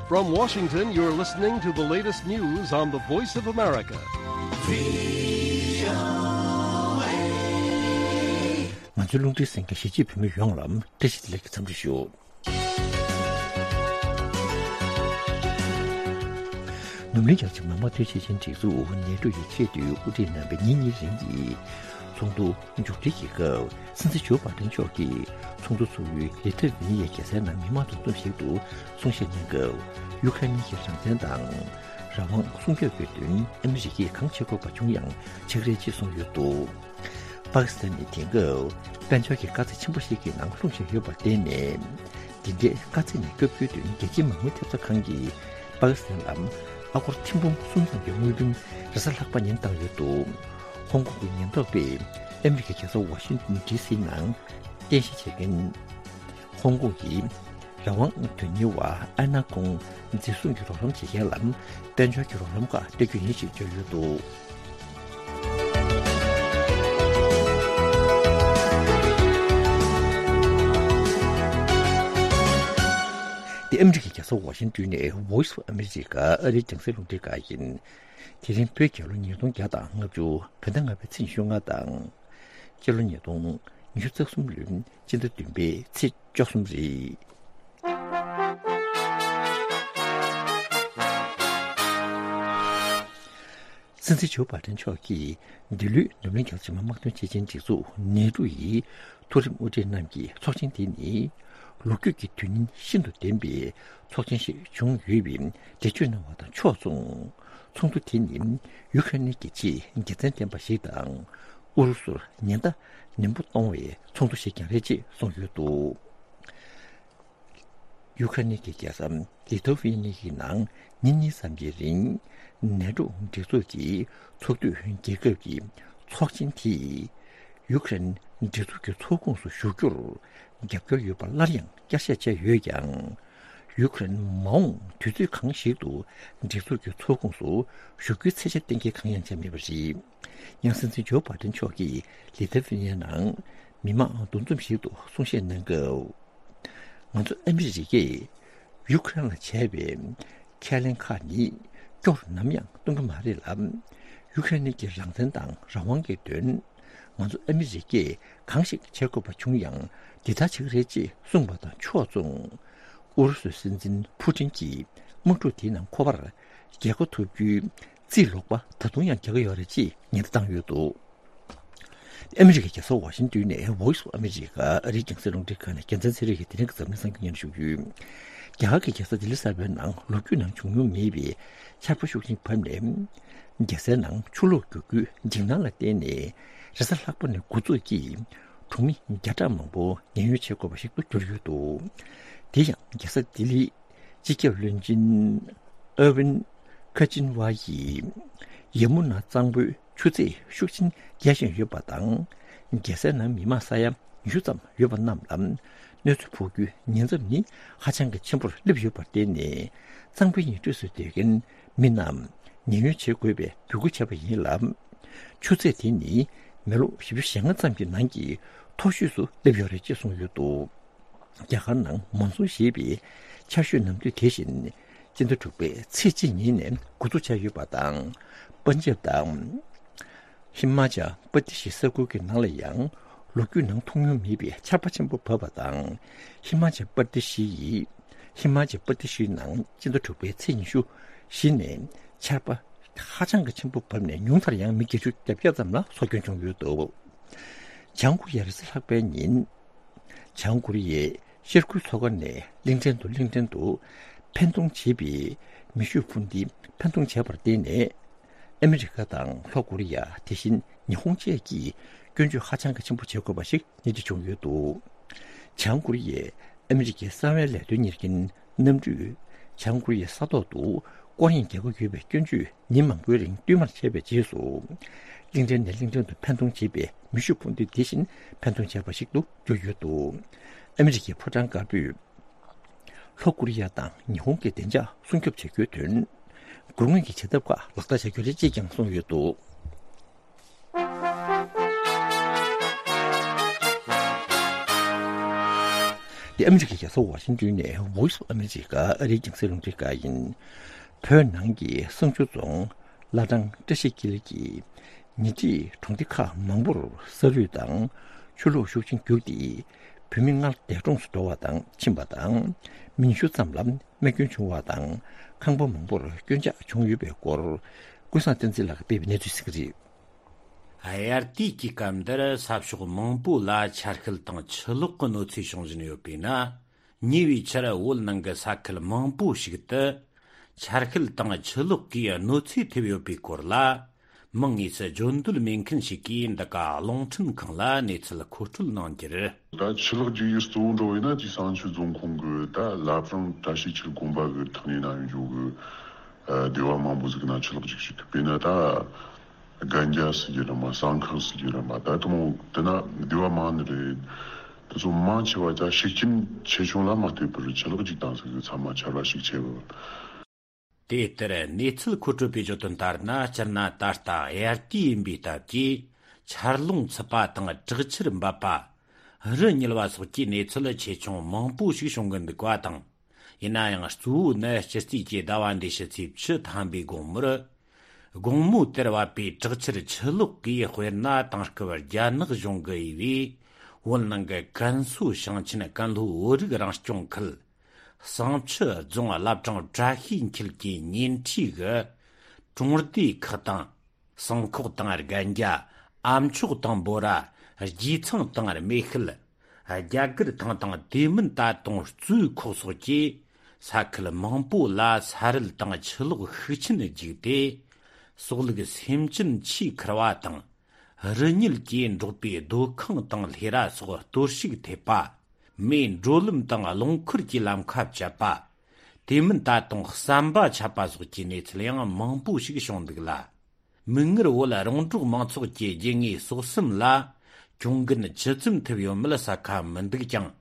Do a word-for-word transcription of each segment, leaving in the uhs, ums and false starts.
From Washington, you're listening to the latest news on the Voice of America. ང་ཚོའི་རླུང་འཕྲིན་གསན་མཁན་གཞིས་བྱེས་བོད་མི་ཡོངས་ལ་བཀྲ་ཤིས་བདེ་ལེགས་ཀྱི་འཚམས་འདྲི་ཞུ། ནུབ་གླིང་རྒྱལ་ཁབ་ཀྱི་མི་དམངས་འཐུས་ཚབ་ཚོགས་ཆེན་སྒྲིག་འཛུགས་ནེ་ཊོ་ཡི་ཆེས་མཐོའི་དབུ་ཁྲིད་རྣམ་པས་ཉིན་གཉིས་རིང་གི་ཚོགས་འདུ་མཇུག་སྒྲིལ་གྱི་སྐབས། སྲིད་འཛིན་ཇོ་བྷའི་ཏན་མཆོག་གིས་ཚོགས་འདུ་ཚོགས་ཡུལ་ལི་ཐ་ཝི་ནི་ཡའི་རྒྱལ་སའི་ནང་མི་མང་འདུ་འཛོམས་ཤིག་ཏུ་གསུང་བཤད་གནང་སྐབས། ཡུ་ཁ་རེན་གྱི་རང་བཙན་དང་རང་དབང་སྲུང་སྐྱོབ་ཀྱི་དོན་ཨ་མི་རི་ཀས་གང་བྱེད་དགོས་པ་བྱུང་ཡང་བྱེད་ཀྱི་རེད་ཅེས་གསུངས་ཡོད་འདུག། པ་ཀི་སི་ཐན་ནི་དེང་སྐབས་དཔལ་འབྱོར་གྱི་དཀའ་ཚེགས་ཆེན་པོ་ཞིག་གི་ནང་ལྷུང་བཞིན་ཡོད་པར་བརྟེན་ནས། འདི་འདྲའི་དཀའ་ཚེགས་ནས་བསྐྱབ་རྒྱུའི་དོན་རྒྱལ་སྤྱིའི་མ་དངུལ་ཐེབས་རྩ་ཁང་གིས་པ་ཀི་སི་ཐན་ལ་ཨ་སྒོར་ཐེར་འབུམ་གསུམ་ཙམ་གྱི་དངུལ་བུན་རེས་གཟའ་ལྷག་པ་ཉིན་བཏང་ཡོད་འདུག། ཧོང་ཀོང་གི་ཉེན་རྟོག་པས་ཨ་མི་རི་ཀའི་རྒྱལ་ས་ཝ་ཤིང་ཏོན་ཌི་སི་ནང་རྟེན་གཞི་བྱེད་མཁན་ཧོང་ཀོང་གི་རང་དབང་དོན་གཉེར་བ་ཨན་ན་ཀོང་འཛིན་བཟུང་གི་རོགས་རམ་བྱེད་མཁན་ལ་དཔལ་འབྱོར་གྱི་རོགས་རམ་ཁག་སྤྲད་རྒྱུ་ཡིན་ཞེས་བརྗོད་ཡོད་འདུག། འདི་ཨ་མི་རི་ཀའི་རྒྱལ་ས་ཝ་ཤིང་ཏོན་ནས་Voice of America ཨ་རིའི་རྒྱང་སྲིང་རླུང་འཕྲིན་ཁང་ཡིན། དེ་རིང་བོད་རྒྱལ་ལོ་ཉིས་སྟོང་བརྒྱ་དང་ལྔ་བཅུ་བོད་ཟླ་ལྔ་པའི་ཚེས་ཉི་ཤུ་ལྔ་དང་། སྤྱི་ལོ་ཉིས་སྟོང་ཉི་ཤུ་རྩ་གསུམ་ལོའི་སྤྱི་ཟླ་བདུན་པའི་ཚེས་བཅུ་གསུམ་རེད། སྲིད་འཛིན་ཇོ་བྷའི་ཏན་མཆོག་གིས་འདི་ལོའི་ནུབ་གླིང་རྒྱལ་ཁབ་ཀྱི་མི་དམངས་འཐུས་ཚབ་ཚོགས་ཆེན་སྒྲིག་འཛུགས་ནེ་ཊོ་ཡི་མཐོ་རིམ་དབུ་ཁྲིད་རྣམས་ཀྱི་ཚོགས་ཆེན་དེ་ནི་ལོ་རྒྱུས་ཀྱི་དོན་སྙིང་ཤིན་ཏུ་ལྡན་པའི་ཚོགས་ཆེན་ཞིག་བྱུང་ཡོད་པའི་འགྲེལ་བརྗོད་གནང་བ་དང་ཕྱོགས་མཚུངས། ཚོགས་འདུ་དེ་ནི་ཡུ་ཁ་རེན་གྱི་ཆེས་དགེ་མཚན་ལྡན་པ་ཞིག་དང་། ཨུ་རུ་སུར་ཉེན་བརྡ་ནན་པོ་གཏོང་བའི་ཚོགས་འདུ་ཞིག་ཀྱང་རེད་ཅེས་གསུངས་ཡོད་འདུག། ཡུ་ཁ་རེན་གྱི་རྒྱལ་ས་ལི་ཐོ་ཝི་ནི་ཡའི་ནང་ཉིན་གཉིས་ཙམ་གྱི་རིང་ནེ་ཊོ་སྒྲིག་འཛུགས་ཀྱི་ཚོགས་འཐུས་རྒྱལ་ཁབ་ཀྱི་ཚོགས་ཆེན་དེས་ཡུ་ཁ་རེན་སྒྲིག་འཛུགས་ཀྱི་ཚོགས་ཁོངས་སུ་ཞུགས་རྒྱུར་རྒྱབ་སྐྱོར་ཡོད་པ་སླར་ཡང་བསྐྱར་བཤད་བྱས་ཡོད་ཀྱང་། ཡུ་ཁ་རེན་མ་འོངས་དུས་ཚོད་གང་ཞིག་ཏུ་སྒྲིག་འཛུགས་ཀྱི་ཚོགས་ཁོངས་སུ་ཞུགས་རྒྱུའི་ཚད་ཆ་གཏན་འཁེལ་གང་ཡང་བྱས་མེད་པ་རེད། ཡང་སྲིད་འཛིན་ཇོ་བྷའི་ཏན་མཆོག་གིས་ལི་ཐ་ཝི་ནི་ཡའི་ནང་མི་མང་འདུ་འཛོམས་ཤིག་ཏུ་གསུང་བཤད་གནང་སྐབས། ང་ཚོ་ཨ་མི་རི་ཀས་ཡུ་ཁ་རེན་ལ་བྱས་པའི་ཁས་ལེན་ཁག་ནི་སྐྱོ་རུ་ནམ་ཡང་གཏོང་གི་མ་རེད་ལ། ཡུ་ཁ་རེན་གྱི་རང་བཙན་དང་རང་དབང་གི་དོན་ང་ཚོ་ཨ་མི་རི་ཀས་གང་ཞིག་བྱེད་དགོས་པ་བྱུང་ཡང་འདི་ལྟར་བྱེད་ཀྱི་རེད་ཅེས་གསུངས་པ་དང་ཕྱོགས་མཚུངས། ཨུ་རུ་སུའི་སྲིད་འཛིན་ཕུ་ཏིན་གྱིས་དམག་འཁྲུག་དེའི་ནང་ཁོ་པར་རྒྱལ་ཁ་ཐོབ་རྒྱུའི་རྩིས་ལོག་པ་ད་དུང་ཡང་རྒྱག་གི་ཡོད་རེད་ཅེས་ཉེན་བརྡ་བཏང་ཡོད་འདུག། ཨ་མི་རི་ཀའི་རྒྱལ་ས་ཝ་ཤིང་ཏོན་ནས་Voice of America ཨ་རིའི་རྒྱང་སྲིང་རླུང་འཕྲིན་ཁང་ནས་རྒྱལ་མཚན་ཚེ་རིང་གིས་དེ་རིང་གི་འཛམ་གླིང་གསར་འགྱུར་སྙན་ཞུ་ཡོད། རྒྱ་གར་གྱི་རྒྱལ་ས་ལྡི་ལི་གསར་པའི་ནང་ལོ་རྒྱུས་ནང་བྱུང་མྱོང་མེད་པའི་ཆར་པ་ཤུགས་ཆེན་བབས་ནས། རྒྱལ་སའི་ནང་ཆུ་ལོག་རྒྱུག་རྒྱུའི་འཇིགས་སྣང་ལ་བརྟེན་ནས་རེས་གཟའ་ལྷག་པ་ནས་འགོ་འཛུགས་ཀྱིས་གྲོང་མི་བརྒྱ་ཕྲག་མང་པོ་ཉེན་གཡོལ་བྱེད་དགོས་པ་ཞིག་ཏུ་གྱུར་ཡོད་འདུག། དེ་ཡང་རྒྱལ་ས་ལྡི་ལི། སྤྱི་ཁྱབ་བློན་ཆེན་ཨར་ཝིན་ཁ་ཅིན་ཝ་ཡིས་ཡ་མུ་ན་གཙང་པོའི་ཆུ་ཚད་ཤུགས་ཆེན་རྒྱས་བཞིན་ཡོད་པ་དང་། རྒྱལ་སའི་ནང་མི་མང་ས་ཡ་ཉི་ཤུ་ཙམ་ཡོད་པ་རྣམས་ལ་གནོད་འཚེ་ཕོག་རྒྱུའི་ཉེན་ཚབས་ནི་ཧ་ཅང་གི་ཆེན་པོར་སླེབས་ཡོད་པར་བརྟེན་ནས། གཙང་པོའི་ཉེ་འཁྲིས་སུ་སྡོད་མཁན་མི་རྣམས་ཉེན་གཡོལ་བྱེད་དགོས་པའི་འབོད་སྐུལ་བྱས་པ་ཡིན་ལ། ཆུ་ཚད་དེ་ནི་མི་ལོ་བཞི་བཅུ་ཞེ་ལྔ་ཙམ་གྱི་ནང་གི་མཐོ་ཤོས་སུ་སླེབས་ཡོད་རེད་ཅེས་གསུངས་ཡོད་འདུག། རྒྱ་གར་ནང་མོན་སུན་ཞེས་པའི་ཆར་ཞོད་ནམ་དུས་དེ་བཞིན་སྤྱི་ཟླ་དྲུག་པའི་ཚེས་གཅིག་ཉིན་ནས་འགོ་འཛུགས་བྱས་ཡོད་པ་དང་། པན་ཇབ་དང་། ཧི་མ་ཅལ་པར་དི་ཤི་ས་ཁུལ་གྱི་ནང་ལ་ཡང་ལོ་རྒྱུས་ནང་མཐོང་མྱོང་མེད་པའི་ཆར་པ་ཆེན་པོ་བབས་པ་དང་། ཧི་མ་ཅལ་པར་དི་ཤི་ཡི། ཧི་མ་ཅལ་པར་དི་ཤིའི་ནང་སྤྱི་ཟླ་དྲུག་པའི་ཚེས་ཉི་ཤུ་བཞི་ནས་ཆར་པ་ཧ་ཅང་གི་ཆེན་པོ་བབས་ནས་ཉུང་མཐར་ཡང་མི་བརྒྱད་ཅུ་གྱ་བརྒྱད་ཙམ་ལ་སྲོག་སྐྱོན་བྱུང་ཡོད་འདུག། བྱང་ཀོ་རི་ཡར་རེས་གཟའ་ལྷག་པའི་ཉིན། བྱང་ཀོ་རི་ཡའི་ཤར་ཁུལ་མཚོ་ཁ་ནས་གླིང་ཕྲན་དུ་གླིང་ཕྲན་དུ་འཕེན་གཏོང་བྱེད་པའི་མེ་ཤུགས་འཕུར་མདེལ་འཕེན་གཏོང་བྱས་པར་བརྟེན་ནས། ཨ་མི་རི་ཀ་དང་ལྷོ་ཀོ་རི་ཡ། དེ་བཞིན་ཉི་ཧོང་བཅས་ཀྱིས་སྐྱོན་བརྗོད་ཧ་ཅང་གི་ཆེན་པོ་བྱེད་དགོས་པ་ཞིག་སྣེ་ཁྲིད་བྱུང་ཡོད་འདུག། བྱང་ཀོ་རི་ཡས་ཨ་མི་རི་ཀའི་གསང་བའི་ལས་དོན་གཉེར་མཁན་གནམ་གྲུས་བྱང་ཀོ་རི་ཡའི་ས་ཐོག་ཏུ་སྐོར་གཡེང་རྒྱག་གི་ཡོད་པའི་སྐྱོན་བརྗོད་ཉིན་མང་པོའི་རིང་བསྟུད་མར་བྱས་པའི་རྗེས་སུ། གླིང་ཕྲན་ནས་གླིང་ཕྲན་དུ་འཕེན་གཏོང་བྱེད་པའི་མེ་ཤུགས་འཕུར་མདེལ་དེ་བཞིན་འཕེན་གཏོང་བྱས་པ་ཞིག་ཏུ་གྱུར་ཡོད་འདུག། ཨ་མི་རི་ཀའི་ཕོ་བྲང་དཀར་པོས། ལྷོ་ཀོ་རི་ཡ་དང་ཉི་ཧོང་གི་བདེ་འཇགས་སྲུང་སྐྱོབ་བྱ་རྒྱུའི་དོན། སྒོ་དངོས་ཀྱི་བྱེད་ཐབས་ཁག་ལག་བསྟར་བྱ་རྒྱུ་རེད་ཅེས་ཀྱང་གསུངས་ཡོད་འདུག། འདི་ཨ་མི་རི་ཀའི་རྒྱལ་ས་ཝ་ཤིང་ཏོན་ནས་Voice of America ཨ་རིའི་རྒྱང་སྲིང་རླུང་འཕྲིན་ཁང་ཡིན། བོད་ནང་གི་བསང་ཆུ་རྫོང་བླ་བྲང་བཀྲ་ཤིས་དཀྱིལ་གྱི་ཉེ་འཁྲིས་གྲོང་སྡེ་ཁག་མང་པོར་ས་རུད་དང་ཆུ་ལོག་ཤུགས་ཆེན་རྒྱུགས་ཏེ། བོད་མི་ལྔ་འདས་གྲོངས་སུ་འགྲོ་བ་དང་ཕྱིན་པ་དང་། མི་ཉི་ཤུ་ཙམ་ལ་རྨས་སྐྱོན་བྱུང་བ་དང་། ཁང་པ་མང་པོར་སྐྱོན་ཆག་བྱུང་ཡོད་པའི་སྐོར། ཀུན་བཟང་བསྟན་འཛིན་ལགས་ཀྱིས་སྤེལ་བའི་གནས་ཚུལ་གཟིགས་གི་རེད། དབྱར་དུས་ཀྱི་སྐབས་འདིར་ས་ཕྱོགས་མང་པོ་ལ་ཆར་ཤུལ་དང་ཆུ་ལོག་གི་གནོད་འཚེ་བྱུང་བཞིན་ཡོད་པས་ན། ཉེ་བའི་ཆར་བོད་ནང་གི་ས་ཁུལ་མང་པོ་ཞིག་ཏུ་ཆར་ཤུལ་དང་ཆུ་ལོག་གིས་གནོད་འཚེ་ཐེབས་ཡོད་པའི་སྐོར་ལ། མིང་དངོས་སུ་བརྗོད་འདོད་མེད་མཁན་ཞིག་གིས་འདི་ག་རླུང་འཕྲིན་ཁང་ལ་གནས་ཚུལ་མཁོ་སྤྲོད་གནང་རྒྱུར། ད་ཆུ་ལོག་རྒྱུག་ཡུལ་གཙོ་བོ་འགྲོ་བས་ན་ཅིག་བསང་ཆུ་རྫོང་ཁོངས་ཀྱི་ད་བླ་བྲང་བཀྲ་ཤིས་འཁྱིལ་དགོན་པ་གི་ཐག་ཉེ་ན་ཡོད་འཇོག་གི་སྡེ་བ་མང་པོ་ཟིག་ན་ཆུ་ལོག་རྒྱུག་ཞིག་དཔེར་ན་ད་སྒན་རྒྱ་ཟེར་རྒྱུ་རེད་མ། བསང་ཁང་ཟེར་རྒྱུ་རེད་མ། ད་དུང་དེ་ན་སྡེ་བ་མང་ནི་རེད། དེ་ཚོ་མང་ཆེ་བ་ད་ཤུགས་རྐྱེན་ཆེ་ཆུང་ལ་མ་ལྟོས་པར་ཆུ་ལོག་རྒྱུག་བཏང་ཟིག་གི་ཚང་མ་ཆར་བ་ཞིག་ཆེ་བ། དེ་ལྟར་གནས་ཚུལ་མཁོ་སྤྲོད་པས་བརྗོད་དོན་ལྟར་ན། སྤྱིར་ན་ད་ལྟ་དབྱར་དུས་ཡིན་པའི་སྟབས་ཀྱིས་ཆར་རླུང་འཚུབ་པ་དང་དྲག་ཆར་འབབ་པ། རི་ཉིལ་བ་སོགས་ཀྱི་གནས་ཚུལ་ཆེ་ཆུང་མང་པོ་ཞིག་བྱུང་གི་འདུག་པ་དང་། ཡིན་ན་ཡང་གཙོ་བོ་ནི་སྤྱི་རྩིས་ཀྱི་ཟླ་བ་འདིའི་ཕྱི་ཚེས་བཅུ་ཐམ་པའི་དགོང་མོར། དགོང་མོ་དེར་བབས་པའི་དྲག་ཆར་ཆུ་ལོག་གིས་དཔེར་ན་དེང་སྐབས་རྒྱ་ནག་གཞུང་གིས་དབྱེ་བའི་བོད་ནང་གི་ཀན་སུའུ་ཞིང་ཆེན་ཀན་ལྷོའི་བོད་རིགས་རང་སྐྱོང་ཁུལ། བསང་ཆུ་རྫོང་བླ་བྲང་བཀྲ་ཤིས་འཁྱིལ་གྱི་ཉེ་འཁྲིས་ཀྱི་གྲོང་སྡེ་ཁག་དང་། སྲང་ཁོག་དང་སྒན་རྒྱ། ཨ་མཆོག་དང་འབོ་ར། རྗེ་ཚང་དང་སྨེ་ཤུལ། རྒྱ་གར་ཐང་དང་དེ་མིན་ད་དུང་གཙོས་ཁོག་སོགས་ཀྱི་ས་ཁུལ་མང་པོ་ལ་ས་རུད་དང་ཆུ་ལོག་ཤུགས་ཆེན་རྒྱུགས་ཏེ། སྲོག་ལུག་སེམས་ཅན་ཆེས་ཁུར་བ་དང་། རི་ཉིལ་གྱིས་འབྲོག་པའི་སྡོད་ཁང་དང་ལྷས་ར་སོགས་གཏོར་བཤིག་ཐེབས་པ། མིའི་འགྲོ་ལམ་དང་རླངས་འཁོར་གྱི་ལམ་ཁ་བཅད་པ། དེ་མིན་ད་དུང་ཟམ་པ་ཆག་པ་སོགས་ཀྱི་གནས་ཚུལ་ཡང་མང་པོ་ཞིག་བྱུང་འདུག་ལ། མིག་སྔར་བོད་རོང་འབྲོག་མང་ཚོགས་ཀྱི་རྒྱུ་དངོས་ཟོག་གསུམ་ལ་གྱོང་གུན་ཇི་ཙམ་ཐེབས་ཡོད་མེད་གསལ་ཁ་མི་འདུག་ཀྱང་།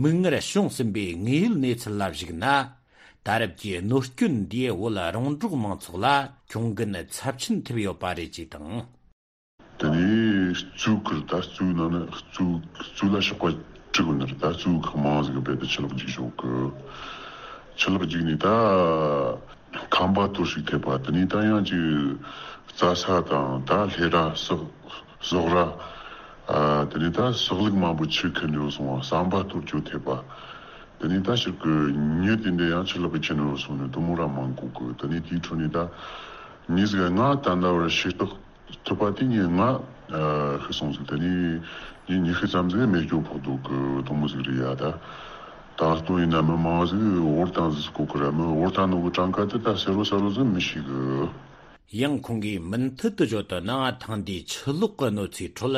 མིག་སྔར་བྱུང་ཟིན་པའི་དངོས་ཡོད་གནས་ཚུལ་ལ་གཞིགས་ན། ད་རེབ་ཀྱི་གནོད་སྐྱོན་འདིས་བོད་རོང་འབྲོག་མང་ཚོགས་ལ་གྱོང་གུན་ཚབས་ཆེན་ཐེབས་ཡོད་པ་རེད་ཅེས་དང་། དེ་ནས་གཙོས་ཁུལ་ད་གཙོས་ནང་ནས་གཙོས་གཙོས་ལ་ཕྱོགས་པ་དྲུག་ནི་རེད། ད་གཙོས་ཁག་མང་ཟིག་རྦད་དེ་ཆུ་ལོག་རྒྱུག་ཞོག་གི། ཆུ་ལོག་རྒྱུག་ནས་ད་ཁང་པ་གཏོར་བཤིག་ཐེབས་པ། དེ་ནས་ད་ཡང་ཅིག་རྩྭ་ས་དང་ད་ལྷས་ར་ཟོག་ཟོག་ར། ཨ་དེ་ནས་ད་ཟོག་ལུག་མང་པོ་ཆུ་ཁུར་ནས་སོང་བ། ཟམ་པ་གཏོར་སྐྱོན་ཐེབས་པ། དེ་ནས་ད་ཕྱིར་གི་མྱི་དེ་འདྲ་ཡང་ཆུ་ལོག་གི་ཁྱེར་ནས་སོང་ནས་དུ་མོ་ར་མང་གོ་གི། དེ་ནས་དེའི་ཁྲོད་ནས་ད་མྱི་ཟིག་ང་ད་ལྟ་བར་ཤེས་རྟོགས་ཐུབ་པ་དེ་ངས་ང་ཤི་སོང་ཟིག། དེ་ནས་ངས་ཉི་ཤུ་ཙམ་ཟིག་རྨས་སྐྱོན་ཕོག་འདུག་གི། དུ་མོ་ཟིག་རེད་ཡ། ད་ད་ལྟོ་ཡིན་ན་མི་མང་ཟིག་བོར་བཏང་ཟིག་གོ་གི་ར། མི་བོར་བཏང་ནོ་གི་གྲངས་ཀ་དེ་ད་གསལ་བོ་གསལ་བོ་ཟིག་མི་ཤེས་གི། ཡང་ཁོང་གིས་མུ་མཐུད་དུ་བརྗོད་དོན་ནང་། ཐེངས་འདིའི་ཆུ་ལོག་གི་གནོད་འཚེའི་ཁྲོད།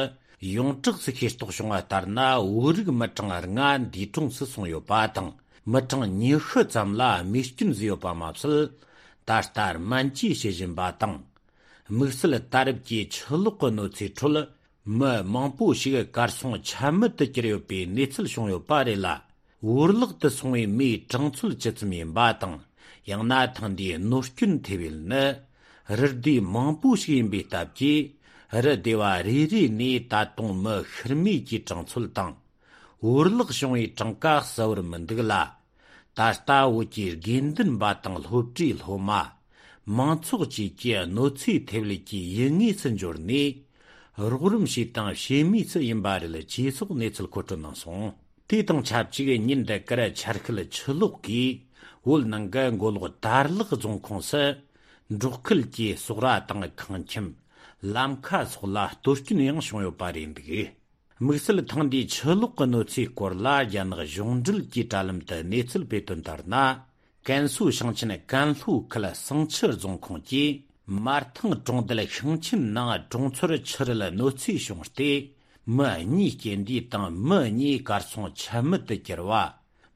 ཡོངས་གྲགས་སུ་ཤེས་རྟོགས་བྱུང་བ་ལྟར་ན། བོད་རིགས་མི་གྲངས་ལྔ་འདས་གྲོངས་སུ་སོང་ཡོད་པ་དང་། མི་གྲངས་ཉི་ཤུ་ཙམ་ལ་རྨས་སྐྱོན་བཟོས་ཡོད་པ་མ་ཟད། ད་ལྟ་སྨན་བཅོས་བྱེད་བཞིན་པ་དང་། དམིགས་བསལ་ད་རེབ་ཀྱི་ཆུ་ལོག་གི་གནོད་འཚེའི་ཁྲོད། མི་མང་པོ་ཞིག་གར་སོང་ཆ་མེད་དུ་གྱུར་ཡོད་པའི་གནས་ཚུལ་བྱུང་ཡོད་པ་རེད་ལ། བོར་བརླག་ཏུ་སོང་བའི་མིའི་གྲངས་ཚོད་ཇི་ཙམ་ཡིན་པ་དང་། ཡང་ན་ཐེངས་འདིའི་གནོད་སྐྱོན་ཐེབས་ཡུལ་ནི་རི་སྡེ་མང་པོ་ཞིག་ཡིན་པའི་སྟབས་ཀྱིས། རི་སྡེ་བ་རེ་རེ་ནས་ད་དུང་མི་ཤི་རྨས་ཀྱི་གྲངས་ཚོད་དང་། བོར་བརླག་བྱུང་བའི་གྲངས་ཀ་གསལ་བོར་མི་འདུག་ལ། ད་ལྟ་བོད་ཀྱི་དགེ་འདུན་པ་དང་སློབ་གྲྭའི་སློབ་མ། མང་ཚོགས་བཅས་ཀྱིས་གནོད་འཚེ་ཐེབས་ལུགས་ཀྱི་ཡུལ་དངོས་སུ་འབྱོར་ནས། རོགས་རམ་བྱས་དང་བྱེད་མུས་སུ་ཡིན་པ་རེད་ཅེས་སོགས་གནས་ཚུལ་མཁོ་སྤྲོད་གནང་སོང་། དེ་དང་ཆབས་ཅིག་ཉིན་འདི་གར་ཆར་ཤུལ་ཆུ་ལོག་གིས་བོད་ནང་གི་མགོ་ལོག་དར་ལག་རྫོང་ཁོངས་སུ། འབྲོག་ཁུལ་གྱི་ཟོག་ར་དང་ཁང་ཁྱིམ། ལམ་ཁ་སོགས་ལ་གཏོར་སྐྱོན་ཡང་བྱུང་ཡོད་པ་རེད་འདུག། དམིགས་བསལ་ཐེངས་འདིའི་ཆུ་ལོག་གི་གནོད་འཚེའི་སྐོར་ལ། རྒྱ་ནག་གཞུང་འབྲེལ་གྱི་དྲ་ལམ་དུ་གནས་ཚུལ་སྤེལ་དོན་ལྟར་ན། ཀན་སུའུ་ཞིང་ཆེན་ཀན་ལྷོ་ཁུལ་བསང་ཆུ་རྫོང་ཁོངས་ཀྱི་མར་ཐང་གྲོང་རྡལ་ཤིང་ཆེན་ནང་གྲོང་ཚོར་ཆུ་རུད་གནོད་འཚེ་བྱུང་སྟེ། མི་གཉིས་རྐྱེན་འདས་དང་མི་གཉིས་གར་སོང་ཆ་མེད་དུ་གྱུར་བ།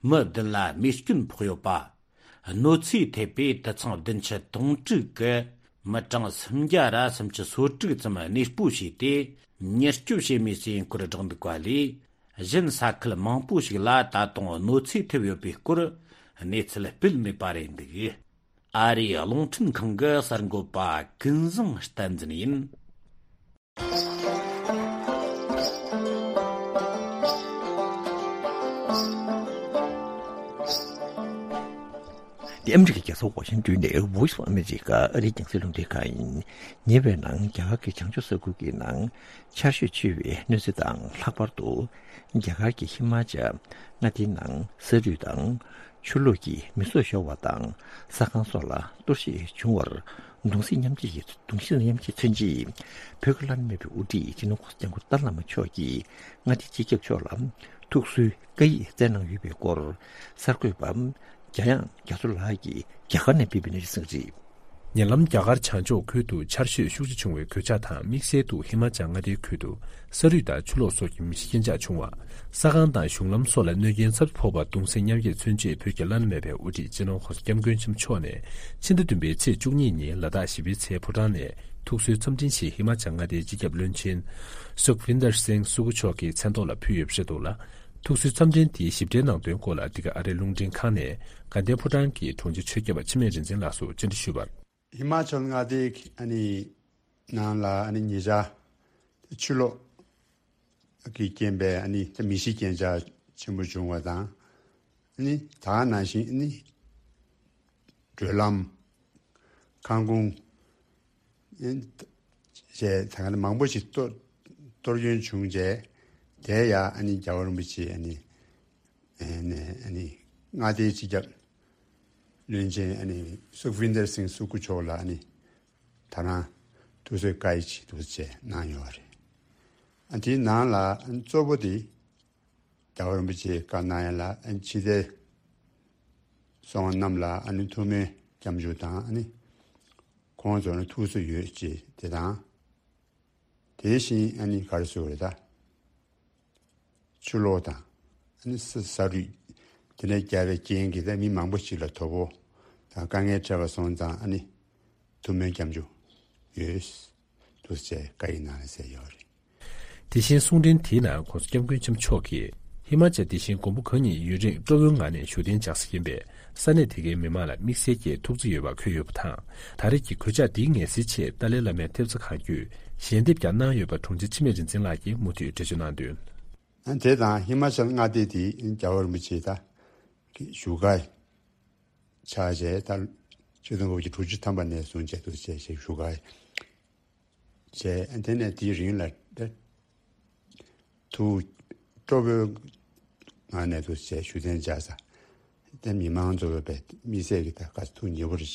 མི་བདུན་ལ་རྨས་སྐྱོན་ཕོག་ཡོད་པ། གནོད་འཚེ་ཐེབས་པའི་དུད་ཚང་བདུན་ཅུ་དོན་དྲུག་གི་མི་གྲངས་སུམ་བརྒྱ་ར་སུམ་ཅུ་སོ་དྲུག་ཙམ་གནས་སྤོ་བྱས་ཏེ། མྱུར་སྐྱོབ་བྱེད་མུས་སུ་ཡིན་སྐོར་བསྒྲགས་འདུག་པ་ལས། གཞན་ས་ཁུལ་མང་པོ་ཞིག་ལ་ད་དུང་གནོད་འཚེ་ཐེབས་ཡོད་པའི་སྐོར་གནས་ཚུལ་སྤེལ་མེད་པ་རེད་འདུག། ཨ་རིའི་རླུང་འཕྲིན་ཁང་གི་གསར་འགོད་པ་ཀུན་བཟང་བསྟན་འཛིན་ཡིན། ཨ་མི་རི་ཀའི་རྒྱལ་ས་ཝ་ཤིང་ཏོན་ནས་Voice of America ཨ་རིའི་རྒྱང་སྲིང་རླུང་འཕྲིན་ཁང་ཡིན། ཉེ་བའི་ནང་རྒྱ་གར་གྱི་བྱང་ཕྱོགས་ས་ཁུལ་གྱི་ནང་ཆར་ཞོད་ཆེ་བའི་གནོད་འཚེ་དང་། ལྷག་པར་དུ་རྒྱ་གར་གྱི་ཧི་མ་ཅལ་མངའ་སྡེའི་ནང་ས་རུད་དང་ཆུ་ལོག་གིས་མི་སྲོག་ཤོར་བ་དང་། ས་ཁང་སོགས་ལ་གཏོར་བཤིག་བྱུང་བར་གདུང་སེམས་མཉམ་སྐྱེད་ཀྱི་གདུང་སེམས་མཉམ་སྐྱེད་མཚོན་ཆེད། བོད་ཀྱི་བླ་ན་མེད་པའི་དབུ་ཁྲིད་སྤྱི་ནོར་༧གོང་ས་༧སྐྱབས་མགོན་ཏཱ་ལའི་བླ་མ་མཆོག་གིས་མངའ་སྡེའི་སྤྱི་ཁྱབ་མཆོག་ལ་ཐུགས་གསོའི་བཀའ་ཡིག་བསྩལ་གནང་ཡོད་པའི་སྐོར། གསར་འགོད་པ་འཇམ་དབྱངས་རྒྱ་མཚོ་ལགས་ཀྱིས་རྒྱ་གར་ནས་སྤེལ་བའི་གནས་ཚུལ་གསན་གྱི་རེད། ཉེ་ལམ་རྒྱ་གར་བྱང་ཕྱོགས་ཁུལ་དུ་ཆར་ཞོད་ཤུགས་ཆེ་བྱུང་བའི་གོད་ཆག་དང་། དམིགས་བསལ་དུ་ཧི་མ་ཅལ་མངའ་སྡེའི་ཁུལ་དུ་ས་རུད་དང་ཆུ་ལོག་སོགས་ཀྱི་མི་ཤི་རྐྱེན་ཆག་བྱུང་བ། ས་ཁང་དང་གཞུང་ལམ་སོགས་ལ་གནོད་རྐྱེན་ཚབས་ཆེ་ཕོག་པར་གདུང་སེམས་མཉམ་སྐྱེད་མཚོན་ཆེད། བོད་ཀྱི་བླ་ན་མེད་པའི་དབུ་ཁྲིད་སྤྱི་ནོར་༧གོང་ས་༧སྐྱབས་མགོན་ཆེན་པོ་མཆོག་ནས་ཕྱི་ཟླ་བདུན་པའི་ཚེས་བཅུ་གཉིས་ཉིན་ལ་དྭགས་བཞི་པའི་ཚལ་ཕོ་བྲང་ནས་ཐུགས་གསོའི་འཚམས་འཕྲིན་ཞིག་ཧི་མ་ཅལ་མངའ་སྡེའི་སྤྱི་ཁྱབ་བློན་ཆེན་སུཁ་བིན་དར་སིང་སུ་ཁུ་མཆོག་གི་མཚན་ཐོག་ལ་ཕུལ་ཡོད་པ་རེད་འདུག་ལ། ཐུགས་གསོའི་འཚམས་འཕྲིན་དེའི་ཞིབ་ཕྲའི་ནང་དོན་སྐོར་ལ། འདི་ག་ཨ་རིའི་རླུང་འཕྲིན་ཁང་ནས་དགའ་ལྡན་ཕོ་བྲང་གི་དྲུང་ཆེ་ཆོས་སྐྱབས་པ་འཆི་མེད་རིག་འཛིན་ལགས་སུ་བཅར་འདྲི་ཞུས་པར། ཧི་མ་ཅལ་མངའ་སྡེའི་ཨ་ནི་ནང་ལ་ཨ་ནི་ཉེ་ཆར་ཆུ་ལོག་གིས་རྐྱེན་པས་ཨ་ནི་མི་ཤི་རྐྱེན་ཆག་ཆེན་པོ་བྱུང་བ་དང་། ཨ་ནི་ད་ག་ནང་བཞིན་ཨ་ནི་བགྲོད་ལམ། ཁང་ཁུངས། ཨ་ནི་བཅས་ད་ག་ནང་མང་པོ་ཞིག་གཏོར་གཏོར་སྐྱོན་བྱུང་རྗེས། དེ་ཡང་ཨ་ནི་རྒྱལ་བ་རིན་པོ་ཆེ་ཨ་ནི་ཨ་ནི་ཨ་ནི་མངའ་སྡེའི་སྤྱི་ཁྱབ་བློན་ཆེན་ཨ་ནི་སུཁ་བིན་དར་སིང་སུ་ཁུ་མཆོག་ལ་ཨ་ནི་ད་རང་ཐུགས་གསོའི་བཀའ་ཡིག་ཅིག་འདུག་སེ་གནང་ཡོད་རེད། ཨ་དེའི་ནང་ལ་ཨ་ནི་གཙོ་བོ་དེ་རྒྱལ་བ་རིན་པོ་ཆེས་བཀའ་གནང་ཡ་ལ་ཨ་ནི་ཕྱི་རྒྱལ་སོང་བ་རྣམས་ལ་ཨ་ནི་ཐུགས་སྨོན་སྐྱབས་འཇུག་དང་། ཨ་ནི་ཁོང་ཚོ་ལ་ཐུགས་གསོ་ཡོད་ཅེས་དེ་དང་། དེ་བཞིན་ཨ་ནི་ག་རེ་ཟེར་དགོས་རེད་ད། ཆུ་ལོག་དང་ཨ་ནི་ས་ས་རུད་དེ་འདྲ་བརྒྱབ་པའི་རྐྱེན་གྱིས་ད་མི་མང་པོ་ཞིག་ལ་དོ་ཕོག་དང་དཀའ་ངལ་འཕྲད་པ་སོང་ཙང་ཨ་ནི་ཐུགས་སྨོན་སྐྱབས་འཇུག་ཡོད་འདུག་ཟེར་བཀའ་ཡིག་ནང་ལ་གསལ་ཡོད་རེད། དེ་བཞིན་གསུང་འཕྲིན་དེའི་ནང་༧གོང་ས་༧སྐྱབས་མགོན་ཆེན་པོ་མཆོག་གིས་ཧི་མ་ཅལ་དེ་བཞིན་མགོན་པོ་གང་ཉིད་ཡུན་རིང་སྤྲོ་བོའི་ངང་ནས་བཞུགས་གདན་འཇགས་ས་ཡིན་པས། ས་གནས་དེ་གའི་མི་མང་ལ་དམིགས་བསལ་གྱི་ཐུགས་བརྩེ་ཡོད་པ་འཁོད་ཡོད་པ་དང་། ད་རེས་ཀྱི་གོད་ཆག་འདིའི་ངལ་སེལ་ཆེད་ཏཱ་ལའི་བླ་མའི་ཐེབས་རྩ་གང་བརྒྱུད་ཞལ་འདེབས་ཀྱང་གནང་ཡོད་པ་དྲུང་ཆེ་འཆི་མེད་རིག་འཛིན་ལགས་ཀྱིས་མུ་མཐུད་འགྲེལ་བརྗོད་གནང་དོན། དེ་དང་ཧི་མ་ཅལ་མངའ་སྡེ་དེ་རྒྱལ་བ་རིན་པོ་ཆེ་ད་བཞུགས་སྒར་ཆགས་བྱས། ད་ཆིག་སྟོང་དགུ་བརྒྱ་དྲུག་ཅུ་ཐམ་པ་ནས་བཟུང་བྱས་འདུག་སེ་བཞུགས་སྒར་བྱས། དེ་ནས་དེའི་རིང་ལ་ཐུགས་སྤྲོ་པོའི་ངང་ནས་འདུག་སེ་བཞུགས་གདན་འཇགས་ས། དེ་མི་མང་ཚོ་བས་དམིགས་བསལ་གྱི་ད་ག་ཐུགས་མཉེས་པོ་རེད།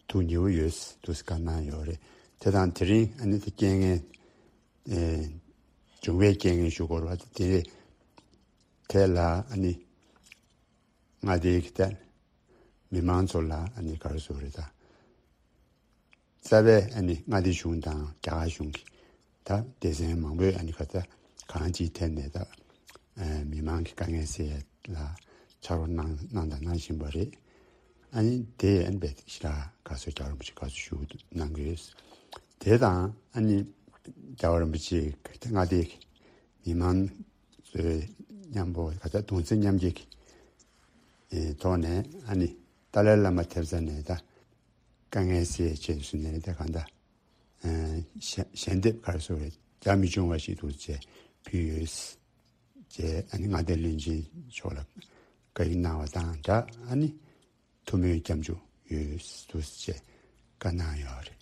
ཐུགས་མཉེས་པོ་ཡོད་འདུག་སེ་བཀའ་གནང་ཡོད་རེད། དེ་དང་དེ་རིང་ཨ་ནི་དེ་རྐྱེན་ངན་ཨེ་བྱུང་བའི་རྐྱེན་ངན་ཞུ་དགོས་རེད་པ། དེ་དེ་ལ་ཨ་ནི་མངའ་སྡེའི་གི་ད་མི་མང་ཚོ་ལ་ཨ་ནི་ག་རེ་ཟེར་དགོས་རེད་ད། རྩ་བའི་ཨ་ནི་མངའ་སྡེ་གཞུང་དང་རྒྱ་གར་གཞུང་གི་ད་སྡེ་ཚན་མང་པོས་ཨ་ནི་ག་ད་གང་ཅིའི་ཐད་ནས་ད་ཨ་མི་མང་གི་དཀའ་ངལ་སེལ་ཡ་ལ་ཕྱག་རོགས་གནང་གནང་དང་གནང་བཞིན་པ་རེད། ཨ་ནི་དེ་ཨ་ནི་བས་ཞེ་དྲག་དགའ་བསུ་རྒྱལ་བ་རིན་པོ་ཆེ་དགའ་བསུ་ཞུ་གནང་གི་ཡོད། དེ་དང་ཨ་ནི་རྒྱལ་བ་རིན་པོ་ཆེ་གི་མངའ་སྡེ་གི་མི་མང་ཚོའི་མཉམ་པོ་ག་ད་གདུང་སེམས་མཉམ་སྐྱེད་ཀྱི་ཐོག་ནས་ཨ་ནི་ཏཱ་ལའི་བླ་མ་ཐེབས་རྩ་ནས་ད་དཀའ་ངལ་སེལ་ཆེད་དུ་ནས་ད་གང་ལྟར་ཞལ་ཞལ་འདེབས་ག་རེ་ཟེར་དགོས་རེད། རྒྱ་མི་བྱུང་བ་ཞིག་འདུག་ཅེས་ཕུལ་ཡོད་ཅེས་ཨ་ནི་མངའ་སྡེ་བློན་ཆེན་མཆོག་ལ་བཀའ་ཡིག་གནང་བ་དང་སྦྲགས་ཨ་ནི་ཐུགས་སྨོན་སྐྱབས་འཇུག་ཡོད་འདུག་ཅེས་བཀའ་གནང་ཡོད་རེད།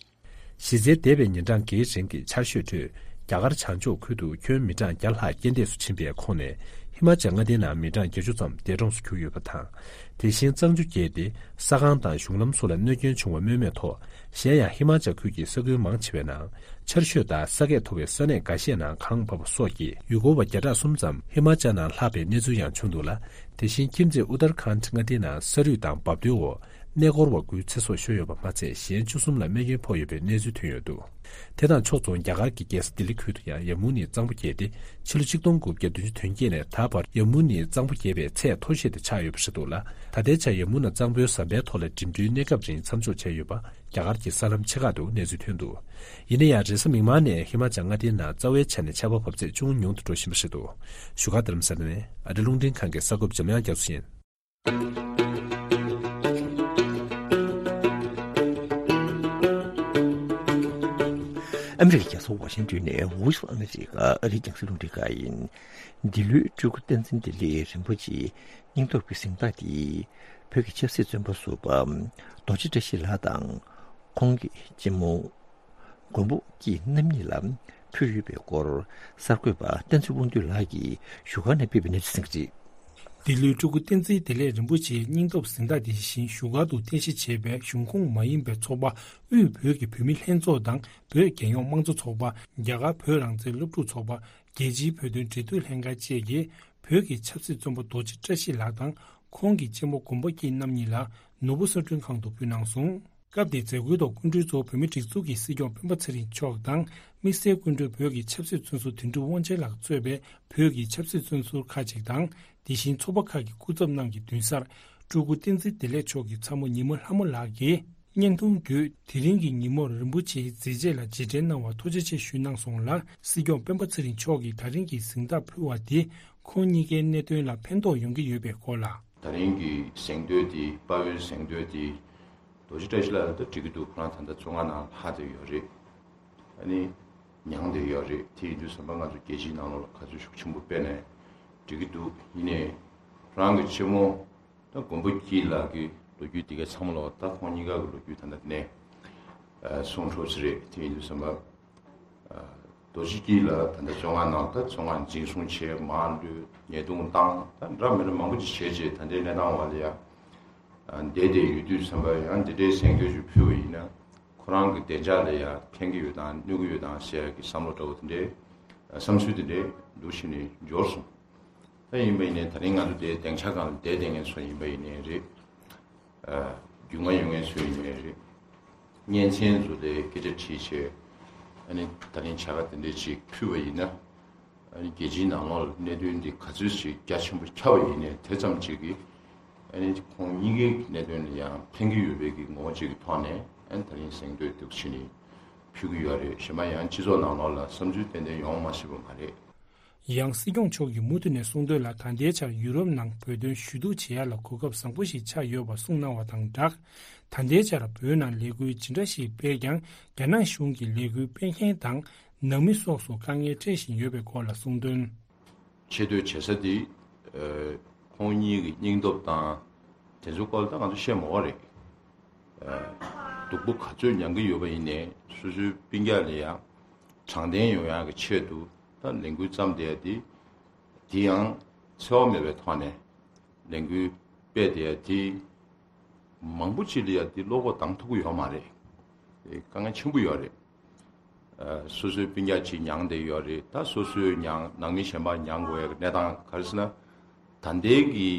གཞི་རྩའི་འདས་པའི་ཉིན་གྲངས་འགའི་རིང་གི་ཆར་ཞོད་ཁྲོད་རྒྱ་གར་བྱང་ཕྱོགས་ཁུལ་དུ་ཁྱོན་མི་གྲངས་བརྒྱ་ལྷག་རྐྱེན་འདས་སུ་ཕྱིན་པའི་ཁོངས་ནས་ཧི་མ་ཅལ་མངའ་སྡེའི་ནང་མི་གྲངས་བརྒྱད་ཅུ་ཙམ་འདས་གྲོངས་སུ་གྱུར་ཡོད་པ་དང་། དེ་བཞིན་གཙང་ཆུ་བརྒྱད་དེ་ས་ཁང་དང་གཞུང་ལམ་སོགས་ལ་གནོད་སྐྱོན་བྱུང་བ་སྨོས་མེད་ཐོག་གཞན་ཡང་ཧི་མ་ཅལ་ཁུལ་གྱི་ས་ཁུལ་མང་ཆེ་བའི་ནང་ཆར་ཞོད་དང་ས་ཁད་མཐོ་བའི་ས་གནས་འགའ་ཤས་ནང་གངས་བབས་པ་སོགས་ཀྱིས་ཡུལ་སྐོར་བ་བརྒྱ་ཕྲག་གསུམ་ཙམ་ཧི་མ་ཅལ་ནང་ལྷག་པའི་གནས་ཚུལ་ཡང་བྱུང་འདུག་ལ། དེ་བཞིན་ཁྱིམ་མཚེས་ཨུ་ཏར་ཁཱན་མངའ་སྡེའི་ནང་ས་རུད་དང་འབབ་རྡོའི་འོག་གནས་སྐོར་བ་དགུའི་ཚེ་སྲོག་ཤོར་ཡོད་པ་མ་ཚད་གཞན་བཅུ་གསུམ་ལ་རྨས་སྐྱོན་ཕོག་ཡོད་པའི་གནས་ཚུལ་ཐོན་ཡོད་འདུག་དེ་དང་ཕྱོགས་མཚུངས་རྒྱ་གར་གྱི་རྒྱལ་ས་ལྡི་ལི་ཁུལ་དུ་ཡང་ཡ་མུ་ནིའི་གཙང་པོ་བརྒྱད་དེ་ཕྱི་ལོ་ཆིག་སྟོང་དགུ་བརྒྱ་བདུན་ཅུ་དོན་བརྒྱད་ནས་ད་བར་ཡ་མུ་ནིའི་གཙང་པོ་བརྒྱད་པའི་ཚད་མཐོ་ཤོས་དེ་ཆགས་ཡོད་པ་རེད་འདུག་ལ། ད་ལྟའི་ཆར་ཡ་མུ་ན་གཙང་པོའི་ཟམ་པའི་ཐོག་ལ་འགྲིམ་འགྲུལ་གནས་སྐབས་རིང་མཚམས་འཇོག་བྱས་ཡོད་པ་རྒྱ་གར་གྱི་གསར་ལམ་ཆེ་ཁག་ཏུ་གནས་ཚུལ་ཐོན་འདུག་ཡིན་ན་ཡང་རེས་གཟའ་མིག་དམར་ནས་ཧི་མ་ཅལ་མངའ་སྡེའི་ནང་རྩ་བའི་ཆ་ནས་ཆར་པ་འབབ་ཚད་ཅུང་ཉུང་དུ་འགྲོ་བཞིན་པ་རེད་འདུག་བཞུགས་སྒར་རྡ་རམ་ས་ལ་ནས་ཨ་རིའི་རླུང་འཕྲིན་ཁང་གི་གསར་འགོད་པ་འཇམ་དབྱངས་རྒྱ་མཚོ་ཡིན། ཨ་མི་རི་ཀའི་རྒྱལ་ས་ཝ་ཤིང་ཏོན་ནས་Voice of America ཨ་རིའི་རྒྱང་སྲིང་རླུང་འཕྲིན་ཁང་ཡིན། འདི་ལོའི་སྤྲུལ་སྐུ་བསྟན་འཛིན་བདེ་ལེགས་རིན་པོ་ཆེའི་སྙིང་སྟོབས་ཀྱི་གཟེངས་རྟགས་དེ་ བོད་ཀྱི་ཆབ་སྲིད་བཙོན་པ་ཟུར་པ་རྡོ་རྗེ་བཀྲ་ཤིས་ལགས་དང་། ཁོང་གི་གཅེན་མོ་མགོན་པོ་སྐྱིད་རྣམ་གཉིས་ལ་ཕུལ་ཡོད་པའི་སྐོར། གསར་འགོད་པ་བསྟན་འཛིན་དབང་འདུས་ལགས་ཀྱིས་བཞུགས་སྒར་ནས་སྤེལ་བའི་གནས་ཚུལ་ཟིན་གྱི་རེད། འདི་ལོའི་སྤྲུལ་སྐུ་བསྟན་འཛིན་བདེ་ལེགས་རིན་པོ་ཆེའི་སྙིང་སྟོབས་གཟེངས་རྟགས་དེ་བཞིན་བཞུགས་སྒར་དུ་རྟེན་གཞི་བྱས་པའི་གཞུང་ཁོངས་མ་ཡིན་པའི་ཚོགས་པ་དབུས་བོད་ཀྱི་བོད་མི་ལྷན་ཚོགས་དང་། བོད་རྒྱལ་ཡོངས་དམངས་གཙོ་ཚོགས་པ། རྒྱ་གར་བོད་རང་བཙན་སློབ་ཕྲུག་ཚོགས་པ། རྒྱལ་སྤྱིའི་བོད་དོན་འབྲེལ་མཐུད་ལྷན་ཁང་བཅས་ཀྱིས་བོད་ཀྱི་ཆབ་སྲིད་བཙོན་པ་རྡོ་རྗེ་བཀྲ་ཤིས་ལགས་དང་། ཁོང་གི་གཅེན་མོ་མགོན་པོ་སྐྱིད་རྣམ་གཉིས་ལ་ནོར་བུ་གསོལ་མགྲོན་ཁང་དུ་ཕུལ་གནང་སོང་། སྐབས་དེའི་མཛད་སྒོའི་ཐོག་སྐུ་མགྲོན་གཙོ་བོ་བོད་མིའི་སྒྲིག་འཛུགས་ཀྱི་སྲིད་སྐྱོང་སྤེན་པ་ཚེ་རིང་མཆོག་དང་། དམིགས་བསལ་སྐུ་མགྲོན་བོད་ཀྱི་ཆབ་སྲིད་བཙོན་ཟུར་དོན་གྲུབ་དབང་ཆེན་ལགས་གཙོས་པའི་བོད་ཀྱི་ཆབ་སྲིད་བཙོན་ཟུར་ཁག་ཅིག་དང་། དེ་བཞིན་ཚོགས་པ་ཁག་གི་སྐུ་ཚབ་རྣམས་ཀྱི་མདུན་སར། སྤྲུལ་སྐུ་བསྟན་འཛིན་བདེ་ལེགས་མཆོག་གི་ཚ་མོ་ཉི་མ་ལྷ་མོ་ལགས་ཀྱིས། བརྙན་ཐུང་བརྒྱུད་དེ་རིང་གི་ཉིན་མོར་རིན་པོ་ཆེའི་མཛད་རྗེས་ལ་རྗེས་དྲན་གནང་བར་ཐུགས་རྗེ་ཆེ་ཞུས་གནང་སོང་ལ། སྲིད་སྐྱོང་སྤེན་པ་ཚེ་རིང་མཆོག་གིས་ད་རིང་གི་གཟེངས་རྟགས་ཕུལ་བ་དེ་ཁོང་གཉིས་ཀའི་གནད་དོན་ལ་ཕན་ཐོགས་ཡོང་གི་ཡོད་པའི་སྐོར་ལ། ད་རིང་གི་གཟེངས་བསྟོད་དེ་དཔའ་བོའི་གཟེངས་བསྟོད་དེ་རྡོ་རྗེ་བཀྲ་ཤིས་ལགས་ལ་ད་འགྲིག་གི་འདུག་ཁོ་རང་ད་ལྟ་བཙོན་ཁང་ནང་ལྷག་བསྡད་ཡོད་རེད། ཨ་ནི་མྱངས་བསྡད་ཡོད་རེད། དེ་ཡིན་དུས་ཙམ་པ་ང་ཚོ་རྒྱལ་སྤྱིའི་ནང་ལོགས་ལ་ག་ཚོད་ཤུགས་ཆེན་པོ་སྤེལ་ནས་འགྲིག་གི་འདུག་ཡིན་ནའི་ཁོ་རང་གི་གཅེན་མོ། ད་མགོན་པོ་སྐྱིད་ལགས་ཀྱི་ལོ་རྒྱུས་དེ་གའི་ཚང་མ་ལོག་ད་ཁོང་གཉིས་ཀ་གི་ལོ་རྒྱུས་ད་ལྟ་ནས་གསུང་འཕྲོ་ཚུལ་རེད། དེ་ཡིན་དུས་ཙམ་པ་རྡོ་རྗེ་སྐྱིད་ལགས་ད་ལྟ་བཙོན་ཁང་ནང་ད་བཙོན་ཁང་འཛིན་བཟུང་བྱས་མར་ལུས་ཉེས་རྡུང་བཏང་ད་འདྲ་མི་འདྲ་མང་པོ་ཅིག་བྱས་རྗེས་ད་ལྟའི་གནས་སྟངས་བ་ལ་ཡང་བསྡད་བསྡད་ཡོད་དུས་ཙམ་པ་ཡང་འདི་འདྲའི་གཟེངས་བསྟོད་ཅིག་ཕུལ་བ་ཡིན་ན་ཁོ་རང་གི་བདེ་འཇགས་ལ་ཡང་ཕན་གྱི་ཡོད་དང་གནོད་ཀྱི་ཡོད་དང་ཟེར་ཡ་གི་བསམ་བློ་འདྲ་བོ་དེ་འདྲའི་བསམ་ཚུལ་དེ་འདྲའི་འདུག་བྱས་ནས་འབྱོར་སོང་། ད་ཡིན་པ་ཡིན་ནའི་ད་རིང་ང་ཚོ་དེའི་སྡིངས་ཆ་སྒང་ལ་བསྡད་བསྡད་མཁན་ཚོ་ཡིན་པ་ཡིན་ནའི་རེད། རྒྱུས་མངའ་ཡོད་མཁན་ཚོ་ཡིན་ནའི་རེད། གཉེན་ཚན་ཚོ་ལ་སྐད་ཆ་དྲིས་བྱས། ཨ་ནི་ད་རིང་བྱ་དགའ་དེ་འདྲས་ཅིག་ཕུལ་བ་ཡིན་ན། ཨ་ནི་རྒྱལ་སྤྱིའི་ནང་ལོགས་ལ་གནད་དོན་འདི་ག་ཚོད་ཅིག་རྒྱ་ཆེན་པོ་ཁྱབ་པ་ཡིན་ནའི་དེ་ཙམ་ཅིག་གིས། ཨ་ནི་ཁོང་གཉིས་ཀའི་གནད་དོན་ལ་ཡང་ཕན་གྱི་ཡོད་པའི་གི་ངོ་བོ་ཅིག་གི་ཐོག་ནས་ཨ་ནི་ད་རིང་གཟེངས་བསྟོད་འདུག་བྱས་ནས་ཕུལ་གྱི་ཡོད་རེད། གཞན་པ་ཡང་སྤྱི་ཚོགས་ནང་ལོགས་ལ་བསམ་ཚུལ་ཏན་ཏན་ཡོང་མ་སྲིད་པ་མ་རེད། ཡང་སྲིད་སྐྱོང་མཆོག་གིས་མུ་མཐུད་ནས་གསུངས་དོན་ལ། ད་ལྟའི་ཆར་ཡུ་རོབ་ནང་བོད་དོན་ཞུ་གཏུག་བྱེད་ཡ་ལ་གོ་སྐབས་བཟང་པོ་ཞིག་ཆགས་ཡོད་པ་གསུངས་གནང་བ་དང་སྦྲགས། ད་ལྟའི་ཆར་བོད་ནང་ལས་འགུལ་ཇི་འདྲ་ཞིག་སྤེལ་ཀྱང་རྒྱ་ནག་གཞུང་གིས་ལས་འགུལ་སྤེལ་མཁན་དང་ནང་མི་སོགས་སུ་དཀའ་ངལ་འཕྲད་བཞིན་ཡོད་པའི་སྐོར་ལ་གསུངས་དོན། ཆེ་བསྟོད་བྱེད་ས་དེ་ཁོང་གཉིས་ཀྱི་སྙིང་སྟོབས་དང་དེ་ཚོའི་སྐོར་ལ་ད་ང་ཚོ་བཤད་མ་དགོས་རེད། སྡུག་པོ་ག་ཚོད་མྱང་གི་ཡོད་པ་ཡིན་ནའི་སོ་སོའི་སྤུན་ཀྱག་ལ་ཡང་དྲང་བདེན་ཡོང་ཡག་གི་ཆེད་དུ་ད་ལས་འགུལ་བརྩམས་བསྡད་ཡ་དེ། དེ་ཡང་འཚེ་བ་མེད་པའི་ཐོག་ནས་ལས་འགུལ་སྤེལ་བསྡད་ཡ་དེ། མང་པོ་ཅིག་ལ་ཡ་དེ་བློ་ཁོག་འདང་ཐུབ་ཀྱི་ཡོད་མ་རེད། དེ་དཀའ་ངལ་ཆེན་པོ་ཡོད་རེད། སོ་སོའི་སྤུན་ཀྱག་ཅིག་མྱངས་བསྡད་ཡོད་རེད། ད་སོ་སོའི་མྱངས་ནང་མི་གཞན་པ་མྱངས་དགོས་ཡ་གི་གནས་སྟངས་ག་རེ་ཟེར་ན། ད་ལྟའི་གི་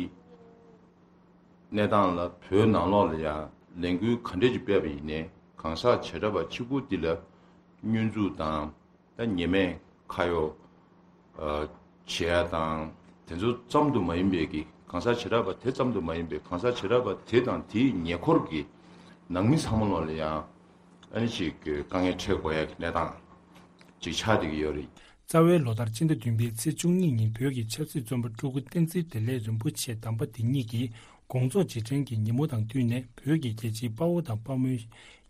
གནས་སྟངས་ལ་བོད་ནང་ལོགས་ལ་ཡང་ལས་འགུལ་ག་འདྲས་ཅིག་སྤེལ་བ་ཡིན་ནའི་གང་ཟག་བྱེ་བྲག་པ་གཅིག་པུ་འདི་ལ་བསྙོན་འཛུགས་དང་ད་ཉེས་མེད་ཁ་གཡོག་བྱེད་ཡ་དང་དེ་ཚོ་ཙམ་དུ་མ་ཡིན་པའི་གི་གང་ཟག་བྱེ་བྲག་པ་དེ་ཙམ་དུ་མ་ཡིན་པའི་གང་ཟག་བྱེ་བྲག་པ་དེ་དང་དེའི་ཉེ་འཁོར་གྱི་ནང་མི་ཚང་མ་ལོགས་ལ་ཡང་ཨ་ནི་ཅིག་དཀའ་ངལ་འཕྲད་དགོས་ཡ་གི་གནས་སྟངས་ཅིག་ཆགས་བསྡད་ཀྱི་ཡོད་རེད། རྩ་བའི་ལོ་ལྟར་སྤྱི་ཟླ་བདུན་པའི་ཚེས་བཅུ་གཉིས་ཉིན་བོད་ཀྱི་ཆབ་སྲིད་བཙོན་པ་སྤྲུལ་སྐུ་བསྟན་འཛིན་བདེ་ལེགས་རིན་པོ་ཆེ་དམ་པ་དེ་ཉིད་ཀྱི་དགོངས་རྫོགས་རྗེས་དྲན་གྱི་ཉིན་མོ་དང་བསྟུན་ནས་བོད་ཀྱི་རྒྱལ་གཅེས་དཔའ་བོ་དང་དཔའ་མོའི་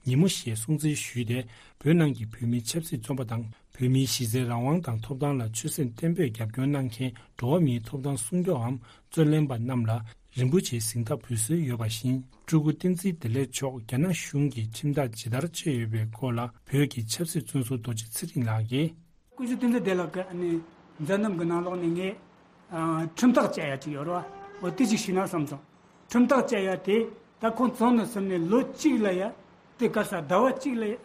ཉིན་མོ་ཞེས་སྲུང་བརྩི་ཞུས་ཏེ། བོད་ནང་གི་བོད་མིའི་ཆབ་སྲིད་བཙོན་པ་དང་བོད་མིའི་གཞི་རྩའི་རང་དབང་དང་ཐོབ་ཐང་ལ་ཆོད་སེམས་བརྟན་པོས་རྒྱབ་སྐྱོར་གནང་མཁན་འགྲོ་བ་མིའི་ཐོབ་ཐང་སྲུང་སྐྱོབ་བམ་རྩོད་ལེན་པ་རྣམས་ལ་རིན་པོ་ཆེའི་གཟེངས་རྟགས་འབུལ་སྲོལ་ཡོད་པ་བཞིན། སྤྲུལ་སྐུ་བསྟན་འཛིན་བདེ་ལེགས་མཆོག་རྒྱ་ནག་གཞུང་གིས་ཁྲིམས་ཐག་ཇི་ལྟར་བཅད་ཡོད་པའི་སྐོར་ལ་བོད་ཀྱི་ཆབ་སྲིད་བཙོན་ཟུར་རྡོ་རྗེ་ཚེ་རིང་ལགས་ཀྱིས། སྐུ་ཞབས་བསྟན་འཛིན་བདེ་ལེགས་ཀྱི་ཨ་ནི་མཛད་རྣམ་གྱི་ནང་ལོགས་ནས་ངས་ཨ་ཁྲིམས་ཐག་བཅད་ཡ་ཅིག་ཡོད་རེད་བ། འོ་དེ་ཅིག་ཞུས་ན་བསམ་སོང་། ཁྲིམས་ཐག་བཅད་ཡ་དེ་ད་ཁོང་བཙོན་ནས་ཟིན་ནས་ལོ་གཅིག་ལ་ཡ་དེ་ག་ས་ཟླ་བ་གཅིག་ལ་ཡ་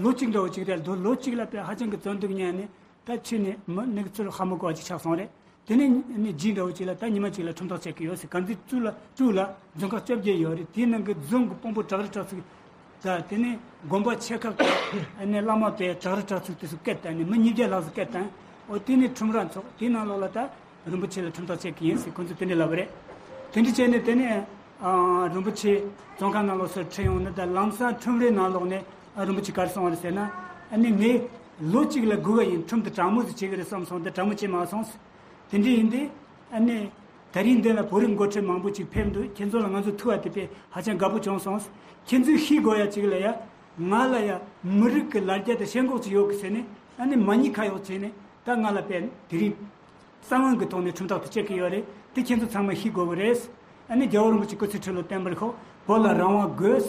ལོ་གཅིག་འདྲ་བོ་ཅིག་རེད་འདུག་ལོ་གཅིག་ལ་དཔེ་ཧ་ཅང་གི་བཙོན་སྡུག་མྱངས་ནས་ད་ཕྱི་ནས་མི་ནི་ཚུར་ཧ་མ་གོ་བ་ཅིག་ཆགས་སོང་རེད། དེ་ནས་ནི་རྗེས་འདྲ་བོ་ཅིག་ལ་ད་ཉི་མ་གཅིག་ལ་ཁྲིམས་ཐག་བཅད་ཀྱི་ཡོད་ཟེར། དཀར་མཛེས་གཙུག་ལ་དྲུག་ལ་རྫོང་ཁག་བཅོ་བརྒྱད་ཡོད་རེད། དེའི་ནང་གི་རྫོང་གི་དཔོན་པོ་བྲག་རི་བྲག་ཚུགས་དང་དེ་ནས་དགོན་པ་ཆེ་ཁག་གི་ནས་བླ་མ་དཔེ་བྲག་རི་བྲག་ཚུགས་དེ་ཚོ་སྐད་བཏང་ནས་མི་ཉིས་བརྒྱ་ལྷག་ཙམ་སྐད་བཏང་། འོ་དེ་ནས་ཁྲིམས་ར་འཚོགས། དེའི་ནང་ལོགས་ལ་ད་རིན་པོ་ཆེ་ལ་ཁྲིམས་ཐག་བཅད་ཀྱི་ཡིན་ཟེར་ཁོང་ཚོས་དེ་འདྲ་ལབ་པ་རེད། དེ་འདྲ་བྱས་ནས་དེ་ནས་ཨ་རིན་པོ་ཆེ་བཙོན་ཁང་ནང་ལོགས་སུ་ཁྲིད་ཡོང་ནས་ད་ལམ་སང་ཁྲིམས་རའི་ནང་ལོགས་ནས་ཨ་རིན་པོ་ཆེ་ག་རེ་གསུངས་པ་རེད་ཟེར་ན། ཨ་ནི་ངས་ལོ་གཅིག་ལ་སྒུག་ག་ཡིན། ཁྲིམས་དེ་དྲང་མོ་ཟིག་བྱེད་གི་རེད་བསམ་སོང་། དེ་དྲང་མོ་བྱེད་མ་སོང་། དེ་འདྲ་ཡིན་དུས་ཨ་ནི་ད་རིང་འདི་ལ་བོད་རིགས་འགོ་ཁྲིད་མང་པོ་ཅིག་ཕེབས་འདུག་ཁྱེད་ཚོ་ལ་ང་ཚོ་ཐུག་པ་དེ་དཔེ་ཧ་ཅང་དགའ་པོ་བྱུང་སོང་། ཁྱེད་ཚོས་ཤེས་དགོས་ཡ་ཅིག་ལ་ཡ་ང་ལ་ཡ་མི་རིགས་ཀྱི་ལ་རྒྱ་དང་ཞེན་ཁོག་ཅིག་ཡོད་གི་ཟེར་ནས་ཨ་ནི་མ་ཉེས་ཁ་གཡོག་བྱས་ནས་ད་ང་ལ་དཔེ་དེ་རིང་གསང་བའི་གི་ཐོག་ནས་ཁྲིམས་ཐག་དེ་བཅད་གི་ཡོད་རེད། དེ་ཁྱེད་ཚོ་ཚང་མ་ཤེས་དགོས་གི་རེད། ཨ་ནི་རྒྱལ་བ་རིན་པོ་ཆེ་སྐུ་ཚེ་ཁྲི་ལོ་བརྟན་པར་ཤོག་བོད་ལ་རང་དབང་དགོས།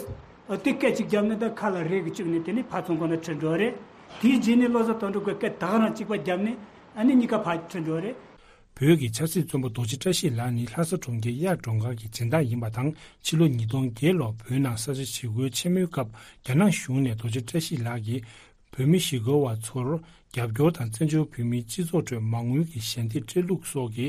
ཨ་དེ་སྐད་ཅིག་བརྒྱབ་ནས་ད་ཁ་ལ་རས་ཀྱིས་བཅུག་ནས་དེ་ནས་ཕར་ཚོང་ཁང་ནང་ཁྲིད་འགྲོ་བ་རེད། དེའི་རྗེས་ནས་བློ་བཟང་དོན་གྲུབ་ཀྱིས་སྐད་ད་ག་རང་གཅིག་པ་བརྒྱབ་ནས་ཨ་ནི་གཉིས་ཀ་ཕར་ཁྲིད་འགྲོ་བ་རེད། བོད་ཀྱི་ཆབ་སྲིད་བཙོན་པ་རྡོ་རྗེ་བཀྲ་ཤིས་ལགས་ནི་ལྷ་ས་གྲོང་ཁྱེར་གཡག་སྒྲོམ་མཁར་གྱི་སྦྱིན་བདག་ཡིན་པ་དང་། ཕྱི་ལོ་ཉིས་སྟོང་བརྒྱད་ལོར་བོད་ནང་ས་ཆ་ཞི་རྒོལ་ཆེན་མོའི་སྐབས་རྒྱ་ནག་གཞུང་ནས་རྡོ་རྗེ་བཀྲ་ཤིས་ལགས་ཀྱིས་བོད་མི་ཞི་རྒོལ་བ་ཚོར་རྒྱབ་སྐྱོར་དང་བཙན་བྱོལ་བོད་མིའི་སྤྱི་ཚོགས་ཁྲོད་མ་དངུལ་གྱི་ཞལ་འདེབས་སྤྲད་ལུགས་སོགས་ཀྱི་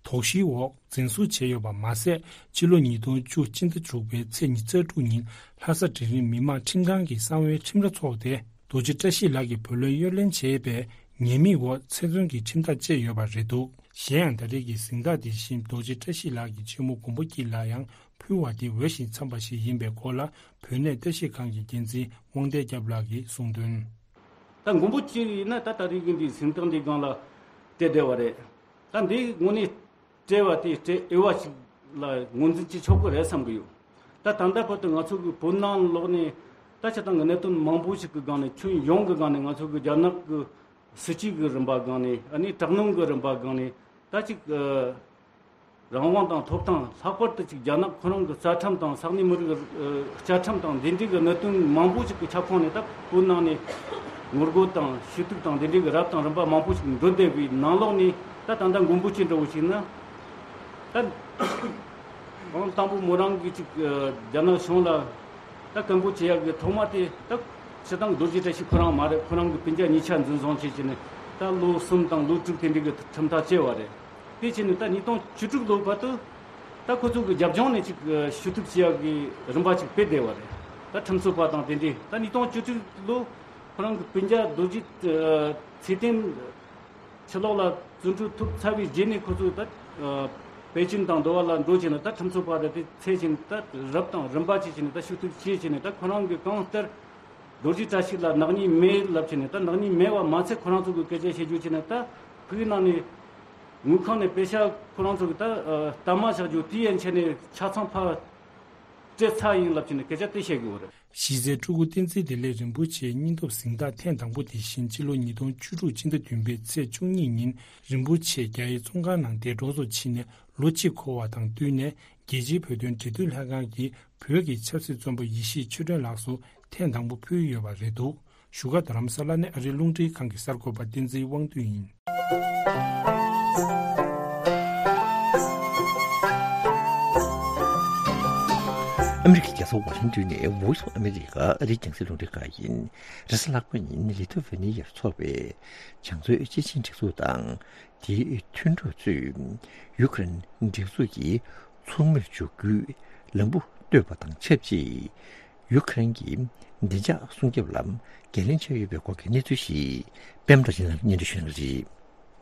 དོགས་གཞིའི་འོག་འཛིན་བཟུང་བྱས་ཡོད་པ་མ་ཟད། ཕྱི་ལོ་ཉིས་སྟོང་བཅུ་སྤྱི་ཟླ་དྲུག་པའི་ཚེས་ཉི་ཤུ་རྩ་དྲུག་ཉིན་ལྷ་ས་འབྲིང་རིམ་མི་དམངས་ཁྲིམས་ཁང་གི་གསང་བའི་ཁྲིམས་ར་འཚོགས་ཏེ། རྡོ་རྗེ་བཀྲ་ཤིས་ལགས་ཀྱི་བུ་ལོན་གཡོ་ལེན་བྱས་པའི་ཉེས་དམིགས་འོག་ཚེ་བཙོན་གྱི་ཁྲིམས་ཐག་བཅད་ཡོད་པ་རེད་འདུག་གཞན་ཡང་ད་རེས་ཀྱི་གཟེངས་རྟགས་དེ་བཞིན་རྡོ་རྗེ་བཀྲ་ཤིས་ལགས་ཀྱི་ཆེན་མོ་མགོན་པོ་སྐྱིད་ལ་ཡང་ཕུལ་བ་དེ་འོས་ཤིང་འཚམས་པ་ཞིག་ཡིན་པའི་སྐོར་ལ་བོད་གནས་བཀྲ་ཤིས་སྒང་གི་འགན་འཛིན་དབང་ལྡན་སྐྱབས་ལགས་ཀྱིས་གསུངས་དོན། ད་མགོན་པོ་སྐྱིད་ཡིན་ན་ད་ད་རེས་ཀྱི་འདིའི་གཟེངས་རྟགས་འདིའི་སྒང་ལ་བལྟས་བསྡད་པ་རེད། ད་འདི་དངོས་གནས་སྤྲད་པ་དེ་སྤྲད་འོས་པ་ཞིག་ལ་ངོས་འཛིན་བྱེད་ཆོག་གི་རེད་བསམ་གི་ཡོད། ད་ད་ལྟ་བར་དུ་ང་ཚོ་གི་བོད་ནང་ལོགས་ནས་ད་སྤྱིར་བཏང་གི་གནད་དོན་མང་པོ་ཞིག་གི་སྒང་ནས་ཁྱོན་ཡོངས་ཀྱི་སྒང་ནས་ང་ཚོ་གི་རྒྱ་ནག་གི་སྲིད་ཇུས་ཀྱི་རིམ་པ་སྒང་ནས་ཨ་ནི་དྲག་གནོན་གྱི་རིམ་པ་སྒང་ནས་ད་ཅིག་ཨ་རང་དབང་དང་ཐོབ་ཐང་ལྷག་པར་དུ་ཅིག་རྒྱ་ནག་ཁོ་རང་གི་རྩ་ཁྲིམས་དང་ས་གནས་མི་རིགས་ཀྱི་ཨ་བཅའ་ཁྲིམས་དང་འདི་འདྲའི་གི་གནད་དོན་མང་པོ་ཞིག་གི་ཁྱབ་ཁོངས་ནས་ད་བོད་ནང་ནས་ངོ་རྒོལ་དང་ཞུ་གཏུག་དང་འདི་འདྲའི་གི་རབ་དང་རིམ་པ་མང་པོ་ཞིག་འགྲོ་བསྡད་པའི་ནང་ལོགས་ནས་ད་ད་ལྟ་མགོན་པོ་སྐྱིད་འདྲ་བོ་ཞིག་ན། ད་ཨང་དང་པོ་མོ་རང་གིས་ཅིག་ཨ་རྒྱ་ནག་གཞུང་ལ་ད་སྐད་འབོད་བྱེད་ཡག་གི་ཐོག་མ་དེ་ད་སྤྱིར་བཏང་རྡོ་རྗེ་བཀྲ་ཤིས་ཁོ་རང་མ་རེད། ཁོ་རང་གི་སྤུན་ཀྱག་གཉིས་ཆ་འཛིན་བཟུང་བྱས་བྱས་ནས་ད་ལོ་གསུམ་དང་ལོ་དྲུག་དེ་འདྲའི་གི་ཁྲིམས་ཐག་བཅད་པ་རེད། དེ་བྱས་ནས་ད་ཉིས་སྟོང་བཅུ་དྲུག་ལོ་བར་དུ་ད་ཁོ་ཚོ་གི་རྒྱབ་ལྗོངས་ནས་ཅིག་ཨ་ཞུ་གཏུག་བྱེད་ཡག་གི་རིམ་པ་ཅིག་སྤེལ་བསྡད་པ་རེད། ད་ཁྲིམས་རྩོད་པ་དང་དེ་འདྲའི་ད་ཉིས་སྟོང་བཅུ་དྲུག་ལོ་ཁོ་རང་གི་སྤུན་ཀྱག་རྡོ་རྗེ་ཨ་ཚེ་བརྟན། ཕྱི་ལོགས་ལ་བཙོན་གྲོལ་ཐུབ་ཚར་བའི་རྗེས་ནས་ཁོ་ཚོས་ད་ཨ་པེ་ཅིན་དང་འདོ་བ་ལ་འགྲོ་བྱས་ནས་ད་ཁྲིམས་རྩོད་པ་དེ་འཚོལ་བྱས་ནས་ད་རབ་དང་རིམ་པ་བྱས་བྱས་ནས་ད་ཞུ་གཏུག་བྱས་བྱས་ནས་ད་ཁོ་རང་གི་གང་ལྟར་རྡོ་རྗེ་བཀྲ་ཤིས་ལ་ནག་ཉེས་མེད་ལབ་བྱས་ནས་ད་ནག་ཉེས་མེད་པ་མ་ཚད་ཁོ་རང་ཚོ་གི་སྐད་ཆ་བཤད་རྒྱུ་བྱས་ནས་ད་ཕུག་ནང་ནས་དངུལ་ཁང་ནས་པེ་ཤག་ཁོ་རང་ཚོ་གི་ད་ཨ་གཏའ་མ་བཞག་རྒྱུ་དེ་ཡན་ཆད་ནས་ཆ་ཚང་ཕར་སྤྲད་ཚར་ཡིན་ལབ་བྱས་ནས་སྐད་ཆ་དེ་བཤད་གི་ཡོད་རེད། གཞི་རྩའི་ཕྲུ་གུ་བསྟན་འཛིན་བདེ་ལེགས་རིན་པོ་ཆེའི་སྙིང་སྟོབས་གཟེངས་རྟགས་ཐེངས་དང་པོ་དེ་བཞིན་ཕྱི་ལོ་ཉིས་སྟོང་བཅུ་དྲུག་སྤྱི་ཟླ་བདུན་པའི་ཚེས་བཅུ་གཉིས་ཉིན་རིན་པོ་ཆེ་རྒྱ་ཡི་བཙོན་ཁང་ནང་འདས་གྲོངས་སུ་ཕྱིན་ནས་ལོ་གཅིག་འཁོར་བ་དང་བསྟུན་ནས་རྒྱལ་སྤྱིའི་བོད་དོན་འབྲེལ་མཐུད་ལྷན་ཁང་གིས་བོད་ཀྱི་ཆབ་སྲིད་བཙོན་པ་ཡེ་ཤེས་ཆོས་སྒྲོན་ལགས་སུ་ཐེངས་དང་པོ་ཕུལ་ཡོད་པ་རེད་འདུག་བཞུགས་སྒར་རྡ་རམ་ས་ལ་ནས་ཨ་རིའི་རླུང་འཕྲིན་ཁང་གི་གསར་འགོད་པ་བསྟན་འཛིན་དབང་འདུས་ཡིན། ཨ་མི་རི་ཀའི་རྒྱལ་ས་ཝ་ཤིང་ཏོན་ནས་Voice of America ཨ་རིའི་རྒྱང་སྲིང་རླུང་འཕྲིན་ཁང་ཡིན། རེས་གཟའ་ལྷག་པ་ཉིན་ལི་ཐུ་ཝེ་ནི་ཡར་འཚོགས་པའི་བྱང་མཛོད་སྤྱི་ཆིངས་སྒྲིག་འཛུགས་དང་དེའི་མཐུན་གྲོགས་ཚོས་ཡུ་ཀེ་རེན་སྒྲིག་འཛུགས་ཀྱི་ཚོགས་མིར་འཇུག་རྒྱུའི་ལམ་བུ་བཏོད་པ་དང་ཆབས་ཅིག་ཡུ་ཀེ་རེན་གྱི་བདེ་འཇགས་སྲུང་སྐྱོབ་ལ་འགན་ལེན་བྱས་ཡོད་པའི་སྐོར་གྱི་གནས་ཚུལ་ཞིག་པད་མ་བཀྲ་ཤིས་ལགས་སྙན་སྒྲོན་ཞུ་གནང་གི་རེད།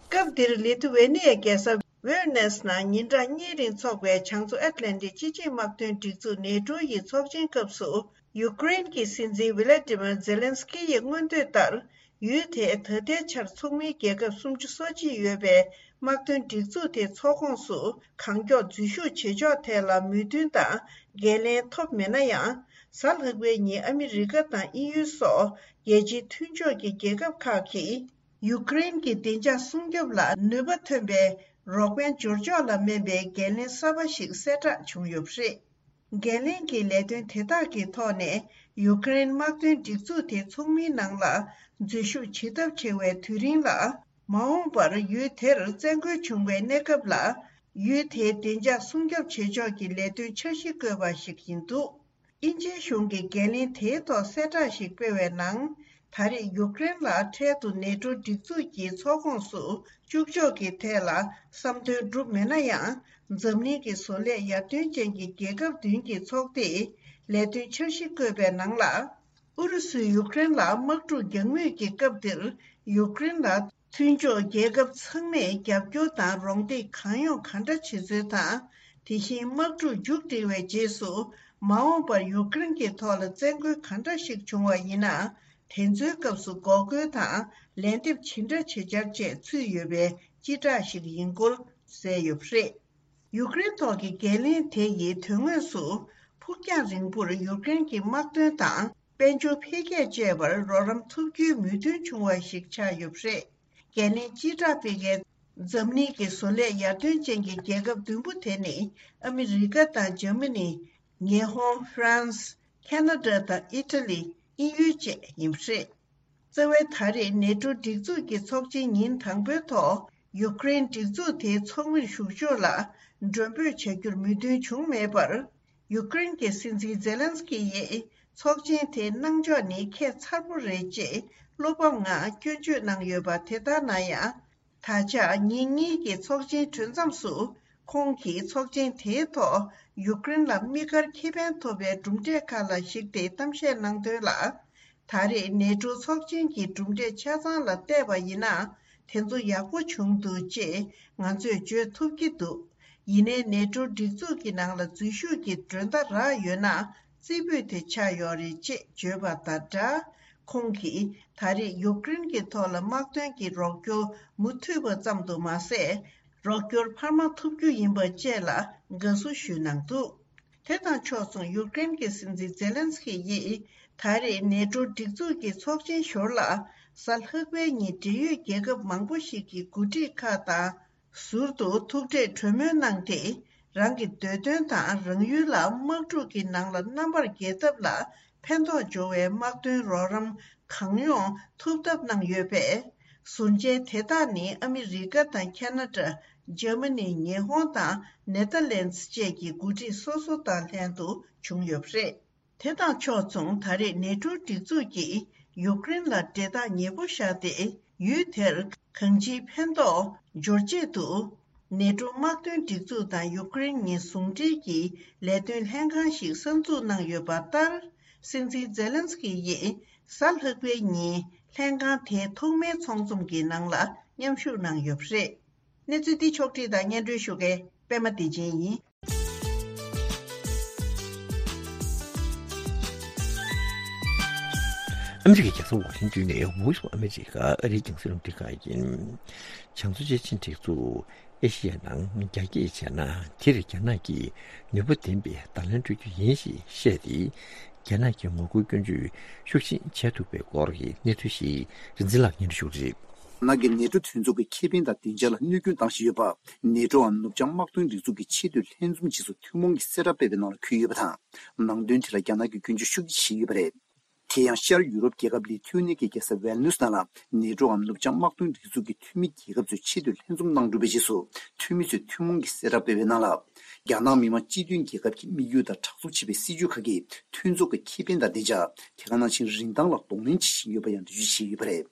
སྐབས་འདིར་ལི་ཐུ་ཝེ་ནི་ཡའི་རྒྱལ་ས་ཝེར་ནེས་ནང་ཉིན་གྲངས་གཉིས་རིང་འཚོགས་པའི་བྱང་མཚོ་ཨེཊ་ལན་ཊིག་སྤྱི་ཆིངས་དམག་དོན་སྒྲིག་འཛུགས་ནེ་ཊོ་ཡི་ཚོགས་ཆེན་སྐབས་སུ། ཡུ་ཀེ་རེན་གྱི་སྲིད་འཛིན་ཝི་ལ་ཏི་མིར་ཛེ་ལན་སི་ཀི་ཡིས་མངོན་འདོད་ལྟར། ཡུལ་དེའི་ད་ལྟའི་ཆར་ཚོགས་མིའི་རྒྱལ་ཁབ་སུམ་ཅུ་སོ་གཅིག་ཡོད་པའི་དམག་དོན་སྒྲིག་འཛུགས་དེའི་ཚོགས་ཁོངས་སུ་གང་མགྱོགས་འཛུལ་ཞུགས་བྱེད་ཕྱོགས་ཐད་ལ་མོས་མཐུན་དང་འགན་ལེན་ཐོབ་མེད་ན་ཡང་། གཟའ་ལྷག་པའི་ཉིན་ཨ་མི་རི་ཀ་དང་དབྱིན་ཡུལ་སོགས་རྒྱལ་སྤྱིའི་མཐུན་ཕྱོགས་ཀྱི་རྒྱལ་ཁབ་ཁག་གིས་ཡུ་ཀེ་རེན་གྱི་བདེ་འཇགས་སྲུང་སྐྱོབ་ལ་ནུས་པ་ཐོན་པའི་རོགས་ཕན་འབྱོར་ཕྱོགས་ལ་སྨན་པའི་འགན་ལེན་གསར་པ་ཞིག་གསལ་བསྒྲགས་བྱུང་ཡོད་པ་རེད། འགན་ལེན་གྱི་ལས་དོན་དེ་དག་གི་ཐོག་ནས་ཡུ་ཀེ་རེན་དམག་དོན་སྒྲིག་འཛུགས་དེའི་ཚོགས་མིའི་ནང་ལ་འཛུལ་ཞུགས་བྱེད་ཐབས་བྱེད་པའི་དུས་རིང་ལ། མ་འོངས་པར་ཡུལ་དེར་བཙན་རྒོལ་བྱུང་བའི་གནས་སྐབས་ལ། ཡུལ་དེའི་བདེ་འཇགས་སྲུང་སྐྱོབ་བྱེད་ཕྱོགས་ཀྱི་ལས་དོན་འཆར་གཞི་བཀོད་པ་ཞིག་ཡིན་འདུག་དབྱིན་ཇིའི་གཞུང་གིས་འགན་ལེན་དེའི་ཐོག་གསལ་བསྒྲགས་ཤིག་སྤེལ་བའི་ནང་། ད་རེས་ཡུཀ་རེན་ལ་འཕྲལ་དུ་ནེ་ཏྲོ་སྒྲིག་འཛུགས་ཀྱི་ཚོགས་ཁོངས་སུ་བཅུག་ཕྱོགས་ཀྱི་ཐད་ལ་བསམ་དོན་འགྲུབ་མེད་ན་ཡང་། འཛམ་གླིང་གི་བཟོ་ལས་ཡར་ཐོན་ཅན་གྱི་རྒྱལ་ཁབ་བདུན་གྱི་ཚོགས་སྡེས་ལས་དོན་འཆར་གཞི་བཀོད་པའི་ནང་ལ། ཨུ་རུ་སུས་ཡུཀ་རེན་ལ་དམག་འཁྲུག་རྒྱག་མུས་ཀྱི་སྐབས་འདིར་ཡུཀ་རེན་ལ། མཐུན་ཕྱོགས་རྒྱལ་ཁབ་ཚང་མས་རྒྱབ་སྐྱོར་དང་རོགས་འདེགས་གང་ཡོང་གང་འདྲ་བྱེད་ཚུལ་དང་། དེ་བཞིན་དམག་འཁྲུག་མཇུག་སྒྲིལ་བའི་རྗེས་སུ་མ་འོངས་པར་ཡུཀ་རེན་གྱི་ཐོག་ལ་བཙན་རྒོལ་གང་འདྲ་ཞིག་བྱུང་བ་ཡིན་ན། དེ་ཚོའི་སྐབས་སུ་འགོག་རྒོལ་དང་ལན་འདེབས་ཇི་འདྲ་བྱེད་འཆར་བཅས་ཚུད་ཡོད་པའི་སྤྱི་བསྒྲགས་ཤིག་ཡིན་སྐོར་གསལ་ཡོད་པ་རེད། ཡུཀ་རེན་ཐོག་གི་འགན་ལེན་དེ་ཡི་དོན་དངོས་སུ་ཕུགས་རྒྱང་རིང་པོར་ཡུཀ་རེན་གྱི་དམག་དོན་དང་དཔལ་འབྱོར་འཕེལ་རྒྱས་བཅས་པར་རོགས་རམ་ཐུབ་རྒྱུའི་མོས་མཐུན་བྱུང་བ་ཞིག་ཆགས་ཡོད་པ་རེད། འགན་ལེན་སྤྱི་བསྒྲགས་སྤེལ་མཁན་ འཛམ་གླིང་གི་བཟོ་ལས་ཡར་ཐོན་ཅན་གྱི་རྒྱལ་ཁབ་བདུན་པོ་དེ་ནི་ཨ་མི་རི་ཀ་དང་འཇར་མ་ནི། ཉི་ཧོང་། ཧྥ་རན་སི། ཁ་ན་ཌ་དང་ཨི་ཊ་ལི། དབྱིན་ཡུལ་བཅས་ཡིན་པ་རེད། རྩ་བའི་ད་རེས་ནེ་ཊོ་སྒྲིག་འཛུགས་ཀྱི་ཚོགས་ཆེན་ཉིན་དང་པོའི་ཐོག་ཡུ་ཀེ་རེན་སྒྲིག་འཛུགས་དེའི་ཚོགས་མིར་ཞུགས་ཕྱོགས་ལ་མགྲོན་འབོད་བྱ་རྒྱུར་མོས་མཐུན་བྱུང་མེད་པར། ཡུ་ཀེ་རེན་གྱི་སྲིད་འཛིན་ཛེ་ལན་སི་ཀི་ཡིས་ཚོགས་ཆེན་དེའི་གནང་ཕྱོགས་ནི་ཁྱད་མཚར་པོ་རེད་ཅེས་བློ་ཕམ་ངང་སྐྱོན་བརྗོད་གནང་ཡོད་པ། དེ་ལྟར་ན་ཡང་། ད་ཆ་ཉིན་གཉིས་ཀྱི་ཚོགས་ཆེན་གྲོལ་མཚམས་སུ། ཁོང་གིས་ཚོགས་ཆེན་དེའི་ཐོག་ཡུཀ་རེན་ལ་དམིགས་བཀར་ཁེ་ཕན་ཐོབ་པའི་གྲུབ་འབྲས་ཁག་ལ་གཞིགས་ཏེ་གཏམ་བཤད་གནང་དོན་ལ། ད་རེས་ནེ་ཊོ་ཚོགས་ཆེན་གྱི་གྲུབ་འབྲས་ཆ་ཚང་ལ་བལྟས་པ་ཡིན་ན། དེ་ཚོ་ཡག་པོ་བྱུང་འདུག་ཅེས་ང་ཚོས་བརྗོད་ཐུབ་ཀྱི་འདུག་ཡིན་ནའི་ནེ་ཊོ་སྒྲིག་འཛུགས་ཀྱི་ནང་ལ་འཛུལ་ཞུགས་ཀྱི་མགྲོན་བརྡ་རག་ཡོད་ན། རྩེ་ཕུད་དེ་ཆགས་ཡོད་རེད་ཅེས་བརྗོད་པ་དང་སྦྲགས། ཁོང་གིས་ད་རེས་ཡུཀ་རེན་གྱི་ཐོག་ལ་དམག་དོན་གྱི་རོགས་སྐྱོར་མུ་མཐུད་པ་ཙམ་དུ་མ་ཟད། རོགས་སྐྱོར་འཕར་མ་ཐུབ་རྒྱུ་ཡིན་པ་བཅས་ལ་དགའ་བསུ་ཞུས་གནང་འདུག་དེ་དང་ཕྱོགས་མཚུངས་ཡུཀ་རེན་གྱི་སྲིད་འཛིན་ཛེ་ལན་སི་ཀི་ཡིས་ད་རེས་ནེ་ཊོ་སྒྲིག་འཛུགས་ཀྱི་ཚོགས་ཆེན་ཞོར་ལ། གཟའ་ལྷག་པའི་ཉིན་འབྲེལ་ཡོད་རྒྱལ་ཁབ་མང་པོ་ཞིག་གི་འགོ་ཁྲིད་ཁག་དང་ཟུར་དུ་ཐུག་འཕྲད་གྲོས་མོལ་གནང་སྟེ། རང་གི་འདོད་དོན་དང་རང་ཡུལ་ལ་དམག་འཁྲུག་གི་ནང་ལ་རྣམ་པར་རྒྱལ་ཐབས་ལ་ཕན་ཐོགས་འབྱོར་བའི་དམག་དོན་རོགས་རམ་གང་ཡོང་ཐུབ་ཐབས་གནང་ཡོད་པས། ཟུར་མཇལ་དེ་དག་ནི་ཨ་མི་རི་ཀ་དང་ཁ་ན་ཌ། འཇར་མ་ནི། ཉི་ཧོང་དང་ནེ་ཐར་ལན་སི་བཅས་ཀྱི་འགོ་ཁྲིད་སོ་སོ་དང་ལྷན་དུ་བྱུང་ཡོད་པ་རེད། དེ་དང་ཕྱོགས་མཚུངས་ད་རེས་ནེ་ཊོ་སྒྲིག་འཛུགས་ཀྱིས་ཡུཀ་རེན་ལ་འབྲེལ་ཐག་ཉེ་པོ་བཞག་སྟེ། ཡུལ་དེར་གང་ཅིའི་ཕན་ཐོགས་འབྱོར་ཆེད་དུ། ནེ་ཊོ་དམག་དོན་སྒྲིག་འཛུགས་དང་ཡུཀ་རེན་གཉིས་ཟུང་འབྲེལ་གྱིས་ལས་དོན་ལྷན་ཁང་ཞིག་གསར་འཛུགས་གནང་ཡོད་པ་ལྟར། སྲིད་འཛིན་ཛེ་ལན་སི་ཀི་ཡིས་གཟའ་ལྷག་པའི་ཉིན་ལྷན་ཁང་དེའི་ཐོག་མའི་ཚོགས་འཛོམས་ཀྱི་ནང་ལ་མཉམ་ཞུགས་གནང་ཡོད་པ་རེད། གནས་ཚུལ་འདི་ཕྱོགས་སྒྲིག་དང་སྙན་སྒྲོན་ཞུ་མཁན་པད་མ་བདེ་ཆེན་ཡིན། ཨ་མི་རི་ཀའི་རྒྱལ་ས་ཝ་ཤིང་ཏོན་ནས་Voice of America ཨ་རིའི་རྒྱང་སྲིང་རླུང་འཕྲིན་ཁང་ཡིན། བྱང་མཚོ་བཅད་ཆེན་སྒྲིག་འཛུགས་ཨེ་ཤི་ཡའི་ནང་རྒྱ་སྐྱེད་བྱས་ན། དེར་རྒྱ་ནག་གིས་ནུས་པ་ལྡན་པའི་བརྡ་ལན་སྤྲོད་རྒྱུ་ཡིན་ཞེས་བཤད་དེ། རྒྱ་ནག་གི་ངོ་རྒོལ་སྐྱོན་བརྗོད་ཤུགས་ཆེན་བྱས་ཐུབ་པའི་སྐོར་གྱི་གནས་ཚུལ་ཞིག་རིན་འཛིན་ལགས་སྙན་སྒྲོན་ཞུ་གི་རེད། རྒྱ་ནག་གི་ནེ་ཊོ་མཐུན་ཚོགས་ཀྱི་ཁེ་ཕན་དང་བདེ་འཇགས་ལ་གནོད་སྐྱོན་བཏང་བཞིན་ཡོད་པ། ནེ་ཊོའམ་ནུབ་བྱང་དམག་དོན་སྒྲིག་འཛུགས་ཀྱི་ཆེས་མཐོའི་ལྷན་འཛོམས་རྗེས་སུ་ཐུན་མོང་གི་གསལ་བསྒྲགས་སྤེལ་བའི་ནང་ལ་འཁོད་ཡོད་པ་དང་། ནང་དོན་དེ་ལ་རྒྱ་ནག་གིས་སྐྱོན་བརྗོད་ཤུགས་ཆེ་བྱས་ཡོད་པ་རེད། དེ་ཡང་ཤར་ཡུ་རོབ་རྒྱལ་ཁབ་ལི་ཐུ་ནི་ཀའི་རྒྱལ་ས་ཝལ་ནུས་ནང་ལ་ནེ་ཊོའམ་ནུབ་བྱང་དམག་དོན་སྒྲིག་འཛུགས་ཀྱི་འཐུས་མི་རྒྱལ་ཁབ་ཚོའི་ཆེས་མཐོའི་ལྷན་འཛོམས་གནང་གྲུབ་པའི་རྗེས་སུ། འཐུས་མི་ཚོས་ཐུན་མོང་གི་གསལ་བསྒྲགས་སྤེལ་བའི་ནང་ལ། རྒྱ་ནག་མི་དམངས་སྤྱི་མཐུན་རྒྱལ་ཁབ་ཀྱི་དམིགས་ཡུལ་དང་དྲག་རྩུབ་བྱེད་པའི་སྲིད་ཇུས་ཁག་གིས་མཐུན་ཚོགས་ཀྱི་ཁེ་ཕན་དང་བདེ་འཇགས། དེ་ག་ནང་བཞིན་རིན་ཐང་ལ་གདོང་ལེན་བྱེད་བཞིན་ཡོད་པ་ཡང་འགྲེལ་བརྗོད་བྱས་ཡོད་པ་རེད།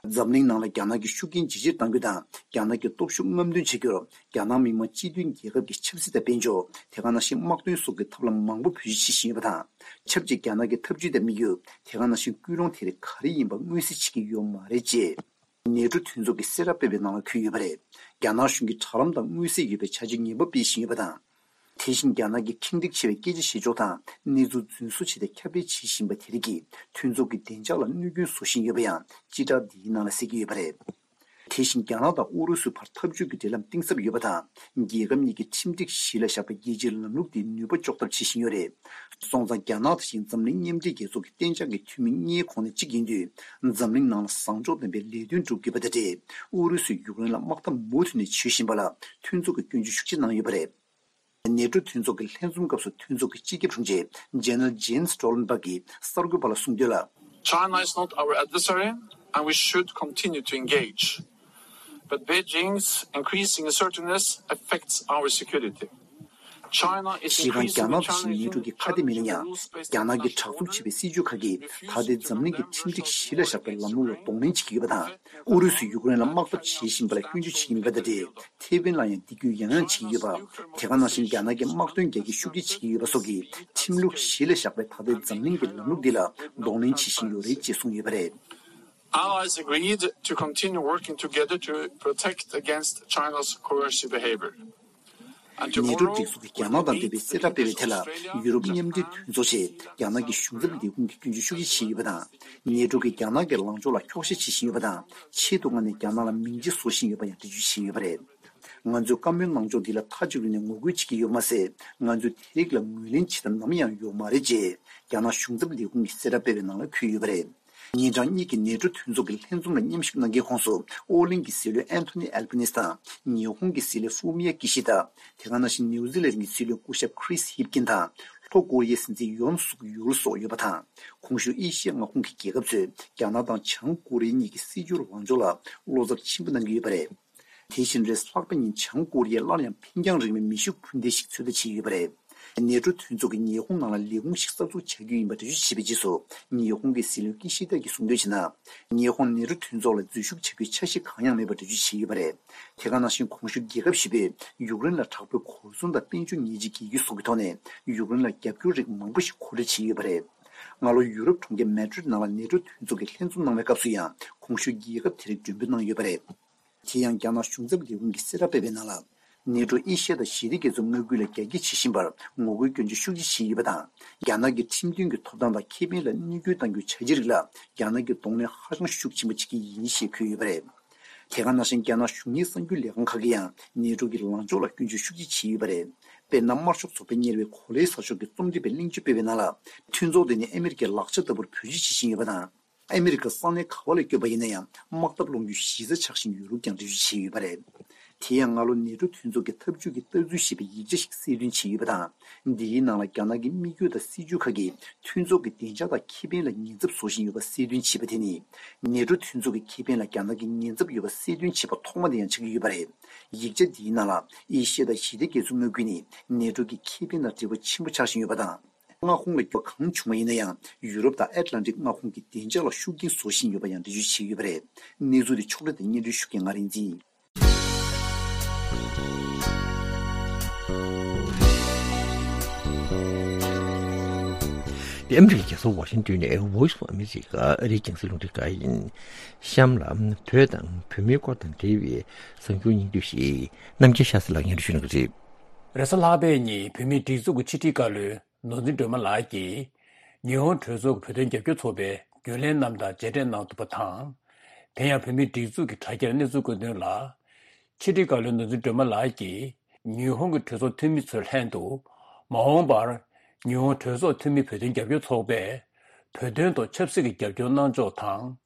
འཛམ་གླིང་ནང་ལ་རྒྱ་ནག་གི་ཤུགས་རྐྱེན་ཇེ་ཆེར་གཏང་རྒྱུ་དང་། རྒྱ་ནག་གི་སྟོབས་ཤུགས་རྔམ་སྟོན་བྱེད་རྒྱུར། རྒྱ་ནག་མི་དམངས་སྤྱི་མཐུན་རྒྱལ་ཁབ་ཀྱི་ཆབ་སྲིད་དང་དཔལ་འབྱོར། དེ་ག་ནང་བཞིན་དམག་དོན་སོགས་ཀྱི་ཐབས་ལམ་མང་པོ་བེད་སྤྱོད་བྱེད་བཞིན་ཡོད་པ་དང་། ཆབས་ཅིག་རྒྱ་ནག་གི་འཐབ་ཇུས་དང་དམིགས་ཡུལ། དེ་ག་ནང་བཞིན་སྐུལ་སློང་དེ་རིགས་ག་རེ་ཡིན་པ་མངོན་གསལ་བྱེད་ཀྱི་ཡོད་མ་རེད་ཅེས། ནེ་ཊོ་མཐུན་ཚོགས་ཀྱིས་གསལ་བསྒྲགས་སྤེལ་བའི་ནང་ལ་འཁོད་ཡོད་པ་རེད། རྒྱ་ནག་གཞུང་གིས་དྲ་ལམ་དང་མངོན་གསལ་ཡོད་པའི་བྱ་སྤྱོད་ངན་པ་སྤེལ་བཞིན་ཡོད་པ་དང་། དེ་བཞིན་རྒྱ་ནག་གི་ཁེངས་དྲེགས་ཆེ་བའི་སྐད་ཆ་བཤད་ཕྱོགས་དང་གནས་ཚུལ་རྫུན་བཟོ་བྱས་ཏེ་ཁྱབ་སྤེལ་བྱེད་བཞིན་པ་དེ་རིགས་ཀྱིས་མཐུན་ཚོགས་ཀྱི་བདེ་འཇགས་ལ་གནོད་སྐྱོན་བཟོ་བཞིན་ཡོད་པ་ཡང་སྤྱི་བསྒྲགས་འདིའི་ནང་ལ་གསལ་གྱི་ཡོད་པ་རེད། དེ་བཞིན་རྒྱ་ནག་དང་ཨུ་རུ་སུའི་བར་འཐབ་ཇུས་ཀྱི་འབྲེལ་ལམ་གཏིང་ཟབ་ཡོད་པ་དང་། རྒྱལ་ཁབ་གཉིས་ཀྱི་ཁྲིམས་སྒྲིག་གཞི་ལ་བཞག་པའི་རྒྱལ་སྤྱིའི་ལམ་ལུགས་དེ་ནུས་པ་གཅོག་ཐབས་བྱེད་བཞིན་ཡོད་རེད། སོང་ཙང་རྒྱ་ནག་དེ་བཞིན་འཛམ་གླིང་མཉམ་འབྲེལ་རྒྱལ་ཚོགས་ཀྱི་གཏན་འཇགས་ཀྱི་འཐུས་མི་ལྔའི་ཁོངས་ནས་གཅིག་ཡིན་དུས། འཛམ་གླིང་ནང་ལ་བཟང་ཕྱོགས་ལྡན་པའི་ལས་དོན་སྒྲུབ་དགོས་པ་དང་འབྲེལ། ཨུ་རུ་སུས་ཡུཀ་རེན་ལ་དམག་འཐབ་མུ་མཐུད་ནས་བྱེད་བཞིན་པ་ལ་མཐུན་ཚོགས་ཀྱིས་སྐྱོན་བརྗོད་ཤུགས་ཆེ་གནང་ཡོད་པ་རེད། ནེ་ཊོ་མཐུན་ཚོགས་ཀྱི་ལྷན་འཛོམས་སྐབས་སུ་མཐུན་ཚོགས་ཀྱི་སྤྱི་ཁྱབ་དྲུང་ཆེ་General Jens Stoltenberg གྱིས་གསར་འགོད་པ་ལ་གསུངས་དོན་ལ། China is not our adversary, and we should continue to engage. But Beijing's increasing assertiveness affects our security. China is increasingly challenging international rules-based control over its economy. གཞི་རྐང་རྒྱ་ནག་དང་ནེ་ཊོ་གི་ཁ་གཏད་མི་ལེན་ཡང་། རྒྱ་ནག་གི་དྲག་རྩུབ་བྱེད་པའི་སྲིད་ཇུས་ཁག་གིས་ད་ལྟའི་འཛམ་གླིང་གི་ཁྲིམས་སྒྲིག་གཞི་ལ་བཞག་པའི་ལམ་ལུགས་ལ་གདོང་ལེན་བྱེད་ཀྱི་ཡོད་པ་དང་། ཨུ་རུ་སུས་ཡུཀ་རེན་ལ་དམག་འཐབ་བྱེད་བཞིན་པ་ལ་སྐྱོན་བརྗོད་བྱེད་ཀྱི་མེད་པ་དང་འབྲེལ། ཐེ་ཝན་ལ་ཡང་འདི་སྐྱོན་ཡང་ཡང་བྱེད་ཀྱི་ཡོད་པ། དེ་ག་ནང་བཞིན་རྒྱ་ནག་གིས་དམག་དོན་རྒྱག་རྒྱུ་ཤུགས་ཆེ་བྱེད་ཀྱི་ཡོད་པ་སོགས་ཀྱི་ཁྲིམས་ལུགས་གཞི་ལ་བཞག་པའི་ད་ལྟའི་འཛམ་གླིང་གི་ལམ་ལུགས་འདི་ལ་གདོང་ལེན་བྱེད་བཞིན་ཡོད་རེད་ཅེས་གསུངས་ཡོད་པ་རེད། Allies agreed to continue working together to protect against China's coercive behavior. And tomorrow, ནེ་ཊོ་སྒྲིག་འཛུགས་ཀྱིས་རྒྱ་ནག་དང་འབྲེལ་བའི་གསལ་བསྒྲགས་སྤེལ་བའི་ཐད་ལ། ཡུ་རོབ་མཉམ་འབྲེལ་མཐུན་ཚོགས་ཆེད་རྒྱ་ནག་གི་གཞུང་ཚབ་ལས་ཁུངས་ཀྱིས་སྐྱོན་བརྗོད་ཤུགས་ཆེ་བྱས་ཡོད་པ་དང་། ནེ་ཊོ་གིས་རྒྱ་ནག་གི་ལངས་ཕྱོགས་ལ་འཁྱོག་བཤད་བྱེད་བཞིན་ཡོད་པ་དང་། ཆེད་དུ་མངགས་ནས་རྒྱ་ནག་ལ་མིང་རྗེ་བཟོ་བཞིན་ཡོད་པ་ཡང་འགྲེལ་བརྗོད་བྱས་ཡོད་པ་རེད། ང་ཚོས་བཀའ་མོལ་གནང་ཕྱོགས་འདི་ལ་མཐའ་གཅིག་ཏུ་ནས་ངོ་རྒོལ་བྱེད་ཀྱི་ཡོད་པ་མ་ཟད། ང་ཚོས་དེ་རིགས་ལ་ངོས་ལེན་བྱེད་ཐབས་ནམ་ཡང་ཡོད་མ་རེད་ཅེས་རྒྱ་ནག་གཞུང་ཚབ་ལས་ཁུངས་ཀྱིས་གསལ་བསྒྲགས་སྤེལ་བའི་ནང་ལ་འཁོད་ཡོད་པ་རེད། ཉིན་གྲངས་གཉིས་ཀྱི་ནེ་ཊོ་མཐུན་ཚོགས་ཀྱི་ལྷན་འཛོམས་ལ་མཉམ་ཞུགས་གནང་མཁན་ཁོངས་སུ་ཨོ་གླིང་གི་སྲིད་བློན་ཨན་ཐོ་ནི་ཨལ་བྷ་ནིས་དང་ཉི་ཧོང་གི་སྲིད་བློན་ཧྥུ་མི་ཡ་ཀི་ཤི་ད། དེ་ག་ནང་བཞིན་ནིའུ་ཛི་ལན་གྱི་སྲིད་བློན་སྐུ་ཞབས་ཁྲིས་ཧིབ་ཀིན་དང་ལྷོ་ཀོ་རི་ཡའི་སྲིད་འཛིན་ཡོན་སུག་ཡུལ་སོགས་ཡོད་པ་དང་། གོང་ཞུས་ཨེ་ཤི་ཡ་མངའ་ཁོངས་ཀྱི་རྒྱལ་ཁབ་ཚོས་རྒྱ་ནག་དང་བྱང་ཀོ་རི་ཡ་གཉིས་ཀྱི་སྲིད་བྱུས་ལངས་ཕྱོགས་ལ་བློ་འཚབ་ཆེན་པོ་གནང་གི་ཡོད་པ་རེད། དེ་བཞིན་རེས་ལྷག་པའི་ཉིན་བྱང་ཀོ་རི་ཡས་སླར་ཡང་འཕེན་རྒྱང་རིང་བའི་མེ་ཤུགས་འཕུར་མདེལ་ཞིག་ཚོད་ལྟ་བྱས་ཡོད་པ་རེད། ནེ་ཊོ་མཐུན་ཚོགས་ཀྱིས་ཉི་ཧོང་ནང་ལ་ལས་ཁུངས་ཤིག་གསར་འཛུགས་བྱ་རྒྱུ་ཡིན་པ་འགྲེལ་བརྗོད་བྱས་པའི་རྗེས་སུ། ཉི་ཧོང་གི་སྲིད་བློན་ཀི་ཤི་ད་གིས་གསུངས་དོན་བྱས་ན། ཉི་ཧོང་ནེ་ཊོ་མཐུན་ཚོགས་ལ་འཛུལ་ཞུགས་བྱ་རྒྱུའི་འཆར་གཞི་གང་ཡང་མེད་པ་འགྲེལ་བརྗོད་བྱས་ཡོད་པ་རེད། དེ་ག་ནང་བཞིན་གོང་ཞུས་རྒྱལ་ཁབ་བཞི་པོས་ཡུཀ་རེན་ལ་དྲག་པོའི་གོ་མཚོན་དང་དཔལ་འབྱོར་ཉེས་ཆད་འགེལ་རྒྱུ་སོགས་ཀྱི་ཐོག་ནས་ཡུཀ་རེན་ལ་རྒྱབ་སྐྱོར་རིགས་མང་པོ་ཞིག་མཁོ་སྤྲོད་བྱས་ཡོད་པ་རེད། སྔ་ལོ་ཡུ་རོབ་གྲོང་ཁྱེར་མེ་ཌི་རིད་ནང་ལ་ནེ་ཊོ་མཐུན་ཚོགས་ཀྱི་ལྷན་འཛོམས་གནང་བའི་སྐབས་སུ་ཡང་གོང་ཞུས་རྒྱལ་ཁབ་དེ་རིགས་མགྲོན་འབོད་གནང་ཡོད་པ་རེད། དེ་ཡང་རྒྱ་ནག་གཞུང་ཚབ་ལས་ཁུངས་ཀྱིས་གསལ་བསྒྲགས་སྤེལ་བའི་ནང་ལ། ནེ་ཊོ་ཨེ་ཤི་ཡ་དང་ཞི་བདེ་རྒྱ་མཚོའི་མངའ་ཁུལ་ལ་རྒྱ་སྐྱེད་བྱེད་བཞིན་པར་ངོ་རྒོལ་སྐྱོན་བརྗོད་ཤུགས་ཆེ་བྱས་ཡོད་པ་དང་། རྒྱ་ནག་གི་ཁྲིམས་མཐུན་གྱི་ཐོབ་ཐང་དང་ཁེ་ཕན་ལ་བསྙོན་འགྱུར་གཏང་རྒྱུའི་བྱ་གཞི་རིགས་ལ་རྒྱ་ནག་གིས་གདོང་ལེན་ཧ་ཅང་ཤུགས་ཆེན་པོ་བྱེད་ཀྱི་ཡིན་ཞེས་འཁོད་ཡོད་པ་རེད། དེ་ག་ནང་བཞིན་རྒྱ་ནག་གཞུང་གཉེར་གསར་འགྱུར་ལས་ཁང་ཁག་གིས་ཡང་ནེ་ཊོ་གི་ལངས་ཕྱོགས་ལ་སྐྱོན་བརྗོད་ཤུགས་ཆེ་བྱས་ཡོད་པ་རེད། དཔེར་ན། དམར་ཤོག་ཚོགས་པས་གཉེར་བའི་གོ་ལའི་ས་ཕྱོགས་ཀྱི་རྩོམ་སྒྲིག་པས་གླེང་བརྗོད་སྤེལ་བའི་ནང་ལ། མཐུན་ཚོགས་དེ་ནི་ཨ་མི་རི་ཀའི་ལག་ཆ་ལྟ་བུར་བེད་སྤྱོད་བྱེད་བཞིན་ཡོད་པ་དང་། ཨ་མི་རི་ཀ་ས་གནས་ག་བ་ལ་བསྐྱོད་པ་ཡིན་ན་ཡང་དམག་འཐབ་སློང་རྒྱུའི་གཞི་རྩ་ཆགས་བཞིན་ཡོད་ལུགས་ཀྱང་འགྲེལ་བརྗོད་བྱས་ཡོད་པ་རེད། དེ་ཡང་སྔ་ལོ་ནེ་ཊོ་མཐུན་ཚོགས་ཀྱི་འཐབ་ཇུས་ཀྱི་ལྟ་ཚུལ་ཞེས་པའི་ཡིག་ཆ་ཞིག་གསལ་སྟོན་བྱས་ཡོད་པ་དང་། འདིའི་ནང་ལ་རྒྱ་ནག་གི་དམིགས་ཡུལ་དང་སྲིད་ཇུས་ཁག་གིས་མཐུན་ཚོགས་ཀྱི་བདེ་འཇགས་དང་ཁེ་ཕན་ལ་ཉེན་ཚབས་བཟོ་བཞིན་ཡོད་པ་གསལ་སྟོན་བྱས་པ་དེ་ནི། ནེ་ཊོ་མཐུན་ཚོགས་ཀྱི་ཁེ་ཕན་ལ་རྒྱ་ནག་གིས་ཉེན་ཚབས་ཡོད་པ་གསལ་སྟོན་བྱས་པ་ཐོག་མ་དེ་ཡང་ཆགས་ཀྱི་ཡོད་པ་རེད། ཡིག་ཆ་འདིའི་ནང་ལ་ཨེ་ཤི་ཡ་དང་ཞི་བདེ་རྒྱ་མཚོའི་མངའ་ཁུལ་ནི་ནེ་ཊོ་གི་ཁེ་ཕན་དང་འབྲེལ་བ་ཆེན་པོ་ཆགས་བཞིན་ཡོད་པ་དང་། མངའ་ཁོངས་ལ་འགྱུར་བ་གང་བྱུང་བ་ཡིན་ན་ཡང་ཡུ་རོབ་དང་ཨེཊ་ལན་ཊིག་མངའ་ཁོངས་ཀྱི་བདེ་འཇགས་ལ་ཤུགས་རྐྱེན་བཟོ་བཞིན་ཡོད་པ་ཡང་འགྲེལ་བརྗོད་བྱས་ཡོད་པ་རེད། གནས་ཚུལ་དེ་ཕྱོགས་སྒྲིག་དང་སྙན་སྒྲོན་ཞུ་མཁན་ང་རིག་འཛིན། འདི་ཨ་མི་རི་ཀའི་རྒྱལ་ས་ཝ་ཤིང་ཏོན་ནས་Voice of America ཨ་རིའི་རྒྱང་སྲིང་རླུང་འཕྲིན་ཁང་ཡིན། གཤམ་ལ་བོད་དང་བོད་མིའི་སྐོར་དང་འབྲེལ་བའི་གསར་འགྱུར་སྙིང་བསྡུས་ཤིག་རྣམ་རྒྱལ་ཤཱ་སྟྲི་ལགས་སྙན་སྒྲོན་ཞུ་གནང་གི་རེད། རེས་གཟའ་ལྷག་པའི་ཉིན་བོད་མིའི་སྒྲིག་འཛུགས་ཀྱི་ཕྱི་དྲིལ་བཀའ་བློན་ནོར་འཛིན་སྒྲོལ་མ་ལགས་ཀྱིས་ཉི་ཧོང་གྲོས་ཚོགས་ཀྱི་བོད་དོན་རྒྱབ་སྐྱོར་ཚོགས་པའི་རྒྱུན་ལས་རྣམས་དང་མཇལ་འཕྲད་གནང་ཐུབ་པ་དང་། དེ་ཡང་བོད་མིའི་སྒྲིག་འཛུགས་ཀྱི་དྲ་རྒྱར་གནས་ཚུལ་བཀོད་དོན་ལ། ཕྱི་དྲིལ་བཀའ་བློན་ནོར་འཛིན་སྒྲོལ་མ་ལགས་ཀྱིས་ཉི་ཧོང་གི་གྲོས་ཚོགས་འཐུས་མི་ཚོའི་ལྷན་དུ་མ་འོངས་པར་ཉི་ཧོང་གྲོས་ཚོགས་འཐུས་མི་བོད་དོན་རྒྱབ་སྐྱོར་ཚོགས་པས་བོད་དོན་ཐོག་ཆབ་སྲིད་ཀྱི་རྒྱབ་སྐྱོར་གནང་ཕྱོགས་དང་།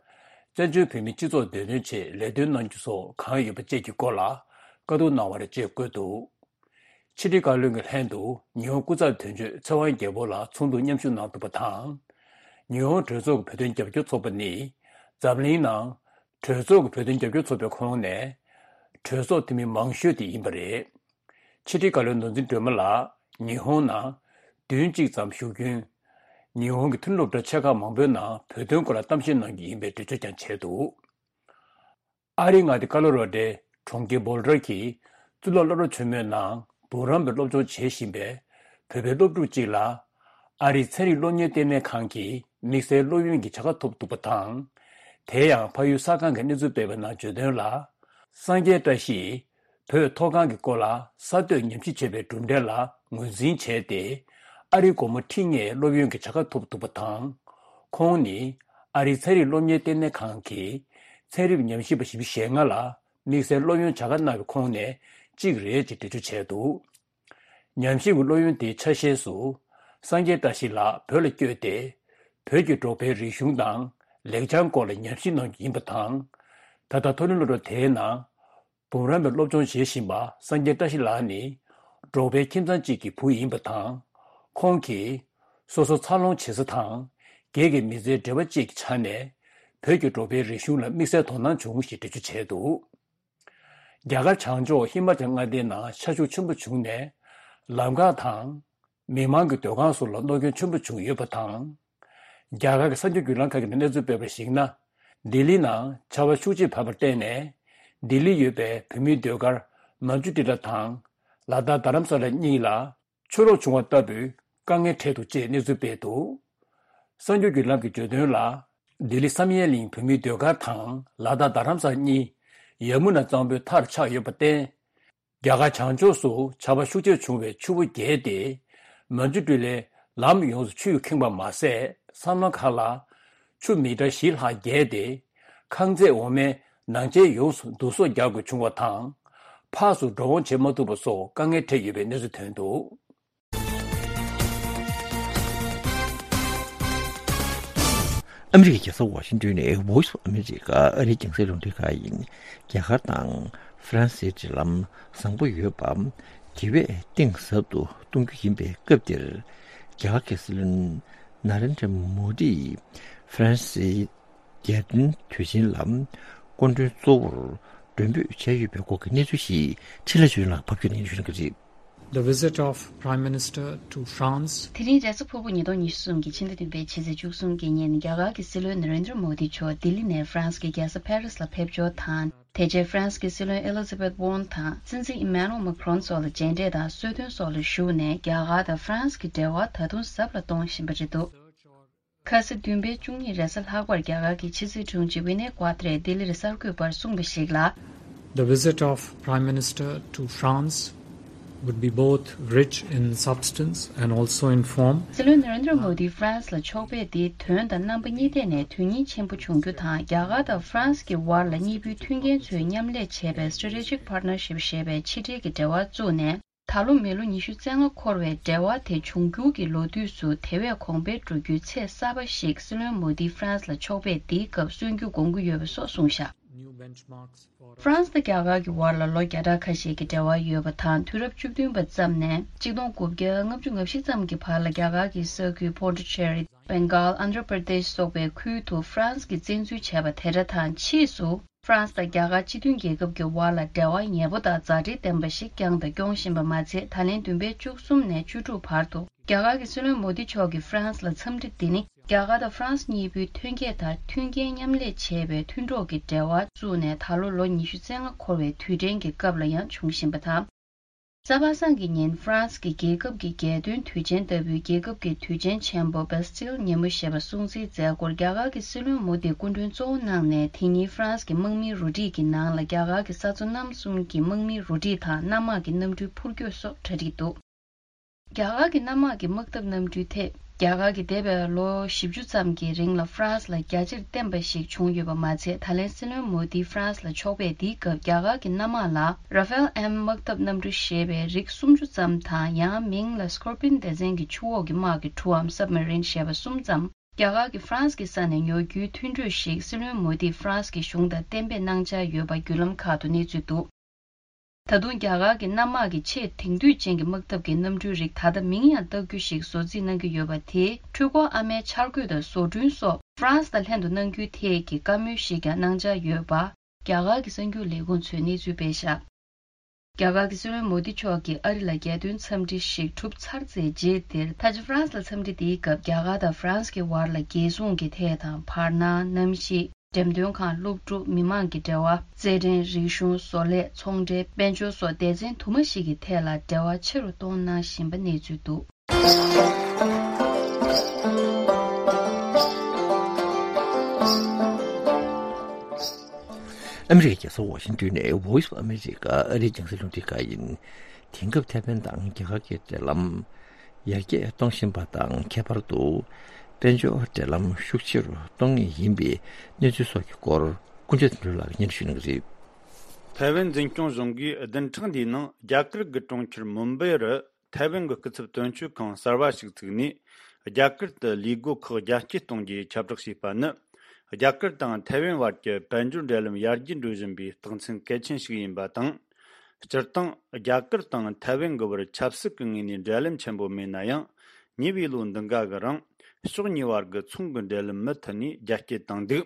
བཙན་བྱོལ་བོད་མིའི་སྤྱི་ཚོགས་བདེ་དོན་ཆེད་ལས་དོན་གནང་རྒྱུ་སོགས་གང་ཡོད་པ་བཅས་ཀྱི་སྐོར་ལ་བཀའ་བསྡུར་གནང་བ་རེད་ཅེས་བཀོད་འདུག་ཕྱི་དྲིལ་བཀའ་བློན་གྱི་ལྷན་དུ་ཉི་ཧོང་སྐུ་ཚབ་དོན་གཅོད་ཚེ་དབང་རྒྱལ་པོ་ལགས་ཚོགས་འདུར་མཉམ་ཞུགས་གནང་ཐུབ་པ་དང་། ཉི་ཧོང་གྲོས་ཚོགས་ཀྱི་བོད་དོན་རྒྱབ་སྐྱོར་ཚོགས་པ་ནི་འཛམ་གླིང་ནང་གྲོས་ཚོགས་ཀྱི་བོད་དོན་རྒྱབ་སྐྱོར་ཚོགས་པའི་ཁོངས་ནས་གྲོས་ཚོགས་འཐུས་མི་མང་ཤོས་དེ་ཡིན་པ་རེད། ཕྱི་དྲིལ་བཀའ་བློན་ནོར་འཛིན་སྒྲོལ་མ་ལགས་ཉི་ཧོང་ནང་བདུན་གཅིག་ཙམ་བཞུགས་རྒྱུན། ཉི་ཧོང་གི་མཐུན་སློབ་གྲྭ་ཆེ་ཁག་མང་པོའི་ནང་བོད་དོན་སྐོར་ལ་གཏམ་བཤད་གནང་རྒྱུ་ཡིན་པའི་འགྲེལ་བརྗོད་ཀྱང་བྱས་འདུག་ཨ་རིའི་མངའ་སྡེ་ཀ་ལོ་ར་ཌོའི་གྲོང་ཁྱེར་བོལ་ཌར་གྱི་གཙུག་ལག་སློབ་གྲྭ་ཆེན་མོའི་ནང་འབུམ་རམས་པའི་སློབ་སྦྱོང་བྱེད་བཞིན་པའི་བོད་པའི་སློབ་ཕྲུག་ཅིག་ལ་ཨ་རིའི་ཚན་རིག་སློབ་གཉེར་ལྟེ་གནས་ཁང་གིས་དམིགས་བསལ་སློབ་ཡོན་གྱི་བྱ་དགའ་ཐོབ་འདུག་པ་དང་། དེ་ཡང་ཕ་ཡུལ་ས་ཁང་གིས་གནས་ཚུལ་སྤེལ་བའི་ནང་བརྗོད་དོན་ལ། སངས་རྒྱས་བཀྲ་ཤིས་བོད་མཐོ་སྒང་གི་སྐོར་ལ་གསར་གཏོད་ཉམས་ཞིབ་བྱས་པའི་གྲུབ་འབྲས་ལ་ངོས་འཛིན་བྱས་ཏེ། ཨ་རིའི་སྒོར་མོ་ཁྲི་ལྔའི་སློབ་ཡོན་གྱི་བྱ་དགའ་ཐོབ་འདུག་པ་དང་། ཁོང་ནི་ཨ་རིའི་ཚན་རིག་སློབ་གཉེར་ལྟེ་གནས་ཁང་གི་ཚན་རིག་ཉམས་ཞིབ་པ་བཞི་བཅུ་ཞེ་ལྔ་ལ་དམིགས་བསལ་སློབ་ཡོན་བྱ་དགའ་གནང་བའི་ཁོངས་ནས་གཅིག་རེད་ཅེས་འགྲེལ་བརྗོད་བྱས་འདུག་ཉམས་ཞིབ་ཀྱི་སློབ་ཡོན་དེའི་ཆ་ཤས་སུ། སངས་རྒྱས་བཀྲ་ཤིས་ལགས་བོད་ལ་བསྐྱོད་དེ། བོད་ཀྱི་འབྲོག་པའི་རིག་གཞུང་དང་ལེགས་བྱང་སྐོར་ལ་ཉམས་ཞིབ་གནང་རྒྱུ་ཡིན་པ་དང་། ད་ལྟ་མཐོ་རིམ་སློབ་གྲྭ་དེའི་ནང་། འབུམ་རམས་པའི་སློབ་སྦྱོང་བྱེད་བཞིན་པ་སངས་རྒྱས་བཀྲ་ཤིས་ལགས་ནི། འབྲོག་པའི་ཁྱིམ་ཚང་གཅིག་གི་བུ་ཡིན་པ་དང་། ཁོང་གིས། སོ་སོ་འཚར་ལོངས་བྱེད་ས་དང་། སྒེར་གྱི་མི་ཚེའི་འབྲེལ་བ་བཅས་ཀྱི་ཆ་ནས། བོད་ཀྱི་འབྲོག་པའི་རིག་གཞུང་ལ་དམིགས་བསལ་དོ་སྣང་བྱུང་ཞེས་འགྲེལ་བརྗོད་བྱས་འདུག་རྒྱ་གར་བྱང་ཕྱོགས་ཧི་མ་ཅལ་མངའ་སྡེའི་ནང་ཤ་ཤུགས་ཆེན་པོ་བྱུང་ནས། ལམ་འགག་དང་། མི་མང་གི་སྡོད་ཁང་སོགས་ལ་གནོད་སྐྱོན་ཆེན་པོ་བྱུང་ཡོད་པ་དང་། རྒྱ་གར་གྱི་གསར་འགྱུར་བརྒྱུད་ལམ་ཁག་གིས་གནས་ཚུལ་སྤེལ་བར་གཞིགས་ན། ལྡི་ལི་ནང་ཆར་པ་ཤུགས་ཆེས་བབས་པར་བརྟེན་ནས། ལྡི་ལི་ཡོད་པའི་བོད་མིའི་སྡོད་སྒར་མན་ཇུ་ཊི་ལ་དང་། ལ་དྭགས་རྡ་རམ་ས་ལ་གཉིས་ལ། ཆུ་ལོག་བྱུང་བ་ལྟ་བུའི་དཀའ་ངལ་འཕྲད་འདུག་ཅེས་གནས་ཚུལ་སྤེལ་འདུག་གསར་འགྱུར་བརྒྱུད་ལམ་གྱིས་བརྗོད་དོན་ལ། ལྡི་ལི་བསམ་ཡས་གླིང་བོད་མིའི་སྡོད་སྒར་དང་ལ་དྭགས་རྡ་རམ་ས་གཉིས། ཡ་མུ་ན་གཙང་པོའི་མཐར་ཆགས་ཡོད་པར་བརྟེན། རྒྱ་གར་བྱང་ཕྱོགས་སུ་ཆར་པ་ཤུགས་ཆེར་བྱུང་བའི་ཆུ་བོ་བརྒལ་ཏེ། མན་ཇུ་ཊི་ལའི་ལམ་ཡོངས་སུ་ཆུས་ཁེངས་པ་མ་ཟད། མཚམས་ལམ་ཁག་ལ་ཆུ་མི་ཊར་བཞི་ལྷག་བརྒལ་ཏེ། ཁང་བརྩེགས་འོག་མའི་ནང་ཆེན་ཡོངས་སུ་བསྡུ་གསོག་རྒྱག་དགོས་བྱུང་བ་དང་། ཕར་ཚུར་འགྲོ་འོང་བྱེད་མ་ཐུབ་པ་སོགས་དཀའ་ངལ་འཕྲད་ཡོད་པའི་གནས་ཚུལ་ཐོན་འདུག་ཨ་མི་རི་ཀའི་རྒྱལ་ས་ཝ་ཤིང་ཏོན་ནས་Voice of America ཨ་རིའི་རྒྱང་སྲིང་རླུང་འཕྲིན་ཁང་ཡིན། རྒྱ་གར་དང་ཧྥ་རན་སིའི་འབྲེལ་ལམ་བཟང་པོ་ཡོད་པ། དེ་བས་གཏིང་ཟབ་ཏུ་གཏོང་རྒྱུ་ཡིན་པའི་སྐབས་འདིར། རྒྱ་གར་གྱི་སྲིད་བློན་ན་རེན་དྲ་མོ་དིས་ཧྥ་རན་སིའི་རྒྱལ་སྟོན་དུས་ཆེན་ལ་སྐུ་མགྲོན་གཙོ་བོར་མགྲོན་འབོད་བྱས་ཡོད་པའི་སྐོར་གྱི་གནས་ཚུལ་ཞིག་འཕྲིན་ལས་ཆོས་ལགས་ཕབ་སྒྱུར་གནང་ཞུ་གནང་གི་རེད། The visit of Prime Minister to France. དེ་རིང་རེས་གཟའ་ཕུར་བུ་ཉིས་སྟོང་ཉི་ཤུ་རྩ་གསུམ་གྱི་ཕྱི་ཟླ་བདུན་པའི་ཕྱི་ཚེས་བཅུ་གསུམ་གྱི་ཉིན་རྒྱ་གར་གྱི་སྲིད་བློན་ན་རེན་དྲ་མོ་དི་མཆོག་ལྡི་ལི་ནས་ཧྥ་རན་སི་གི་རྒྱལ་ས་ཕ་རི་སི་ལ་ཕེབས་འབྱོར་དང་། དེ་རྗེས་ཧྥ་རན་སི་གི་སྲིད་བློན་ཨེ་ལི་ཛ་བེད་ཝོན་དང་སྲིད་འཛིན་ཨི་མེ་ནུ་ཨེལ་མེ་ཁྲོན་སོགས་ལ་མཇལ་འཕྲད་དང་གསོལ་སྟོན་སོགས་ལ་ཞུགས་ནས། རྒྱ་གར་དང་ཧྥ་རན་སི་གི་འབྲེལ་བ་ད་དུང་ཟབ་ལ་གཏོང་བཞིན་པ་རེད་འདུག་ཁ་སང་བདུན་པའི་བཅུ་གཉིས་རེས་གཟའ་ལྷག་པར་རྒྱ་གར་གྱི་ཕྱི་སྲིད་དྲུང་ཆེ་ཝི་ནེ་ཀྭ་ཏྲེས་ལྡི་ལིར་གསར་འགོད་པར་གསུངས་པ་ཞིག་ལ། The visit of Prime Minister to France would be both rich in substance and also in form. སྲིད་བློན་ན་རེན་དྲ་མོ་དི་ཧྥ་རན་སི་ལ་ཕྱོགས་ཕེབས་འདི་དོན་དང་རྣམ་པ་གཉིས་ཐད་ནས་དོན་སྙིང་ཆེན་པོ་འབྱུང་རྒྱུ་དང་། རྒྱ་གར་དང་ཧྥ་རན་སི་གི་བར་ལ་གཉིས་པོའི་མཐུན་རྐྱེན་ཚོས་མཉམ་ལས་བྱས་པའི་Strategic Partnership ཞེས་པའི་ཕྱི་འབྲེལ་གྱི་འབྲེལ་བ་བཙུགས་ནས། ད་ལོ་མི་ལོ་ཉི་ཤུ་རྩ་ལྔ་འཁོར་བའི་འབྲེལ་བ་དེ་འབྱུང་འགྱུར་གྱི་ལོ་དུས་སུ་དེ་བས་གོང་འཕེལ་འགྲོ་རྒྱུའི་ཚད་གསར་པ་ཞིག་སྲིད་བློན་མོ་དིས་ཧྥ་རན་སི་ལ་ཕྱོགས་ཕེབས་འདིའི་སྐབས་སོན་རྒྱུ་དགོངས་ཀྱི་ཡོད་པ་སོགས་གསུངས་བཞག New benchmarks for ཧྥ་རན་སི་དང་རྒྱ་གར་གྱི་བར་ལ་ལོ་བརྒྱ་ཕྲག་ཁ་ཤས་ཀྱི་འབྲེལ་བ་ཡོད་པ་དང་། དུས་རབས་བཅུ་བདུན་པ་ཙམ་ནས་ཆིག་སྟོང་དགུ་བརྒྱ་ལྔ་བཅུ་ང་བཞི་ཙམ་གྱི་བར་ལ་རྒྱ་གར་གྱི་ས་ཁུལ་པོ་ཌུ་ཅེ་རི། བེང་གཱལ། ཨན་དྷྲ་པྲ་དེཤ་སོགས་པའི་ཁུལ་དུ་ཧྥ་རན་སི་གིས་བཙན་འཛུལ་བྱས་པ་དེ་འདྲ་དང་། ཕྱིས་སུ་ཧྥ་རན་སི་དང་རྒྱ་གར་སྤྱི་མཐུན་རྒྱལ་ཁབ་ཀྱི་བར་ལ་འབྲེལ་བ་ཉེ་པོ་དང་མཛའ་འབྲེལ་ལྡན་པ་ཞིག་བསྐྱངས་དང་སྐྱོང་བཞིན་པ་མ་ཚད། ད་ལན་བདུན་པའི་བཅུ་གསུམ་ནས་བཅུ་དྲུག་བར་དུ་རྒྱ་གར་གྱི་སྲིད་བློན་མོ་དི་མཆོག་གིས་ཧྥ་རན་སི་ལ་འཚམས་འདྲི་འདི་ནི། རྒྱ་གར་དང་ཧྥ་རན་སི་གཉིས་པོའི་ཐོན་སྐྱེད་དང་མཐུན་རྐྱེན་མཉམ་ལས་བྱེད་པའི་མཐུན་གྲོགས་ཀྱི་འབྲེལ་བ་བཙུགས་ནས་ད་ལོ་ལོ་ཉི་ཤུ་རྩ་ལྔ་འཁོར་བའི་དུས་དྲན་གྱི་སྐབས་ལ་ཡང་འབྱུང་བཞིན་པ་དང་། གཟའ་པ་སངས་ཀྱི་ཉིན་ཧྥ་རན་སི་གི་རྒྱལ་ཁབ་ཀྱི་རྒྱལ་སྟོན་དུས་ཆེན་ལྟ་བུའི་རྒྱལ་ཁབ་ཀྱི་དུས་ཆེན་ཆེན་པོ་Bastille ཉིན་མོ་ཞེས་པ་སྲུང་བརྩིའི་མཛད་སྒོར་རྒྱ་གར་གྱི་སྲིད་བློན་མོ་དིས་སྐུ་མགྲོན་གཙོ་བོ་གནང་ནས། དེ་ཉིན་ཧྥ་རན་སི་གི་དམག་མིའི་རུ་སྒྲིག་གི་ནང་ལ་རྒྱ་གར་གྱི་ས་མཚོ་གནམ་གསུམ་གྱི་དམག་མིའི་རུ་སྒྲིག་དང་གནམ་དམག་གི་གནམ་གྲུའི་འཕུར་སྐྱོད་སོགས་གྲ་སྒྲིག་འདུག་རྒྱ་གར་གྱི་གནམ་དམག་གི་དམག་འཐབ་གནམ་གྲུའི་ཐད། རྒྱ་གར་གྱིས་འདས་པའི་ལོ་བཞི་བཅུ་ཙམ་གྱི་རིང་ལ་ཧྥ་རན་སི་ལ་རྒྱ་ཆེར་བརྟེན་པ་ཞིག་བྱུང་ཡོད་པ་མ་ཚད། ད་ལན་སྲིད་བློན་མོ་དི་ཧྥ་རན་སི་ལ་ཕྱོགས་ཕེབས་འདིའི་སྐབས་རྒྱ་གར་གྱི་གནམ་དམག་ལ་Rafale M དམག་འཐབ་གནམ་གྲུ་ཞེས་པའི་རིགས་སུམ་ཅུ་ཙམ་དང་། ཡང་མིང་ལ་Scorpion སྡེ་ཚན་གྱི་ཆུ་འོག་གི་དམག་གི་གྲུའམ་Submarine ཞེས་པ་གསུམ་ཙམ་རྒྱ་གར་གྱིས་ཧྥ་རན་སི་གི་ས་ནས་ཉོ་རྒྱུའི་མཐུན་གྲོས་ཤིག་སྲིད་བློན་མོ་དིས་ཧྥ་རན་སི་གི་གཞུང་དང་གཏན་འབེབས་གནང་འཆར་ཡོད་པ་བརྒྱུད་ལམ་ཁག་ཏུ་གནས་ཚུལ་འདུག་ད་དུང་རྒྱ་གར་གྱི་གནམ་དམག་གི་ཆེས་དེང་དུས་ཅན་གྱི་དམག་འཐབ་ཀྱི་གནམ་གྲུའི་རིགས་ད་ལྟ་མིང་ཡང་བཏགས་རྒྱུ་ཞིག་བཟོ་རྩིས་གནང་གི་ཡོད་པ། དེའི་འཕྲུལ་འཁོར་ཨ་མའི་འཆར་འགོད་དང་བཟོ་སྐྲུན་སོགས་ཧྥ་རན་སི་དང་ལྷན་དུ་གནང་རྒྱུའི་ཐད་ཀྱི་བཀའ་མོལ་ཞིག་ཀྱང་གནང་འཆར་ཡོད་པ། རྒྱ་གར་གྱི་གསར་འགྱུར་ལས་ཁུངས་ཚོས་གནས་ཚུལ་སྤེལ་བཞག་རྒྱ་གར་གྱི་སྲིད་བློན་མོ་དི་མཆོག་གིས་ཨ་རི་ལ་རྒྱལ་སྟོན་འཚམས་འདྲི་ཞིག་གྲུབ་ཚར་ཚེ་རྗེས་དེར། ད་ཆ་ཧྥ་རན་སི་ལ་འཚམས་འདྲི་དེའི་སྐབས་རྒྱ་གར་དང་ཧྥ་རན་སི་གི་བར་ལ་རྒྱལ་སྲུང་གི་ཐད་དང་། བར་སྣང་། གནམ་གཤིས། འགྲེམས་སྟོན་ཁང་། སློབ་ཕྲུག་མི་མང་གི་འབྲེལ་བ། རྩེད་འགྲན། རིག་གཞུང་། བཟོ་ལས། ཚོང་འབྲེལ། དཔལ་འབྱོར་སོགས་སྡེ་ཚན་དུ་མ་ཞིག་གི་ཐད་ལ་འབྲེལ་བ་ཆེ་རུ་གཏོང་གནང་བཞིན་པ་གནས་ཚུལ་འདུག་ཨ་མི་རི་ཀའི་རྒྱལ་ས་ཝ་ཤིང་ཏོན་ནས་Voice of America ཨ་རིའི་རྒྱང་སྲིང་རླུང་འཕྲིན་ཁང་ཡིན། དེང་སྐབས་ཐའེ་ཝན་དང་རྒྱ་གར་གྱི་འབྲེལ་ལམ་ཡར་རྒྱས་གཏོང་བཞིན་པ་དང་། ཁྱད་པར་དུ་དཔལ་འབྱོར་འབྲེལ་ལམ་ཤུགས་ཆེ་རུ་གཏོང་ངེས་ཡིན་པའི་གནས་ཚུལ་སོགས་ཀྱི་སྐོར་ཀུན་སྤྱོད་དོན་གྲུབ་ལགས་ཀྱིས་སྙན་ཞུ་གནང་གི་རེད། ཐའེ་ཝན་འཛིན་སྐྱོང་གཞུང་གིས་བདུན་ཕྲག་འདིའི་ནང་རྒྱ་གར་གྱི་གྲོང་ཁྱེར་མུམ་བྷེ་རུ་ཐའེ་ཝན་གྱི་སྐུ་ཚབ་དོན་གཅོད་ཁང་གསར་བ་ཞིག་བཙུགས་ནས། རྒྱ་གར་དུ་ལས་སྒོ་ཁག་རྒྱ་སྐྱེད་གཏོང་རྒྱུའི་ཁྱབ་བསྒྲགས་བྱས་པ་ནི། རྒྱ་གར་དང་ཐའེ་ཝན་བར་གྱི་དཔལ་འབྱོར་འབྲེལ་ལམ་ཡར་རྒྱས་འགྲོ་བཞིན་པའི་རྟགས་མཚན་གལ་ཆེན་ཞིག་ཡིན་པ་དང་། སྤྱིར་བཏང་རྒྱ་གར་དང་ཐའེ་ཝན་གྱི་བར་ཆབ་སྲིད་ཀྱི་ངོས་ནས་འབྲེལ་ལམ་ཆེན་པོ་མེད་ན་ཡང་། ཉེ་བའི་ལོ་འདི་འགའ་གི་རིང་ཕྱོགས་གཉིས་བར་གྱི་ཚོང་གི་འབྲེལ་ལམ་མུ་མཐུད་ནས་རྒྱ་སྐྱེད་བཏང་འདུག་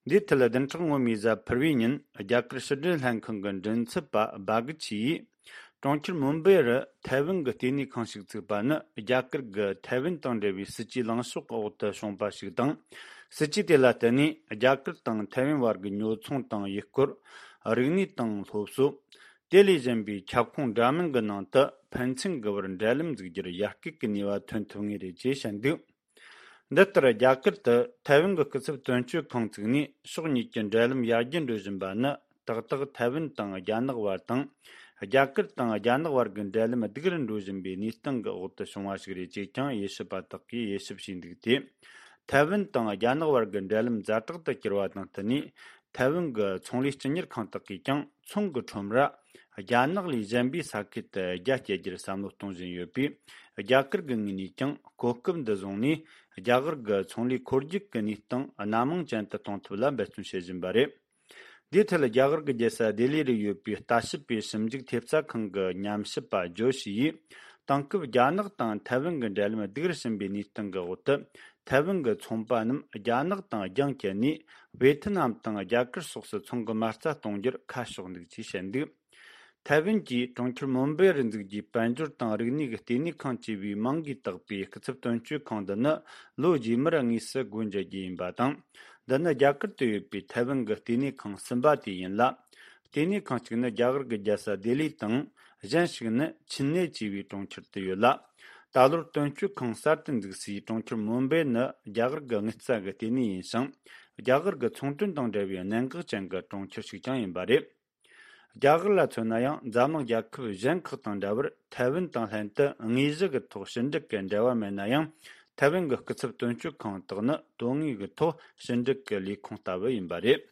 འདིའི་ཐད་བདུན་ཕྲག་སྔོན་མའི་གཟའ་ཕུར་བུའི་ཉིན་རྒྱ་གར་ཕྱི་འབྲེལ་ལྷན་ཁང་གི་མགྲིན་ཚབ་པ་སྦ་གི་ཆི་ཡིས། གྲོང་ཁྱེར་མུམ་བྷེ་རུ་ཐའེ་ཝན་གྱི་ལྟེ་གནས་ཁང་ཞིག་བཙུགས་པ་ནི་རྒྱ་གར་གྱི་ཐའེ་ཝན་དང་འབྲེལ་བའི་སྲིད་ཇུས་ལངས་ཕྱོགས་ཀྱི་འོག་ཏུ་བྱུང་བ་ཞིག་དང་། སྲིད་ཇུས་དེ་ལ་བརྟེན་ནས་རྒྱ་གར་དང་ཐའེ་ཝན་བར་གྱི་ཉོ་ཚོང་དང་ཡུལ་སྐོར། རིག་གནས་དང་སློབ་གསོ། དེ་ལས་གཞན་པའི་ཁྱབ་ཁོངས་འདྲ་མིན་གྱི་ནང་དུ་ཕན་ཚུན་གྱི་བར་འབྲེལ་ལམ་འཛུགས་རྒྱུར་ཡར་སྐུལ་གྱི་ནུས་པ་ཐོན་ཐུབ་ངེས་རེད་ཅེས་བཤད་འདུག་འདི་ལྟར་རྒྱ་གར་དུ་ཐའེ་ཝན་གྱི་སྐུ་ཚབ་དོན་གཅོད་ཁང་བཙུགས་ནས་ཕྱོགས་གཉིས་ཀྱི་འབྲེལ་ལམ་ཡར་རྒྱས་འགྲོ་བཞིན་པ་ནི། ཏག་ཏག་ཐའེ་ཝན་དང་རྒྱ་ནག་བར་དང་། རྒྱ་གར་དང་རྒྱ་ནག་བར་གྱི་འབྲེལ་ལམ་སྡུག་རུ་འགྲོ་བཞིན་པའི་གནས་སྟངས་ཀྱི་འོག་ཏུ་བྱུང་བ་ཞིག་རེད་ཅེས་ཀྱང་དབྱེ་ཞིབ་པ་དག་གིས་དབྱེ་ཞིབ་བྱས་འདུག་སྟེ། ཐའེ་ཝན་དང་རྒྱ་ནག་བར་གྱི་འབྲེལ་ལམ་ཛ་དྲག་ཏུ་གྱུར་བ་དང་བསྟུན་ནས། ཐའེ་ཝན་གྱི་ཚོང་ལས་སྤྱི་གཉེར་ཁང་དག་གིས་ཀྱང་ཚོང་གི་ཁྲོམ་ར་རྒྱ་ནག་ལས་གཞན་པའི་ས་ཁུལ་དུ་རྒྱ་སྐྱེད་རྒྱུར་བསམ་བློ་གཏོང་བཞིན་ཡོད་པས། རྒྱ་གར་གྱི་ངོས་ནས་ཀྱང་གོ་སྐབས་འདི་བཟུང་ནས་རྒྱ་གར་གྱི་ཚོང་ལས་འཁོར་རྒྱུག་གི་གནས་སྟངས་སྣ་མང་ཅན་དུ་གཏོང་ཐབས་ལ་འབད་བརྩོན་བྱེད་བཞིན་པ་རེད། འདིའི་ཐད་རྒྱ་གར་གྱི་རྒྱལ་ས་ལྡི་ལི་རུ་ཡོད་པའི་ལྟ་ཞིབ་པའི་ཞིབ་འཇུག་ཐེབས་རྩ་ཁང་གི་ཉམས་ཞིབ་པ་ཇོ་ཤི་ཡིས། དེང་སྐབས་རྒྱ་ནག་དང་ཐའེ་ཝན་གྱི་འབྲེལ་ལམ་སྡུག་རུ་ཕྱིན་པའི་གནས་སྟངས་ཀྱི་འོག་ཏུ། ཐའེ་ཝན་གྱི་ཚོང་པ་རྣམས་རྒྱ་ནག་དང་རྒྱང་བཀྱེད་ནས། ཝེ་ཐི་ནམ་དང་རྒྱ་གར་སོགས་སུ་ཚོང་གི་མ་རྩ་གཏོང་རྒྱུར་ཁ་ཕྱོགས་འདུག་ཅེས་བཤད་འདུག་ཐའེ་ཝན་གྱིས་གྲོང་ཁྱེར་མུམ་བེ་རུ་འཛུགས་རྒྱུའི་དཔལ་འབྱོར་དང་རིག་གནས་ཀྱི་ལྟེ་གནས་ཁང་ཅེས་པའི་མིང་གིས་བཏགས་པའི་སྐུ་ཚབ་དོན་གཅོད་ཁང་འདི་ནི་ལོ་རྗེས་མར་དངོས་སུ་སྒོ་འབྱེད་རྒྱུ་ཡིན་པ་དང་། འདི་ནི་རྒྱ་གར་དུ་ཡོད་པའི་ཐའེ་ཝན་གྱི་ལྟེ་གནས་ཁང་གསུམ་པ་དེ་ཡིན་ལ། ལྟེ་གནས་ཁང་གཅིག་ནི་རྒྱ་གར་གྱི་རྒྱལ་ས་ལྡི་ལི་དང་། གཞན་ཞིག་ནི་ཆིན་ནེ་ཅེས་པའི་གྲོང་ཁྱེར་དུ་ཡོད་ལ། ད་ལོར་དོན་གཅོད་ཁང་གསར་དུ་འཛུགས་སའི་གྲོང་ཁྱེར་མུམ་བེ་ནི་རྒྱ་གར་གྱི་དངུལ་རྩ་གི་ལྟེ་གནས་ཡིན་ཞིང་། རྒྱ་གར་གྱི་ཚོང་དོན་དང་འབྲེལ་བའི་གནད་འགག་ཅན་གྱི་གྲོང་ཁྱེར་ཞིག་ཀྱང་ཡིན་པ་རེད། རྒྱ་གར་ལ་མཚོན་ན་ཡང་འཛམ་གླིང་རྒྱལ་ཁབ་གཞན་ཁག་དང་འདྲ་བར་ཐའེ་ཝན་དང་ལྷན་དུ་དངོས་གཞི་གི་ཐོག་ཕྱི་འབྲེལ་གྱི་འབྲེལ་བ་མེད་ན་ཡང་། ཐའེ་ཝན་གྱི་སྐུ་ཚབ་དོན་གཅོད་ཁང་དག་ནི་དོན་དངོས་ཀྱི་ཐོག་ཕྱི་འབྲེལ་གྱི་ལས་ཁུངས་ལྟ་བུ་ཡིན་པ་རེད།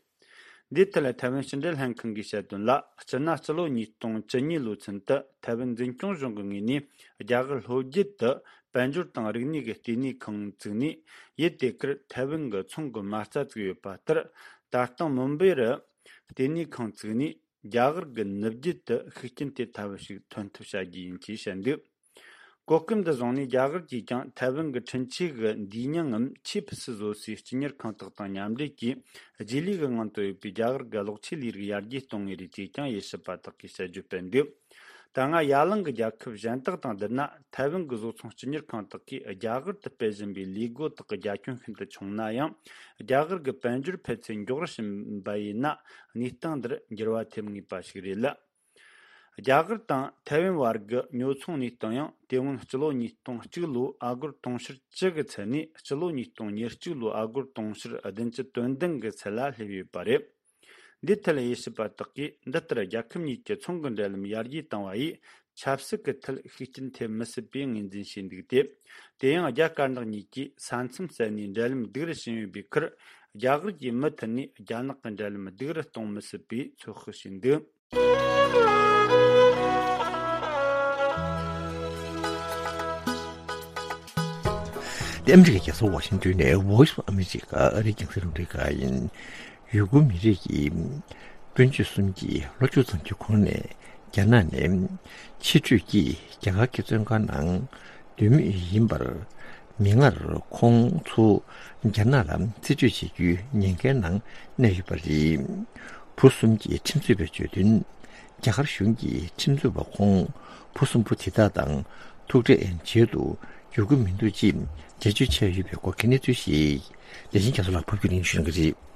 འདིའི་ཐད་ལ་ཐའེ་ཝན་ཕྱི་འབྲེལ་ལྷན་ཁང་གིས་བཤད་དོན་ལ། སྤྱིར་ན་སྤྱི་ལོ་ཉིས་སྟོང་བཅུ་གཉིས་ལོ་ཚུན་དུ་ཐའེ་ཝན་འཛིན་སྐྱོང་གཞུང་གི་ངོས་ནས་རྒྱ་གར་ལྷོ་རྒྱུད་དུ་དཔལ་འབྱོར་དང་རིག་གནས་ཀྱི་ལྟེ་གནས་ཁང་བཙུགས་ནས། ཡུལ་དེ་ཁུལ་ཐའེ་ཝན་གྱི་ཚོང་གི་མ་རྩ་བཙུགས་ཡོད་པ་ལྟར། ད་ལྟ་མུམ་བེ་རུ་ལྟེ་གནས་ཁང་བཙུགས་ནས། རྒྱ་གར་གྱི་ནུབ་རྒྱུད་དུ་ཤུགས་རྐྱེན་དེ་ལྟ་བུ་ཞིག་ཐོན་ཐབས་བྱ་རྒྱུ་ཡིན་ཅེས་བཤད་འདུག་གོ་སྐབས་འདི་བཟུང་ནས་རྒྱ་གར་གྱིས་ཀྱང་ཐའེ་ཝན་གྱི་ཁྲིམས་ཆད་ཀྱི་འདུས་མྱིང་ངམ་ཆེས་ཕུན་སུམ་བཟོ་སའི་སྤྱི་གཉེར་ཁང་དག་དང་མཉམ་འབྲེལ་གྱིས། རྗེས་ལུས་ཀྱི་ངང་དུ་ཡོད་པའི་རྒྱ་གར་གྱི་གློག་ཆས་ལས་རིགས་ཡར་རྒྱས་གཏོང་ངེས་རེད་ཅེས་ཀྱང་དབྱེ་ཞིབ་པ་དག་གིས་དཔྱད་བརྗོད་སྤེལ་འདུག་ད་སྔ་ཡ་གླིང་གི་རྒྱལ་ཁབ་གཞན་དག་དང་བསྡུར་ན། ཐའེ་ཝན་གྱི་བཟོ་ཚོང་སྤྱི་གཉེར་ཁང་དག་གིས་རྒྱ་གར་དུ་སྤེལ་བཞིན་པའི་ལས་སྒོ་དག་གི་རྒྱ་ཁྱོན་ཤིན་ཏུ་ཆུང་ན་ཡང་། རྒྱ་གར་གྱི་དཔལ་འབྱོར་འཕེལ་ཚད་མགྱོགས་རུ་ཕྱིན་པ་ཡིན་ན། གནས་སྟངས་འདིར་འགྱུར་བ་ཐེབས་ངེས་པ་ཞིག་རེད་ལ། རྒྱ་གར་དང་ཐའེ་ཝན་བར་གྱི་ཉོ་ཚོང་གནས་སྟངས་ཡང་། དེ་སྔོན་སྤྱི་ལོ་ཉིས་སྟོང་གཅིག་ལོའི་ཨ་སྒོར་དུང་ཕྱུར་བཅུ་གི་ཚད་ནས། སྤྱི་ལོ་ཉིས་སྟོང་ཉེར་གཅིག་ལོའི་ཨ་སྒོར་དུང་ཕྱུར་བདུན་ཅུ་དོན་བདུན་གི་ཚད་ལ་སླེབས་ཡོད་པ་རེད། འདིའི་ཐད་དབྱེ་ཞིབ་པ་དག་གིས། འདི་ལྟར་རྒྱལ་ཁབ་གཉིས་ཀྱི་ཚོང་གི་འབྲེལ་ལམ་ཡར་རྒྱས་བཏང་བ་ཡིས། ཆབ་སྲིད་ཀྱི་ཐད་ཤུགས་རྐྱེན་ཐེབས་མི་སྲིད་པའི་ངོས་འཛིན་བྱས་འདུག་སྟེ། དེ་ཡང་རྒྱ་དཀར་ནག་གཉིས་ཀྱིས་ས་མཚམས་བསལ་ནས་འབྲེལ་ལམ་སྡུག་རུ་ཕྱིན་ཡོད་པའི་ཁར། རྒྱ་གར་གྱིས་མུ་མཐུད་ནས་རྒྱ་ནག་གི་འབྲེལ་ལམ་སྡུག་རུ་གཏོང་མི་སྲིད་པའི་ཚོད་དཔག་བྱས་འདུག་དེ་ཨ་མི་རི་ཀའི་རྒྱལ་ས་ཝ་ཤིང་ཏོན་ནས་Voice of America ཨ་རིའི་རྒྱང་སྲིང་རླུང་འཕྲིན་ཁང་ཡིན། ཡུ་གུར་མི་རིགས་ཀྱི་སྤུན་མཆེད་གསུམ་གྱིས་ལོ་བཅུ་ཙམ་གྱི་གོང་ནས་རྒྱ་ནག་ནས་ཕྱིར་སྤྲོད་ཀྱིས་རྒྱ་གར་གྱི་བཙོན་ཁང་ནང་སྡོད་མུས་ཡིན་པར། མིག་སྔར་ཁོང་ཚོ་རྒྱ་ནག་ལ་རྩིས་སྤྲོད་བྱེད་རྒྱུའི་ཉེན་ཁའི་ནང་གནས་ཡོད་པ་རེད། བུ་གསུམ་གྱི་ཁྲིམས་རྩོད་པས་བརྗོད་དོན། རྒྱ་གར་གཞུང་གིས་ཁྲིམས་རྩོད་པ་ཁོང་བུ་གསུམ་པོ་དེ་དག་དང་ཐུག་འཕྲད་བྱེད་དུ་འཇུག་གི་མི་འདུག་ཅེས་འགྲེལ་བརྗོད་བྱས་ཡོད་པའི་སྐོར་གྱི་གནས་ཚུལ་ཞིག་ལེགས་ཤིང་རྒྱ་མཚོ་ལགས་ཕབ་སྒྱུར་གནང་ཞུ་གནང་གི་རེད།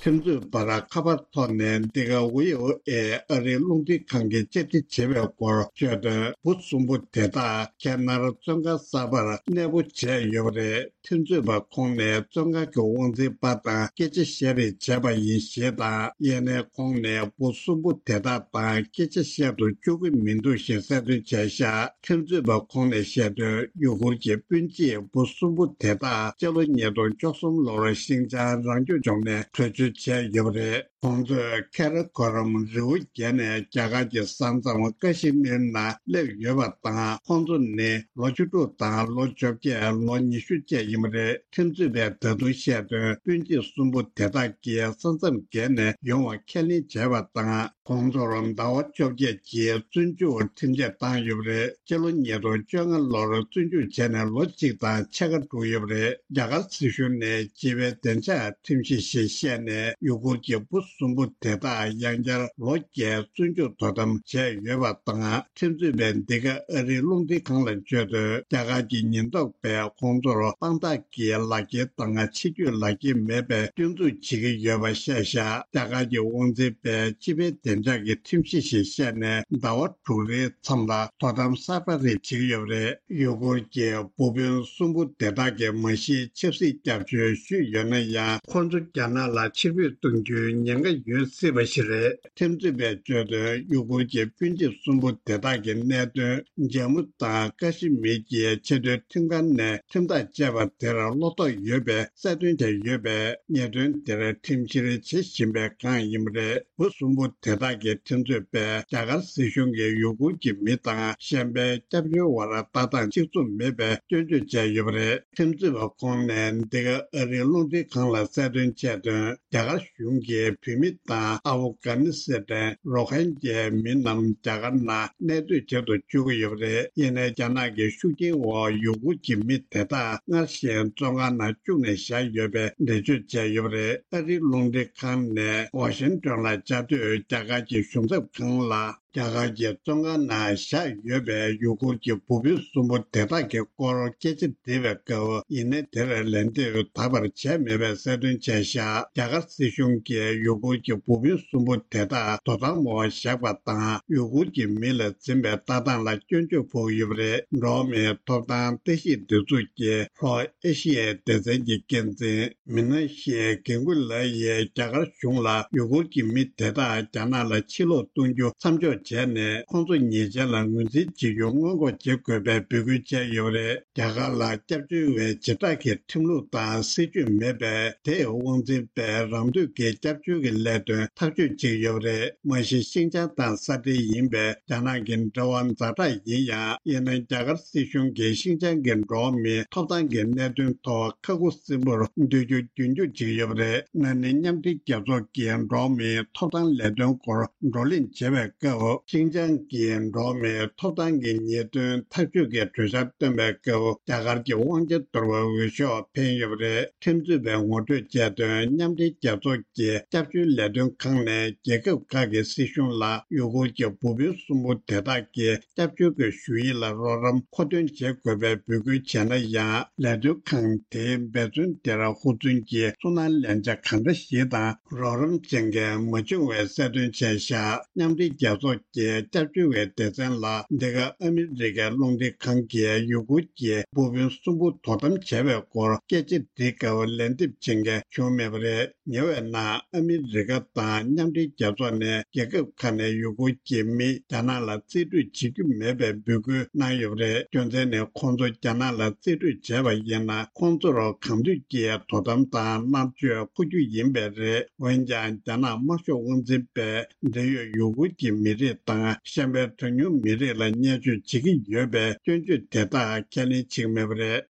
ཁྲིམས་རྩོད་པར་ཁ་པར་ཐོག་ནས་འདི་ག་ཝི་ཨོ་ཨེ་ཨ་རིའི་རླུང་འཕྲིན་ཁང་གིས་བཅར་འདྲི་བྱས་པའི་སྐོར་བརྗོད་དོན། བུ་གསུམ་པོ་དེ་དག་ཁེ་ནར་བཙོན་ཁང་གསར་པར་གནས་སྤོ་བྱས་ཡོད་པ་རེད། ཁྲིམས་རྩོད་པ་ཁོང་ནས་བཙོན་ཁང་གི་དབང་འཛིན་པ་དང་སྐད་ཆ་བཤད་རེས་བྱས་པ་ཡིན་ཞེས་དང་། ཡེ་ནས་ཁོང་ནས་བུ་གསུམ་པོ་དེ་དག་དང་སྐད་ཆ་བཤད་དུ་བཅུག་གི་མི་འདུག་ཞེས་གསལ་སྟོན་བྱས་ཤག་ཁྲིམས་རྩོད་པ་ཁོང་ནས་བཤད་དོན། ཡུ་གུར་གྱི་སྤུན་མཆེད་བུ་གསུམ་པོ་དེ་དག་སྤྱི་ལོ་ཉིས་སྟོང་བཅུ་གསུམ་ལོར་ཤིན་ཅང་རང་སྐྱོང་ལྗོངས་ནས་བྲོས་བྱོལ་བྱས་ཡོད་པ་རེད། ཁོང་ཚོས་ཁེ་ར་ཁོ་རམ་རི་བོ་བརྒྱད་ནས་རྒྱ་གར་གྱི་ས་མཚམས་ཀ་ཤི་མིར་ནང་སླེབས་ཡོད་པ་དང་། ཁོང་ཚོ་ནི་ལོ་བཅུ་དྲུག་དང་ལོ་བཅོ་བརྒྱད། ལོ་ཉི་ཤུ་བཅས་ཡིན་པ་རེད། ཁྲིམས་རྩོད་པས་ད་དུང་བཤད་དོན། སྤུན་མཆེད་གསུམ་པོ་དེ་དག་གིས་ས་མཚམས་བརྒལ་ནས་ཡོང་བ་ཁས་ལེན་བྱས་པ་དང་། ཁོང་ཚོར་ཟླ་བ་བཅོ་བརྒྱད་ཀྱི་བཙོན་འཇུག་ཁྲིམས་ཆད་བཏང་ཡོད་པ་རེད། སྤྱི་ལོ་ཉིས་སྟོང་བཅོ་ལྔ་ལོར་བཙོན་འཇུག་བྱས་ནས་ལོ་གཅིག་དང་ཕྱེད་ཀ་འགྲོ་ཡོད་པ་རེད། རྒྱ་གར་སྲིད་གཞུང་ནས་སྤྱི་པའི་བདེ་འཇགས་ཁྲིམས་གཞི་ཞེས་བཤད་ནས། ཡུ་གུར་གྱི་བུ་གསུམ་པོ་དེ་དག་ཡང་བསྐྱར་ལོ་བརྒྱའི་བཙོན་འཇུག་དོ་དམ་བྱས་ཡོད་པ་དང་། ཁྲིམས་རྩོད་པས་འདི་ག་ཨ་རིའི་རླུང་འཕྲིན་ཁང་ལ་བརྗོད་དོན། རྒྱ་གར་གྱི་ཉེན་རྟོག་པས་ཁོང་ཚོར་དཔང་རྟགས་ཀྱི་ལག་འཁྱེར་དང་ཕྱི་སྐྱོད་ལག་འཁྱེར་མེད་པའི་སྐྱོན་འཛུགས་བྱེད་ཀྱི་ཡོད་པ་བཤད་ཤག་རྒྱ་གར་གྱི་དབང་འཛིན་པས་སྤྱི་པའི་བདེ་ ལྗོངས་ཀྱི་ཁྲིམས་གཞི་ཞེས་བཤད་ནས་ཟླ་བ་དྲུག་རེའི་མཚམས་ལ་དོ་དམ་གསར་པ་རེ་བྱེད་ཀྱི་ཡོད་པ་རེད། ཡུ་གུར་གྱི་འབུ་དཔོན་གསུམ་པོ་དེ་དག་གིས་མ་གཞི་ཆབ་སྲིད་སྐྱབས་བཅོལ་ཞུས་ཡོད་ན་ཡང་། ཁོང་ཚོ་རྒྱ་ནག་ལ་ཕྱིར་འབུད་གཏོང་རྒྱུའི་ཉེན་ཁ་ཡོད་སྲིད་པ་ཞིག་རེད། ཐེམ་མཛོད་པས་བརྗོད་དོན། ཡུ་གུར་གྱི་སྤུན་མཆེད་གསུམ་པོ་དེ་དག་གི་གནད་དོན་འཇའ་མུ་དང་ཀ་ཤི་མིར་གྱི་ཆེས་མཐོའི་ཁྲིམས་ཁང་ནས་ཁྲིམས་ཐག་བཅད་པ་དེར་བློ་དོགས་ཡོད་པའི་གསལ་སྟོན་བྱས་ཡོད་པས། ཉེས་དོན་དེར་ཁྲིམས་བཤེར་བྱེད་བཞིན་པའི་སྒང་ཡིན་པ་རེད། འབུ་གསུམ་པོ་དེ་དག་གི་ཐེམ་མཛོད་པས་རྒྱ་གར་སྲིད་གཞུང་གིས་ཡུ་གུར་གྱི་མི་དང་གཞན་པའི་སྐྱབས་བཅོལ་བར་ལྟ་སྟངས་གཅིག་མཚུངས་མེད་པའི་སྐྱོན་བརྗོད་བྱས་ཡོད་པ་རེད། ཐེམ་མཛོད་པ་ཁོང་ནས་འདི་ག་ཨ་རིའི་རླུང་འཕྲིན་ཁང་ལ་གསལ་སྟོན་བྱས་དོན། རྒྱ་གར་གཞུང་གིས་བོད་མི་དང་ཨ་ཧྥུ་གྷ་ནི་སི་ཐན་རོ་ཧིན་ཇའི་མི་རྣམས་རྒྱ་གར་ནང་གནས་སྡོད་བྱེད་དུ་བཅུག་གི་ཡོད་པ་རེད། ཡིན་ནའི་རྒྱ་ནག་གི་ཤུགས་རྐྱེན་འོག་ཡུ་གུར་གྱི་མི་དེ་དག་སྔར་བཞིན་བཙོན་ཁང་ནང་བཅུག་ནས་བཞག་ཡོད་པའི་འགྲེལ་བརྗོད་བྱས་ཡོད་པ་རེད། ཨ་རིའི་རླུང་འཕྲིན་ཁང་ནས་ཝ་ཤིང་ཏོན་ལ་བཅའ་སྡོད་རྒྱ་གར་གྱི་གཞུང་ཚབ་ཁང་ལ། རྒྱ་གར་གྱི་བཙོན་ཁང་ནང་བཞག་ཡོད་པའི་ཡུ་གུར་གྱི་འབུ་དཔོན་གསུམ་པོ་དེ་དག་གི་སྐོར་སྐད་ཆ་དྲིས་པའི་སྐབས། ཡིན་ནའི་དེར་ལན་འདེབས་ད་བར་བྱས་མེད་པའི་གསལ་སྟོན་བྱས་བཞག་རྒྱ་གར་སྲིད་གཞུང་གིས་ཡུ་གུར་གྱི་འབུ་དཔོན་གསུམ་པོ་དེ་དག་དོ་དམ་འོག་བཞག་པ་དང་། ཡུ་གུར་གྱི་མི་ལ་འཛིན་པའི་ལྟ་སྟངས་ལ་སྐྱོན་བརྗོད་ཕོག་ཡོད་པ་རེད། འགྲོ་བ་མིའི་ཐོབ་ཐང་ལྟ་ཞིབ་སྡེ་ཚོགས་ཀྱི་ལྷོ་ཨེ་ཤི་ཡའི་སྡེ་ཚན་གྱི་འགན་འཛིན། མི་ན་ཤི་ཡའི་གན་གུ་ལ་ཡིས་རྒྱ་གར་གཞུང་ལ་ཡུ་གུར་གྱི་མི་དེ་དག་རྒྱ་ནག་ལ་ཕྱིར་ལོག་གཏོང་རྒྱུ་མཚམས་འཇོག་བྱས་ནས། ཁོང་ཚོ་ཉེས་ཅན་ལ་ངོས་འཛིན་བྱེད་རྒྱུ་སྔོན་འགོག་བྱེད་དགོས་པའི་འབོད་སྐུལ་བྱས་ཡོད་པ་རེད། རྒྱ་གར་ལ་སྐྱབས་བཅོལ་བའི་བྱེ་བྲག་གི་ཁྲིམས་ལུགས་དང་སྲིད་ཇུས་མེད་པས། དེའི་དབང་འཛིན་པས་རང་འདོད་ཀྱིས་སྐྱབས་བཅོལ་གྱི་ལས་དོན་ཐག་གཅོད་བྱེད་ཀྱི་ཡོད་པ་རེད། མ་གཞི་ཤིན་ཅང་དང་ས་འབྲེལ་ཡིན་པའི་རྒྱ་ནག་གི་འབྲེལ་བ་ཛ་དྲག་ཡིན་ཡང་། ཡིན་ན་རྒྱ་གར་སྲིད་གཞུང་གིས་ཤིན་ཅང་གི་འགྲོ་བ་མིའི་ཐོབ་ཐང་གི་གནད་དོན་ཐོག་ཁ་ཁུ་སིམ་པོར་སྡོད་རྒྱུ་རྒྱུན་འཁྱོངས་བྱེད་ཀྱི་ཡོད་པ་རེད། ན་ནིང་མཉམ་འབྲེལ་རྒྱལ་ཚོགས་ཀྱི་འགྲོ་བ་མིའི་ཐོབ་ཐང་ལས་དོན་སྐོར་བགྲོ་གླེང་བྱེད་པའི་སྐབས། ཤིན་ཅང་གི་འགྲོ་བ་མིའི་ཐོབ་ཐང་གི་ཉེས་དོན་ཐག་གཅོད་ཀྱི་གྲོས་འཆར་བཏོན་པའི་སྐབས། རྒྱ་གར་གྱི་དབང་ཆ་འདོར་བའི་འོས་ཤོག་འཕེན་ཡོད་པ་རེད། ཁྲིམས་རྩོད་པས་ངོ་སྤྲོད་བྱས་དོན། མཉམ་འབྲེལ་རྒྱལ་ཚོགས་ཀྱི་སྐྱབས་བཅོལ་ལས་དོན་ཁང་ནས་རྒྱལ་ཁབ་ཁག་གི་སྲིད་གཞུང་ལ་ཡུ་གུར་གྱི་འབུ་དཔོན་གསུམ་པོ་དེ་དག་གི་སྐྱབས་བཅོལ་གྱི་ཞུ་ཡིག་ལ་རོགས་རམ་མཁོ་འདོན་བྱེད་དགོས་པའི་འབོད་སྐུལ་བྱས་ན་ཡང་། ལས་དོན་ཁང་དེའི་འབད་བརྩོན་དེར་ཧུར་བརྩོན་གྱིས་ཚུར་སྣང་ལན་ཆ་གང་འདྲ་ཞིག་དང་རོགས་རམ་ཅན་གྱིས་མ་བྱུང་བའི་གསལ་སྟོན་བྱས་བཞག་མཉམ་འབྲེལ་རྒྱལ་ཚོགས་ཀྱི་སྐྱབས་བཅོལ་བའི་སྡེ་ཚན་ལ། འདི་ག་ཨ་མི་རི་ཀའི་རླུང་འཕྲིན་ཁང་གིས་ཡུ་གུར་གྱི་འབུ་དཔོན་གསུམ་པོ་དོ་དམ་བྱས་པའི་སྐོར་སྐད་ཆ་དྲིས་སྐབས། ལན་འདེབས་བྱེད་མཁན་བྱུང་མེད་པ་རེད། ཉེ་བའི་ནང་ཨ་མི་རི་ཀ་དང་མཉམ་འབྲེལ་རྒྱལ་ཚོགས་ནས་རྒྱལ་ཁབ་ཁག་ནས་ཡུ་གུར་གྱི་མི་རྒྱ་ནག་ལ་རྩིས་སྤྲོད་བྱེད་རྒྱུ་མེད་པའི་འབོད་སྐུལ་གནང་ཡོད་པ་རེད། རྒྱུ་མཚན་ནི། ཁོང་ཚོ་རྒྱ་ནག་ལ་རྩིས་སྤྲོད་བྱས་པ་ཡིན་ན། ཁོང་ཚོར་གང་འདོད་ཀྱིས་དོ་དམ་དང་མནར་གཅོད་འཁུར་རྒྱུ་ཡིན་པས་རེད། འོན་ཀྱང་། རྒྱ་ནག་དམར་ཤོག་དབང་འཛིན་པས་འབྲེལ་ཡོད་ཡུ་གུར་གྱི་མི་རིགས་དང་། གཞན་པའི་གྲངས་ཉུང་མི་རིགས་ལ་བརྙས་བཅོས་བྱེད་ཀྱི་ཡོད་པའི་སྐྱོན་བརྗོད་དེ་དག་ཁས་ལེན་བྱེད་ཀྱི་མེད་པ་རེད།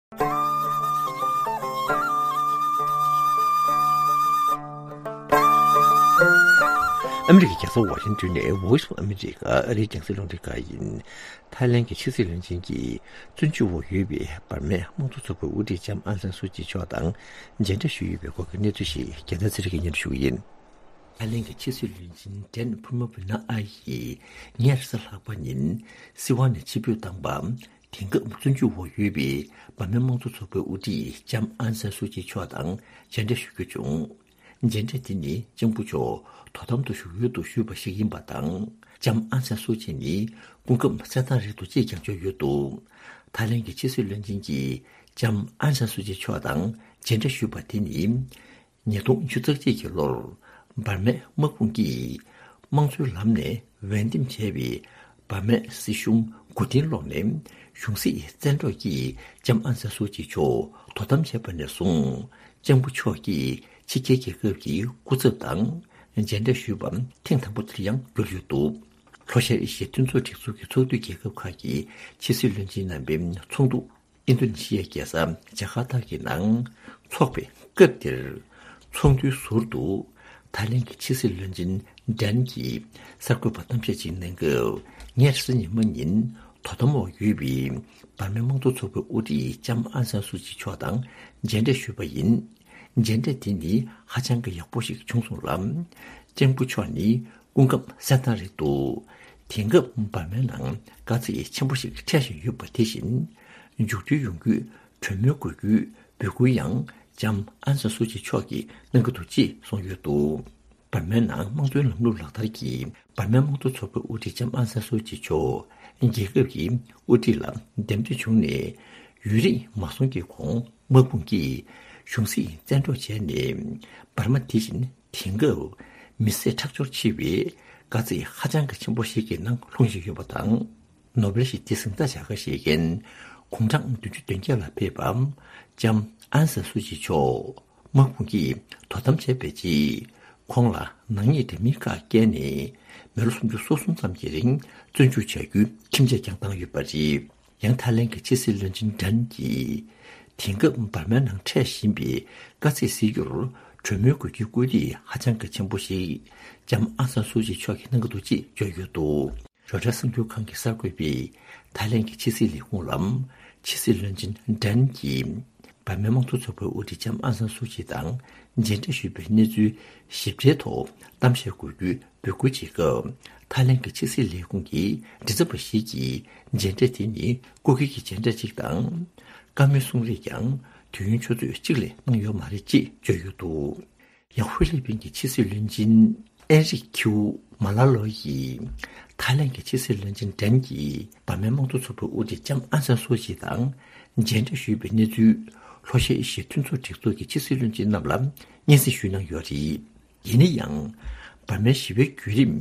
ཨ་མི་རི་ཀའི་རྒྱལ་ས་ཝ་ཤིང་ཏོན་ནས་Voice of America ཨ་རིའི་རྒྱང་སྲིང་རླུང་འཕྲིན་ཁང་ཡིན། ཐའི་ལེན་གྱི་ཕྱི་སྲིད་བློན་ཆེན་གྱིས་བཙོན་འཇུག་འོག་ཡོད་པའི་འབར་མའི་དམངས་གཙོ་ཚོགས་པའི་དབུ་ཁྲིད་ལྕམ་ཨང་སན་སུའུ་ཅི་མཆོག་དང་མཇལ་འཕྲད་ཞུས་ཡོད་པའི་སྐོར་གྱི་གནས་ཚུལ་ཞིག་རྒྱལ་མཚན་ཚེ་རིང་གིས་སྙན་སྒྲོན་ཞུ་གི་ཡིན། ཐའི་ལེན་གྱི་ཕྱི་སྲིད་བློན་ཆེན་ཌན་ཕུ་མ་བི་ན་ཨ་ཡིས་ཉེ་རེས་གཟའ་ལྷག་པ་ཉིན་སྲིད་དབང་ནས་ཕྱིར་འབུད་བཏང་པ། དེང་སྐབས་བཙོན་འཇུག་འོག་ཡོད་པའི་འབར་མའི་དམངས་གཙོ་ཚོགས་པའི་དབུ་ཁྲིད་ལྕམ་ཨང་སན་སུའུ་ཅི་མཆོག་དང་མཇལ་འཕྲད་ཞུ་རྒྱུ་བྱུང་། མཇལ་འཕྲད་དེ་ནི་ལྕམ་སྐུ་མཆོག་དོ་དམ་དུ་བཞུགས་ཡུལ་དུ་བཞུགས་པ་ཞིག་ཡིན་པ་དང་། ལྕམ་ཨང་སན་སུའུ་ཅི་ནི་སྐུ་ཁམས་གསལ་ཐང་རེད་འདུག་ཅེས་ཀྱང་བརྗོད་ཡོད་འདུག་ཐའི་ལེན་གྱི་ཕྱི་སྲིད་བློན་ཆེན་གྱིས་ལྕམ་ཨང་སན་སུའུ་ཅི་མཆོག་དང་མཇལ་འཕྲད་ཞུས་པ་དེ་ནི། ཉིས་སྟོང་ཉི་ཤུ་རྩ་གཅིག་གི་ལོར་འབར་མའི་དམག་དཔུང་གིས་དམངས་གཙོའི་ལམ་ནས་འོས་འདེམས་བྱས་པའི་འབར་མའི་སྲིད་གཞུང་མགོ་རྟིང་སློག་ནས། གཞུང་སྲིད་བཙན་འཕྲོག་གིས་ལྕམ་ཨང་སན་སུའུ་ཅི་མཆོག་དོ་དམ་བྱས་པ་ནས་བཟུང་། ལྕམ་སྐུ་མཆོག་གིས་ཕྱི་རྒྱལ་རྒྱལ་ཁབ་ཀྱི་སྐུ་ཚབ་དང་མཇལ་འཕྲད་ཞུས་པ་ཐེངས་དང་པོ་དེར་ཡང་གྱུར་ཡོད་འདུག་ལྷོ་ཤར་ཨེ་ཤི་ཡའི་མཐུན་ཚོགས་སྒྲིག་འཛུགས་ཀྱི་ཚོགས་འདུའི་རྒྱལ་ཁབ་ཁག་གི་ཕྱི་སྲིད་བློན་ཆེན་རྣམ་པའི་ཚོགས་འདུ། ཨིན་ཌོ་ནེ་ཤི་ཡའི་རྒྱལ་ས་ཇ་ཀར་ཏ་གི་ནང་འཚོགས་པའི་སྐབས་དེར། ཚོགས་འདུའི་ཟུར་དུ་ཐའི་ལེན་གྱི་ཕྱི་སྲིད་བློན་ཆེན་ཌན་གྱིས་གསར་འགོད་པར་གཏམ་བཤད་ཅིག་གནང་སྐབས། ཉེ་རེས་གཟའ་ཉི་མ་ཉིན་དོ་དམ་འོག་ཡོད་པའི་འབར་མའི་དམངས་གཙོ་ཚོགས་པའི་དབུ་ཁྲིད་ལྕམ་ཨང་སན་སུའུ་ཅི་མཆོག་དང་མཇལ་འཕྲད་ཞུས་པ་ཡིན། མཇལ་འཕྲད་དེ་ནི་ཧ་ཅང་གི་ཡག་པོ་ཞིག་བྱུང་སོང་ལ། ལྕམ་སྐུ་མཆོག་ནི་སྐུ་ཁམས་གསལ་ཐང་རེད་འདུག་དེང་སྐབས་འབར་མའི་ནང་དཀའ་ཚེགས་ཆེན་པོ་ཞིག་འཕྲད་བཞིན་ཡོད་པ་དེ་བཞིན། མཇུག་སྒྲིལ་ཡོང་རྒྱུའི་གྲོས་མོལ་དགོས་རྒྱུའི་འབོད་སྐུལ་ཡང་ལྕམ་ཨང་སན་སུའུ་ཅི་མཆོག་གིས་གནང་གི་འདུག་ཅེས་གསུངས་ཡོད་འདུག་འབར་མའི་ནང་དམངས་གཙོའི་ལམ་ལུགས་ལག་བསྟར་གྱིས་འབར་མའི་དམངས་གཙོ་ཚོགས་པའི་དབུ་ཁྲིད་ལྕམ་ཨང་སན་སུའུ་ཅི་མཆོག་རྒྱལ་ཁབ་ཀྱི་དབུ་ཁྲིད་ལ་འདེམས་ཐོན་བྱུང་ནས། ཡུན་རིང་མ་སོང་གི་གོང་དམག་དཔུང་གིས་གཞུང་སྲིད་བཙན་འཕྲོག་བྱས་ནས། འབར་མ་དེ་བཞིན་དེང་སྐབས་མི་བསད་ཁྲག་སྦྱོར་ཆེ་བའི་དཀའ་ཚེགས་ཧ་ཅང་གི་ཆེན་པོ་ཞིག་གི་ནང་ལྷུང་བཞིན་ཡོད་པ་དང་། ནོ་བེལ་ཞི་བདེའི་གཟེངས་རྟགས་བྱ་དགའ་བཞེས་མཁན་དགུང་གྲངས་བདུན་ཅུ་དོན་བརྒྱད་ལ་ཕེབས་པ་ལྕམ་ཨན་སན་སུའུ་ཅི་མཆོག་དམག་དཔུང་གིས་དོ་དམ་བྱས་པའི་རྗེས། ཁོང་ལ་ནག་ཉེས་འདྲ་མིན་ཁག་བཀལ་ནས་མི་ལོ་སུམ་ཅུ་སོ་གསུམ་ཙམ་གྱི་རིང་བཙོན་འཇུག་བྱ་རྒྱུའི་ཁྲིམས་ཆད་ཀྱང་བཏང་ཡོད་པ་རེད། ཡང་ཐའི་ལེན་གྱི་ཕྱི་སྲིད་བློན་ཆེན་ཌན་གྱིས། དེང་སྐབས་འབར་མའི་ནང་འཕྲད་བཞིན་པའི་དཀའ་ཚེགས་སེལ་རྒྱུར་གྲོས་མོལ་དགོས་རྒྱུའི་སྐུལ་འདེད་ཧ་ཅང་གི་ཆེན་པོ་ཞིག་ལྕམ་ཨང་སན་སུའུ་ཅི་མཆོག་གིས་གནང་གི་འདུག་ཅེས་བརྗོད་ཡོད་འདུག་རོའི་ཊར་གསར་འགྱུར་ཁང་གི་གསར་འགོད་པས་ཐའི་ལེན་གྱི་ཕྱི་སྲིད་ལས་ཁུངས་ལ། ཕྱི་སྲིད་བློན་ཆེན་ཌན་གྱིས་འབར་མའི་དམངས་གཙོ་ཚོགས་པའི་དབུ་ཁྲིད་ལྕམ་ཨང་སན་སུའུ་ཅི་དང་མཇལ་འཕྲད་ཞུས་པའི་གནས་ཚུལ་ཞིབ་ཕྲའི་ཐོག་གཏམ་བཤད་དགོས་རྒྱུའི་འབོད་སྐུལ་བྱེད་སྐབས། ཐའི་ལེན་གྱི་ཕྱི་སྲིད་ལས་ཁུངས་ཀྱི་མགྲིན་ཚབ་པ་ཞིག་གིས་མཇལ་འཕྲད་དེ་ནི་སྐུ་སྒེར་གྱི་མཇལ་འཕྲད་ཅིག་དང་། བཀའ་མོལ་གསུང་རེས་ཀྱང་དུས་ཡུན་ཆུ་ཚོད་གཅིག་ལས་གནང་ཡོད་མ་རེད་ཅེས་བརྗོད་ཡོད་འདུག་ཡང་ཧྥི་ལི་པིན་གྱི་ཕྱི་སྲིད་བློན་ཆེན་ཨེན་རིག་ཁིའུ་མ་ལ་ལོ་ཡིས་ཐའི་ལེན་གྱི་ཕྱི་སྲིད་བློན་ཆེན་ཌན་གྱིས་འབར་མའི་དམངས་གཙོ་ཚོགས་པའི་དབུ་ཁྲིད་ལྕམ་ཨང་སན་སུའུ་ཅི་དང་མཇལ་འཕྲད་ཞུས་པའི་གནས་ཚུལ་ལྷོ་ཤར་ཨེ་ཤི་ཡའི་མཐུན་ཚོགས་སྒྲིག་འཛུགས་ཀྱི་ཕྱི་སྲིད་བློན་ཆེན་རྣམས་ལ་སྙན་སེང་ཞུས་གནང་ཡོད་རེད། ཡིན་ན་ཡང་། འབར་མའི་ཞི་བའི་བརྒྱུད་རིམ་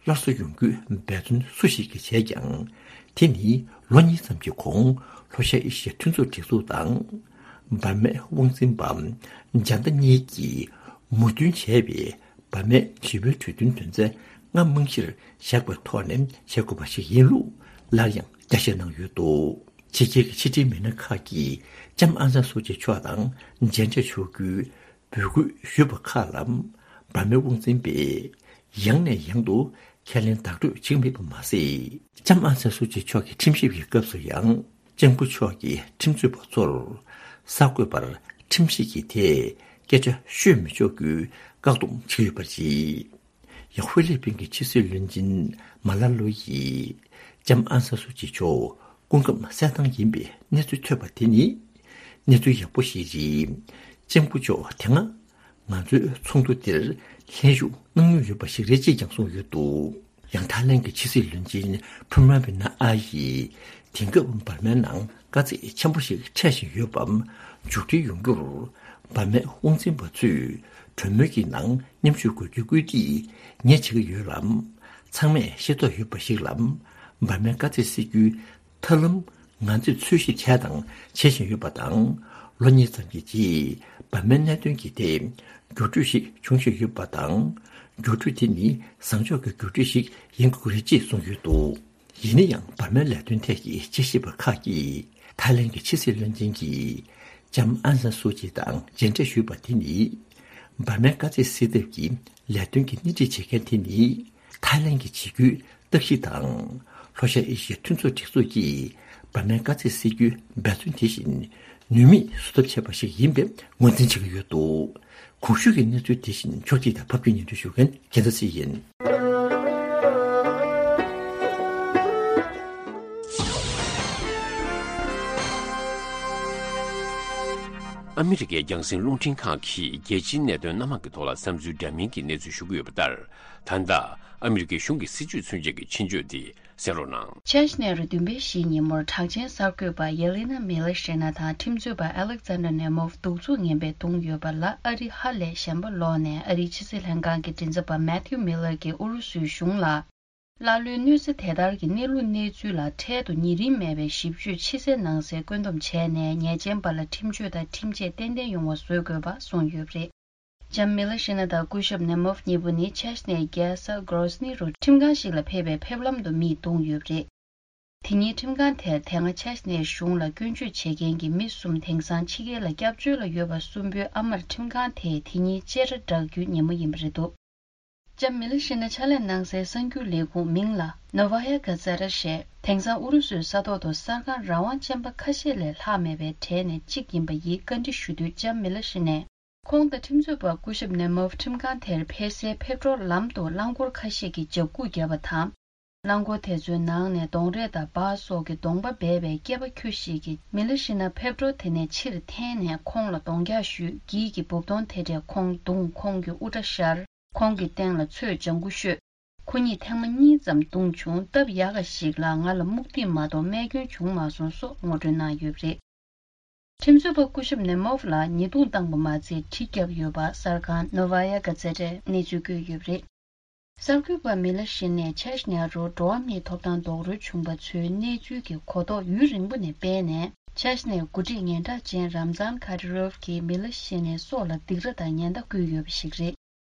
སླར་གསོ་ཡོང་རྒྱུའི་འབད་བརྩོན་སུ་ཞིག་གིས་བྱས་ཀྱང་། དེ་ནི་ལོ་གཉིས་ཙམ་གྱི་གོང་ལྷོ་ཤར་ཨེ་ཤི་ཡའི་མཐུན་ཚོགས་སྒྲིག་འཛུགས་དང་། འབར་མའི་དབང་འཛིན་པ་འཇ་མདའ་གཉིས་ཀྱིས་མོས་མཐུན་བྱས་པའི་འབར་མའི་ཞི་བའི་གྲོས་མཐུན་དོན་ཚན་ལྔ་རྨང་གཞིར་བཞག་པའི་ཐོག་ནས་བྱེད་དགོས་པ་ཞིག་ཡིན་ལུགས་སླར་ཡང་རྒྱ་བཤད་གནང་ཡོད་འདུག་ཕྱི་རྒྱལ་གྱི་ཕྱི་འབྲེལ་མི་སྣ་ཁག་གིས་ལྕམ་ཨང་སན་སུའུ་ཅི་མཆོག་དང་མཇལ་འཕྲད་ཞུ་རྒྱུའི་འབོད་སྐུལ་ཞུས་པ་ཁག་ལ། འབར་མའི་དབང་འཛིན་པས་ཡང་ནས་ཡང་དུ་ཁས་ལེན་བདག་སྤྲོད་བྱེད་ཀྱི་མེད་པ་མ་ཟད། ལྕམ་ཨང་སན་སུའུ་ཅི་མཆོག་གི་ཁྲིམས་ཞིབ་ཀྱི་སྐབས་སུ་ཡང་། ལྕམ་སྐུ་མཆོག་གིས་ཁྲིམས་རྩོད་པ་ཚོར་གསར་འགོད་པར་ཁྲིམས་ཞིབ་ཀྱི་ཐད་སྐད་ཆ་ཤོད་མི་ཆོག་རྒྱུའི་བཀག་སྡོམ་བྱས་ཡོད་པ་རེད། ཡང་ཧྥི་ལི་པིན་གྱི་ཕྱི་སྲིད་བློན་ཆེན་མ་ལ་ལོ་ཡིས་ལྕམ་ཨང་སན་སུའུ་ཅི་མཆོག་སྐུ་ཁམས་གསལ་ཐང་ཡིན་པའི་གནས་ཚུལ་ཐོས་པ་དེ་ནི་གནས་ཚུལ་ཡག་པོ་ཞིག་རེད། ལྕམ་སྐུ་མཆོག་དེ་སྔ་ང་ཚོའི་ཚོགས་འདུ་འདིར་ལྷན་ཞུགས་གནང་མྱོང་ཡོད་པ་ཞིག་རེད་ཅེས་ཀྱང་གསུངས་ཡོད་འདུག་ཡང་ཐའི་ལེན་གྱི་ཕྱི་སྲིད་བློན་ཆེན་ཕུ་མ་བི་ན་ཨ་ཡིས་དེང་སྐབས་འབར་མའི་ནང་དཀའ་ཚེགས་ཆེན་པོ་ཞིག་འཕྲད་བཞིན་ཡོད་པ་མཇུག་སྒྲིལ་ཡོང་རྒྱུར། འབར་མའི་དབང་འཛིན་པ་ཚོས་གྲོས་མོལ་གྱི་ནང་མཉམ་ཞུགས་དགོས་རྒྱུའི་སྐུལ་འདེད་ངས་བྱེད་ཀྱི་ཡོད་ལ། ཚང་མས་ཤེས་རྟོགས་ཡོད་པ་ཞིག་ལ། འབར་མའི་དཀའ་ཚེགས་སེལ་རྒྱུའི་ཐབས་ལམ་ང་ཚོས་འཚོལ་ཞིབ་བྱས་དང་བྱེད་བཞིན་ཡོད་པ་དང་། ལོ་གཉིས་ཙམ་གྱི་རྗེས་འབར་མའི་གནད་དོན་གྱི་ཐད་འགྱུར་འགྲོས་ཤིག་འབྱུང་བཞིན་ཡོད་པ་དང་། འགྱུར་འགྲོས་དེ་ནི་བཟང་ཕྱོགས་ཀྱི་འགྱུར་འགྲོས་ཤིག་ཡིན་དགོས་ཀྱི་རེད་ཅེས་གསུངས་ཡོད་འདུག་ཡིན་ན་ཡང་འབར་མའི་ལས་དོན་ཐད་ཀྱི་དཔྱད་ཞིབ་པ་ཁག་གིས་ཐའི་ལེན་གྱི་ཕྱི་སྲིད་བློན་ཆེན་གྱིས་ལྕམ་ཨང་སན་སུའུ་ཅི་དང་མཇལ་འཕྲད་ཞུས་པ་དེ་ནི། འབར་མའི་དཀའ་ཚེགས་སེལ་ཐབས་ཀྱི་ལས་དོན་གྱི་སྣེ་ཁྲིད་བྱེད་མཁན་དེ་ནི་ཐའི་ལེན་གྱི་བྱེད་རྒྱུའི་རྟགས་གཞི་དང་། ལྷོ་ཤར་ཨེ་ཤི་ཡའི་མཐུན་ཚོགས་སྒྲིག་འཛུགས་ཀྱིས་འབར་མའི་དཀའ་ཚེགས་སེལ་རྒྱུའི་འབད་བརྩོན་དེ་བཞིན་ནུས་མེད་བཟོ་ཐབས་བྱས་པ་ཞིག་ཡིན་པའི་ངོས་འཛིན་བྱེད་ཀྱི་ཡོད་འདུག་གོང་ཞུས་ཀྱི་གནས་ཚུལ་དེ་བཞིན་ཕྱོགས་སྒྲིག་དང་ཕབ་སྒྱུར་སྙན་སྒྲོན་ཞུ་མཁན་རྒྱལ་མཚན་སྲིད་ཡིན། ཨ་མི་རི་ཀའི་རྒྱང་སྲིང་རླུང་འཕྲིན་ཁང་གིས་རྒྱལ་སྤྱིའི་གནད་དོན་སྣ་མང་གི་ཐོག་ལ་བསམ་ཚུལ་འདྲ་མིན་གྱི་གནས་ཚུལ་ཞུ་གི་ཡོད་པ་ལྟར། ད་ལྟ་ཨ་མི་རི་ཀའི་གཞུང་གི་སྲིད་བྱུས་མཚོན་བྱེད་ཀྱི་ཆེད་བརྗོད་དེ་གསན་རོགས་གནང་། ཆེ་ཤ་ནེ་རུ་བདུན་པའི་གཞིས་ཉིན་མོར་གྲགས་ཅན་གསར་འགོད་པ་ཡེ་ལི་ན་མི་ལི་ཤི་ན་དང་ཁྲིམས་རྩོད་པ་ཨ་ལེག་ཛན་ཌར་ནེ་མོབ་གདུག་རྩུབ་ངན་པས་བརྡུངས་ཡོད་པ་ལ་ཨ་རི་ཧ་ལས་ཞེན་པ་ལོག་ནས་ཨ་རིའི་ཕྱི་སྲིད་ལྷན་ཁང་གི་མགྲིན་ཚབ་པ་མེ་ཐིའུ་མི་ལར་གྱིས་ཨུ་རུ་སུའི་གཞུང་ལ། ཀླ་ཀློའི་གནོད་འཚེ་དེ་ལྟར་གྱི་གནས་ལུགས་གནས་ཚུལ་ལ་འཕྲལ་དུ་ཉེ་རིང་མེད་པའི་ཞིབ་དཔྱོད་ཕྱི་གསལ་ནང་གསལ་བཀོད་འདོམས་བྱས་ནས་ཉེས་ཅན་པ་ལ་ཁྲིམས་གཅོད་དང་ཁྲིམས་ཆད་ཏན་ཏན་ཡོང་བ་བཟོ་དགོས་པ་གསུངས་ཡོད་པ་རེད། ལྕམ་མི་ལི་ཤི་ན་དང་སྐུ་ཞབས་ནེ་མོབ་གཉིས་པོ་ནི་ཆེ་ཤ་ནེའི་རྒྱལ་ས་གྷོ་རོ་སི་ནི་རུ་ཁྲིམས་ཁང་ཞིག་ལ་ཕེབས་པའི་ཕེབས་ལམ་དུ་མིས་བརྡུངས་ཡོད་པ་རེད། དེ་ཉིན་ཁྲིམས་ཁང་དེར་དེ་སྔ་ཆེ་ཤ་ནེའི་གཞུང་ལ་སྐྱོན་བརྗོད་བྱེད་མཁན་གྱི་མི་གསུམ་དེང་སང་ཕྱི་རྒྱལ་ལ་སྐྱབས་བཅོལ་ལ་ཡོད་པ་གསུམ་པོའི་ཨ་མར་ཁྲིམས་ཁང་དེས་དེ་ཉིན་བཅད་ཁྲ་བསྒྲགས་རྒྱུའི་ཉིན་མོ་ཡིན་པ་རེད་འདུག་ལྕམ་མི་ལི་ཤི་ན་ཕྱག་ལས་གནང་སའི་གསར་འགྱུར་ལས་ཁུངས་མིང་ལ་ནོ་ཝ་ཡ་ག་ཛ་ར་ཞེས་དེང་སང་ཨུ་རུ་སུའི་ས་ཐོག་ཏུ་གསར་ཁང་རང་དབང་ཅན་པ་ཁ་ཤས་ལས་ལྷག་མེད་པའི་གྲས་ནས་གཅིག་ཡིན་པ་ཡིས་བཀའ་འདྲི་ཞུ་དུས་ལྕམ་མི་ལི་ཤི་ནས། ཁོང་དང་ཁྲིམས་རྩོད་པ་སྐུ་ཞབས་ནེ་མོབ་ཁྲིམས་ཁང་དེར་ཕེབས་སའི་ཕེབས་འགྲོར་ལམ་དུ་རླངས་འཁོར་ཁ་ཤས་ཀྱིས་འཇབ་སྒུག་བརྒྱབ་པ་དང་། རླངས་འཁོར་དེ་ཚོའི་ནང་ནས་གདོང་རས་དང་འབག་སོགས་ཀྱི་གདོང་པ་སྦས་པའི་སྐྱེས་པ་ཁྱུ་ཞིག་གིས་མི་ལི་ཤི་ན་ཕེབས་འགྲོ་དེ་ནས་ཕྱིར་འཐེན་ནས་ཁོང་ལ་གདོང་རྒྱག་ཞུས། འགྱིག་གི་སྦུབ་དོང་དེ་འདྲས་ཁོང་བརྡུངས། ཁོང་གི་དབུ་སྐྲ་བཤལ། ཁོང་གི་སྟེང་ལ་ཚོས་ལྗང་ཁུ་བཤོས། ཁོ་གཉིས་ཐེངས་མ་གཉིས་ཙམ་བརྡུངས་བྱུང་། སྟབས་ཡག་ག་ཞིག་ལ་ང་ལ་རྨུགས་ཐིག་མ་གཏོགས་རྨས་སྐྱོན་བྱུང་མ་སོང་སོགས་ངོ་སྤྲོད་གནང་ཡོད་པ་རེད། ཁྲིམས་རྩོད་པ་སྐུ་ཞབས་ནེ་མོབ་ལ་ཉེས་རྡུང་བཏང་པ་མ་ཚད་གྲི་བརྒྱབ་ཡོད་པ་གསར་ཁང་Novaya Gazeta གནས་ཚུལ་བཀོད་ཡོད་པ་རེད། གསར་འགོད་པ་མི་ལ་ཤི་ནས་ཆེ་ཤ་ཉ་རོ་འགྲོ་བ་མིའི་ཐོབ་ཐང་རྡོག་རོལ་བྱུང་པ་ཚོའི་གནས་ཚུལ་གྱི་གོ་རྟོགས་ཡུན་རིང་པོ་ནས་སྤེལ་ནས། ཆེ་ཤ་ནས་འགོ་ཁྲིད་སྙན་གྲགས་ཅན་རམ་ཛཱན་ཁ་ཏི་རོབ་ཀྱིས་མི་ལ་ཤི་ནས་སྲོག་ལ་སྡིགས་ར་དང་ཉེན་བརྡ་བསྐུལ་ཡོད་པ་ཞིག་རེད།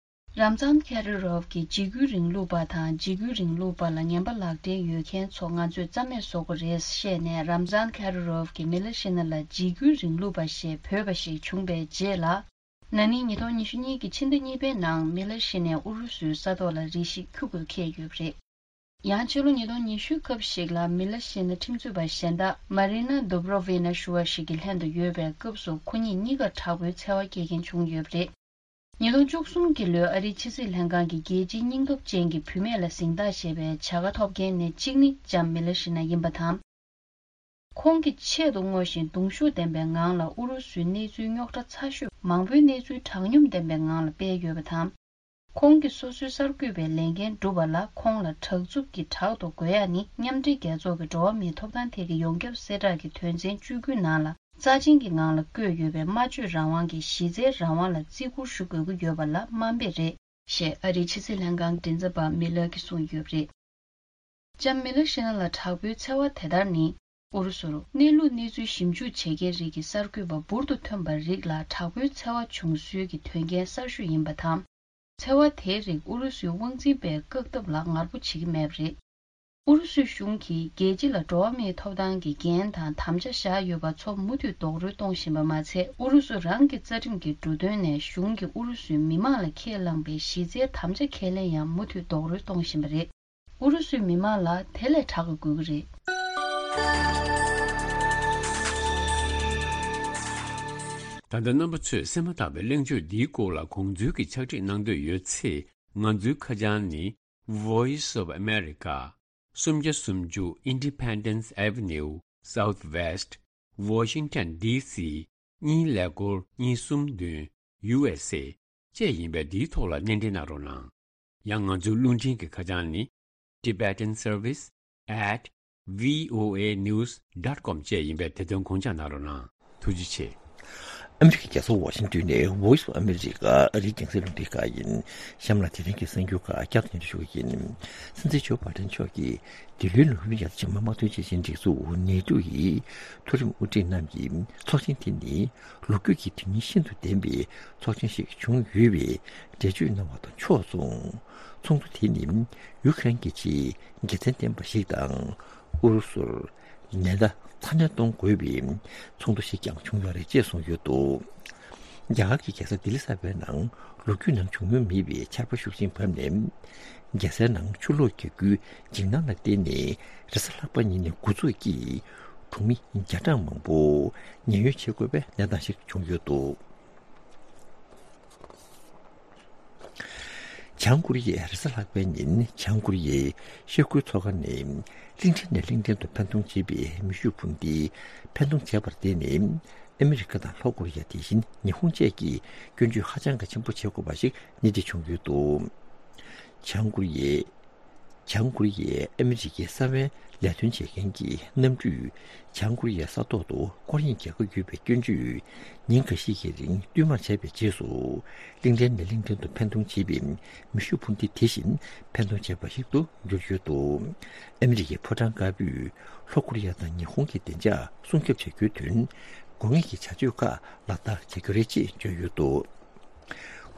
རམ་ཛཱན་ཁ་ཏི་རོབ་ཀྱིས་འཇིགས་སྐུལ་རིང་ལུགས་པ་དང་འཇིགས་སྐུལ་རིང་ལུགས་པ་ལ་ངན་པ་ལག་འབྲེལ་ཡོད་མཁན་ཚོ་ང་ཚོས་རྩ་མེད་བཟོ་དགོས་རེད་བཤད་ནས། རམ་ཛཱན་ཁ་ཏི་རོབ་ཀྱིས་མི་ལ་ཤི་ན་ལ་འཇིགས་སྐུལ་རིང་ལུགས་པ་ཞེས་འབོད་པ་ཞིག་བྱུང་པའི་རྗེས་ལ། ན་ནིང་ཉིས་སྟོང་ཉི་ཤུ་གཉིས་ཀྱི་ཕྱི་ཟླ་གཉིས་པའི་ནང་མི་ལ་ཤི་ནས་ཨུ་རུ་སུའི་ས་ཐོག་ལ་རེ་ཞིག་ཁྱུ་གུ་འཁེལ་ཡོད་པ་རེད། ཡང་ཕྱི་ལོ་ཉིས་སྟོང་ཉི་ཤུའི་སྐབས་ཤིག་ལ་མི་ལ་ཤི་ན་ཁྲིམས་རྩོད་པ་གཞན་དག་མ་རི་ན་དུབ་རོ་ཝི་ན་ཞུ་བ་ཞིག་གི་ལྷན་དུ་ཡོད་པའི་སྐབས་སུ་ཁོ་གཉིས་གཉིས་ཀ་དྲག་པོའི་འཚེ་བ་སྐྱེལ་མཁན་བྱུང་ཡོད་པ་རེད། ཉིས་སྟོང་བཅུ་གསུམ་གྱི་ལོའི་ཨ་རིའི་ཕྱི་སྲིད་ལྷན་ཁང་གི་རྒྱལ་སྤྱིའི་སྙིང་སྟོབས་ཅན་གྱི་བུད་མེད་ལ་གཟེངས་རྟགས་ཞེས་པའི་བྱ་དགའ་ཐོབ་མཁན་ནས་གཅིག་ནི་ལྕམ་མི་ལ་ཤི་ན་ཡིན་པ་དང་། ཁོང་གིས་ཆེད་དུ་བསྔོ་ཞིང་གདུང་ཤུགས་ལྡན་པའི་ངང་ལ་ཨུ་རུ་སུའི་གནས་ཚུལ་རྙོག་དྲ་ཚ་ཤོས་མང་པོའི་གནས་ཚུལ་དྲང་སྙོམས་ལྡན་པའི་ངང་ལ་སྤེལ་ཡོད་པ་དང་། ཁོང་གིས་སོ་སོའི་གསར་འགོད་པའི་ལས་འགན་བསྒྲུབས་པ་ལ་ཁོང་ལ་དྲག་རྩུབ་ཀྱི་དྲག་ཏུ་རྒོལ་ཡ་ནི་མཉམ་འབྲེལ་རྒྱལ་ཚོགས་ཀྱི་འགྲོ་བ་མིའི་ཐོབ་ཐང་ཐད་ཀྱི་ཡོངས་ཁྱབ་གསལ་བསྒྲགས་ཀྱི་དོན་ཚན་བཅུ་དགུ་ནང་ལ་རྩ་ཆེན་གྱི་ངང་ལ་བཀོད་ཡོད་པའི་སྨྲ་བརྗོད་རང་དབང་གི་གཞི་རྩའི་རང་དབང་ལ་བརྩི་བཀུར་ཞུ་དགོས་ཀྱི་ཡོད་པ་ལ་དམའ་འབེབས་རེད། ཞེས་ཨ་རིའི་ཕྱི་སྲིད་ལྷན་ཁང་མགྲིན་ཚབ་པ་མི་ལར་གྱིས་གསུངས་ཡོད་པ་རེད། ལྕམ་མི་ལར་ཤི་ན་ལ་དྲག་པོའི་འཚེ་བ་དེ་ལྟར་ནི། ཨུ་རུ་སུར་གནས་ལུགས་གནས་ཚུལ་ཞིབ་འཇུག་བྱེད་མཁན་རིགས་ཀྱི་གསར་འགོད་པ་འབུར་དུ་ཐོན་པ་རིགས་ལ་དྲག་པོའི་འཚེ་བ་བྱུང་སྲོལ་གྱི་དོན་རྐྱེན་གསར་ཤོས་ཡིན་པ་དང་། འཚེ་བ་དེའི་རིགས་ཨུ་རུ་སུའི་དབང་འཛིན་པས་བཀག་ཐབས་ལ་ངར་པོ་བྱེད་ཀྱི་མེད་པ་རེད། ཨུ་རུ་སུའི་གཞུང་གིས་རྒྱལ་སྤྱི་ལ་འགྲོ་བ་མིའི་ཐོབ་ཐང་གི་འགན་དང་དམ་བཅའ་བཞག་ཡོད་པ་ཚོ་མུ་མཐུད་རྡོག་རོལ་གཏོང་བཞིན་པ་མ་ཚད། ཨུ་རུ་སུ་རང་གི་རྩ་ཁྲིམས་ཀྱི་འབྲུ་དོན་ནས་གཞུང་གིས་ཨུ་རུ་སུའི་མི་མང་ལ་ཁས་བླངས་པའི་གཞི་རྩའི་དམ་བཅའ་ཁས་ལེན་ཡང་མུ་མཐུད་རྡོག་རོལ་གཏོང་བཞིན་པ་རེད། ཨུ་རུ་སུའི་མི་མང་ལ་དེ་ལས་དྲག་གི་དགོས་ཀྱི་རེད། ད་ལྟ་རྣམ་པ་ཚོས་གསན་མ་ཐག་པའི་གླེང་བརྗོད་འདིའི་སྐོར་ལ་དགོངས་ཚུལ་གྱི་ཕྱག་བྲིས་གནང་འདོད་ཡོད་ཚེ། ང་ཚོའི་ཁ་བྱང་ནི། Voice of America། སུམ་བརྒྱ་སུམ་ཅུ་Independence Avenue Southwest Washington D C གཉིས་ཀླད་ཀོར་གཉིས་གསུམ་བདུན། U S A བཅས་ཡིན་པས་འདིའི་ཐོག་ལ་སྣེ་འདྲེན་གནང་རོགས་གནང་། ཡང་ང་ཚོའི་རླུང་འཕྲིན་གྱི་ཁ་བྱང་ནི། Tibetan Service at V O A news dot com བཅས་ཡིན་པས་དེ་དོན་དགོངས་འཇགས་གནང་རོགས་གནང་། ཐུགས་རྗེ་ཆེ། ཨ་མི་རི་ཀའི་རྒྱལ་ས་ཝ་ཤིང་ཏོན་ནས་Voice of America ཨ་རིའི་རྒྱང་སྲིང་རླུང་འཕྲིན་ཁང་ཡིན། གཤམ་ལ་དེ་རིང་གི་གསར་འགྱུར་ཁག་བསྐྱར་དུ་སྙན་སྒྲོན་ཞུ་གི་ཡིན། སྲིད་འཛིན་ཇོ་བྷའི་ཌེན་མཆོག་གིས་འདི་ལོའི་ལོ་རིམ་ཡར་རྒྱས་མ་དམག་དོན་སྤྱི་ཆིངས་སྒྲིག་འཛུགས་ནེ་ཏོ་ཡི་མཐོ་རིམ་དབུ་ཁྲིད་རྣམས་ཀྱི་ཚོགས་ཆེན་དེ་ནི་ལོ་རྒྱུས་ཀྱི་དོན་སྙིང་ཤིན་ཏུ་ལྡན་པའི་ཚོགས་ཆེན་ཞིག་བྱུང་ཡོད་པའི་འགྲེལ་བརྗོད་གནང་བ་དང་ཕྱོགས་མཚུངས། ཚོགས་འདུ་དེ་ནི་ཡུ་ཁ་རེན་གྱི་ཆེས་དགེ་མཚན་ལྡན་པ་ཞིག་དང་། ཨུ་རུ་སུར་ཉེན་བརྡ་ཚ་ནན་གཏོང་དགོས་པའི་ཚོགས་འདུ་ཞིག་ཀྱང་བྱུང་ཡོད་རེད་ཅེས་གསུངས་ཡོད་འདུག་རྒྱ་གར་གྱི་རྒྱལ་ས་ལྡི་ལི་གསར་པའི་ནང་ལོ་རྒྱུས་ནང་བྱུང་མྱོང་མེད་པའི་ཆར་པ་ཤུགས་ཆེན་བབས་ནས། རྒྱལ་སའི་ནང་ཆུ་ལོག་རྒྱག་རྒྱུའི་འཇིགས་སྣང་ལ་བརྟེན་ནས་རེས་གཟའ་ལྷག་པ་ཉིན་ནས་འགོ་འཛུགས་ཀྱིས་གྲོང་མི་བརྒྱ་གྲངས་མང་པོ་ཉེན་གཡོལ་བྱེད་དགོས་པའི་གནས་སྟངས་ཤིག་བྱུང་ཡོད་འདུག་བྱང་ཀོ་རི་ཡས་རེས་གཟའ་ལྷག་པའི་ཉིན་བྱང་ཀོ་རི་ཡའི་ཤར་ཁུལ་མཚོ་ཁ་ནས་གླིང་ཕྲན་ནས་གླིང་ཕྲན་དུ་འཕེན་གཏོང་བྱེད་པའི་མེ་ཤུགས་འཕུར་མདེལ་འཕེན་གཏོང་བྱས་པར་བརྟེན་ནས། ཨ་མི་རི་ཀ་དང་ལྷོ་ཀོ་རི་ཡ། དེ་བཞིན་ཉི་ཧོང་བཅས་ཀྱིས་སྐྱོན་བརྗོད་ཧ་ཅང་གི་ཆེན་པོ་བྱེད་དགོས་པ་ཞིག་སྣེ་ཁྲིད་བྱུང་ཡོད་འདུག་བྱང་ཀོ་རི་ཡས། བྱང་ཀོ་རི་ཡས་ཨ་མི་རི་ཀའི་གསང་བའི་ལས་དོན་བྱེད་མཁན་གྱི་གནམ་གྲུས་བྱང་ཀོ་རི་ཡའི་ས་ཐོག་ཏུ་སྐོར་གཡེང་རྒྱག་གི་ཡོད་པའི་སྐྱོན་བརྗོད་ཉིན་འགའ་ཤས་ཀྱི་རིང་བསྟུད་མར་བྱས་པའི་རྗེས་སུ། གླིང་ཕྲན་ནས་གླིང་ཕྲན་དུ་འཕེན་གཏོང་བྱེད་པའི་མེ་ཤུགས་འཕུར་མདེལ་དེ་བཞིན་འཕེན་གཏོང་བྱས་པ་ཞིག་ཏུ་གྱུར་ཡོད་འདུག་ཨ་མི་རི་ཀའི་ཕོ་བྲང་དཀར་པོས་ལྷོ་ཀོ་རི་ཡ་དང་ཉི་ཧོང་གི་བདེ་འཇགས་སྲུང་སྐྱོབ་བྱ་རྒྱུའི་དོན། དགོས་ངེས་ཀྱི་བྱ་སྤྱོད་ཁག་ལག་བསྟར་བྱ་རྒྱུ་རེད་ཅེས་བརྗོད་ཡོད་འདུག་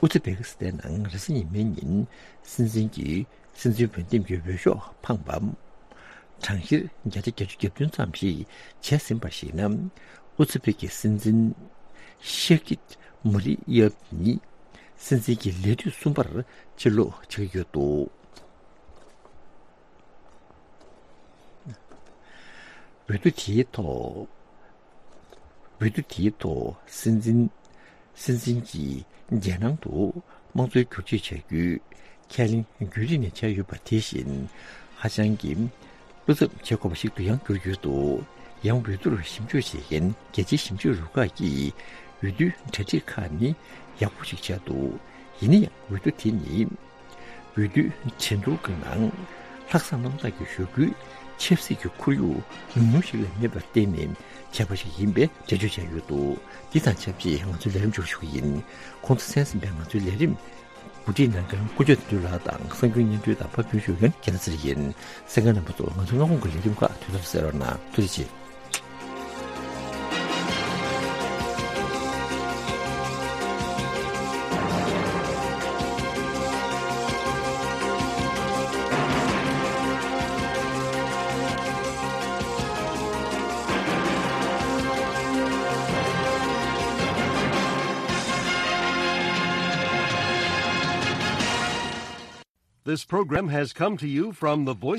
ཨུ་ཛི་བེ་ཀི་སི་ཐན་ནང་རེས་གཟའ་ཉི་མའི་ཉིན་སྲིད་འཛིན་གྱི་སྲིད་འཛིན་འོས་འདེམས་ཀྱི་འོས་ཤོག་འཕངས་པ། གྲངས་བཤེར་བརྒྱ་ཆ་བརྒྱད་ཅུ་གྱ་བདུན་ཙམ་ཞིག་བྱས་ཟིན་པར་གཞིགས་ན། ཨུ་ཛི་བེ་ཀི་སྲིད་འཛིན་ཤེ་ཀིད་མུ་རི་ཡེབ་ནི་སྲིད་འཛིན་གྱི་ལས་དུས་གསུམ་པར་ཕྱིར་ལོག་བྱེད་ཀྱི་ཡོད་འདུག་འོས་བསྡུ་དེའི་ཐོག་འོས་བསྡུ་དེའི་ཐོག་སྲིད་འཛིན། སྲིད་འཛིན་གྱིས་རྒྱལ་ནང་དུ་དམངས་གཙོའི་བསྒྱུར་བཅོས་བྱ་རྒྱུའི་ཁས་ལེན་རྒྱུན་རིང་ནས་བྱས་ཡོད་པ་དེ་བཞིན། ཧ་ཅང་གི་བློ་འཚབ་བྱེད་དགོས་པ་ཞིག་ཏུ་ཡང་གྱུར་ཡོད་འདུག་ཡང་འོས་བསྡུར་ཞིབ་འཇུག་བྱེད་མཁན་རྒྱལ་སྤྱིའི་ཞིབ་འཇུག་རུ་ཁག་གིས་འོས་བསྡུའི་གྲ་སྒྲིག་ཁག་ནི་ཡག་པོ་ཞིག་བྱས་འདུག་ཡིན་ན་ཡང་འོས་བསྡུ་དེ་ནི། འོས་བསྡུའི་ཁྲིམས་ཐོག་གི་ནང་། ལྷག་བསམ་རྣམ་དག་གི་ཞུ་སྐུལ། ཆབ་སྲིད་ཀྱི་ཁོར་ཡུག་ཉུང་ཉུང་ཞིག་ལས་མེད་པར་བརྟེན་ནས་བྱས་པ་ཞིག་ཡིན་པའི་འགྲེལ་བརྗོད་བྱས་ཡོད་འདུག་འདི་དང་ཆབས་ཅིག་ང་ཚོའི་ལས་རིམ་འཇོག་ཞུ་གི་ཡིན། གོང་དུ་གསན་ཟིན་པའི་ང་ཚོའི་ལས་རིམ་གོ་སྒྲིག་གནང་མཁན་དཀོན་མཆོག་དོན་གྲུབ་ལགས་དང་གསར་འགྱུར་སྙན་སྒྲོན་དང་ཕབ་སྒྱུར་ཞུ་མཁན་རྒྱལ་ལགས་ཚེ་རིང་ཡིན། གསན་མཁན་རྣམ་པ་ཚོ་ང་ཚོའི་སྔ་དགོང་གི་ལས་རིམ་ཁག་དུས་ཐོག་ཏུ་གསན་རོགས་གནང་། ཐུགས་རྗེ་ཆེ། This program has come to you from the Voice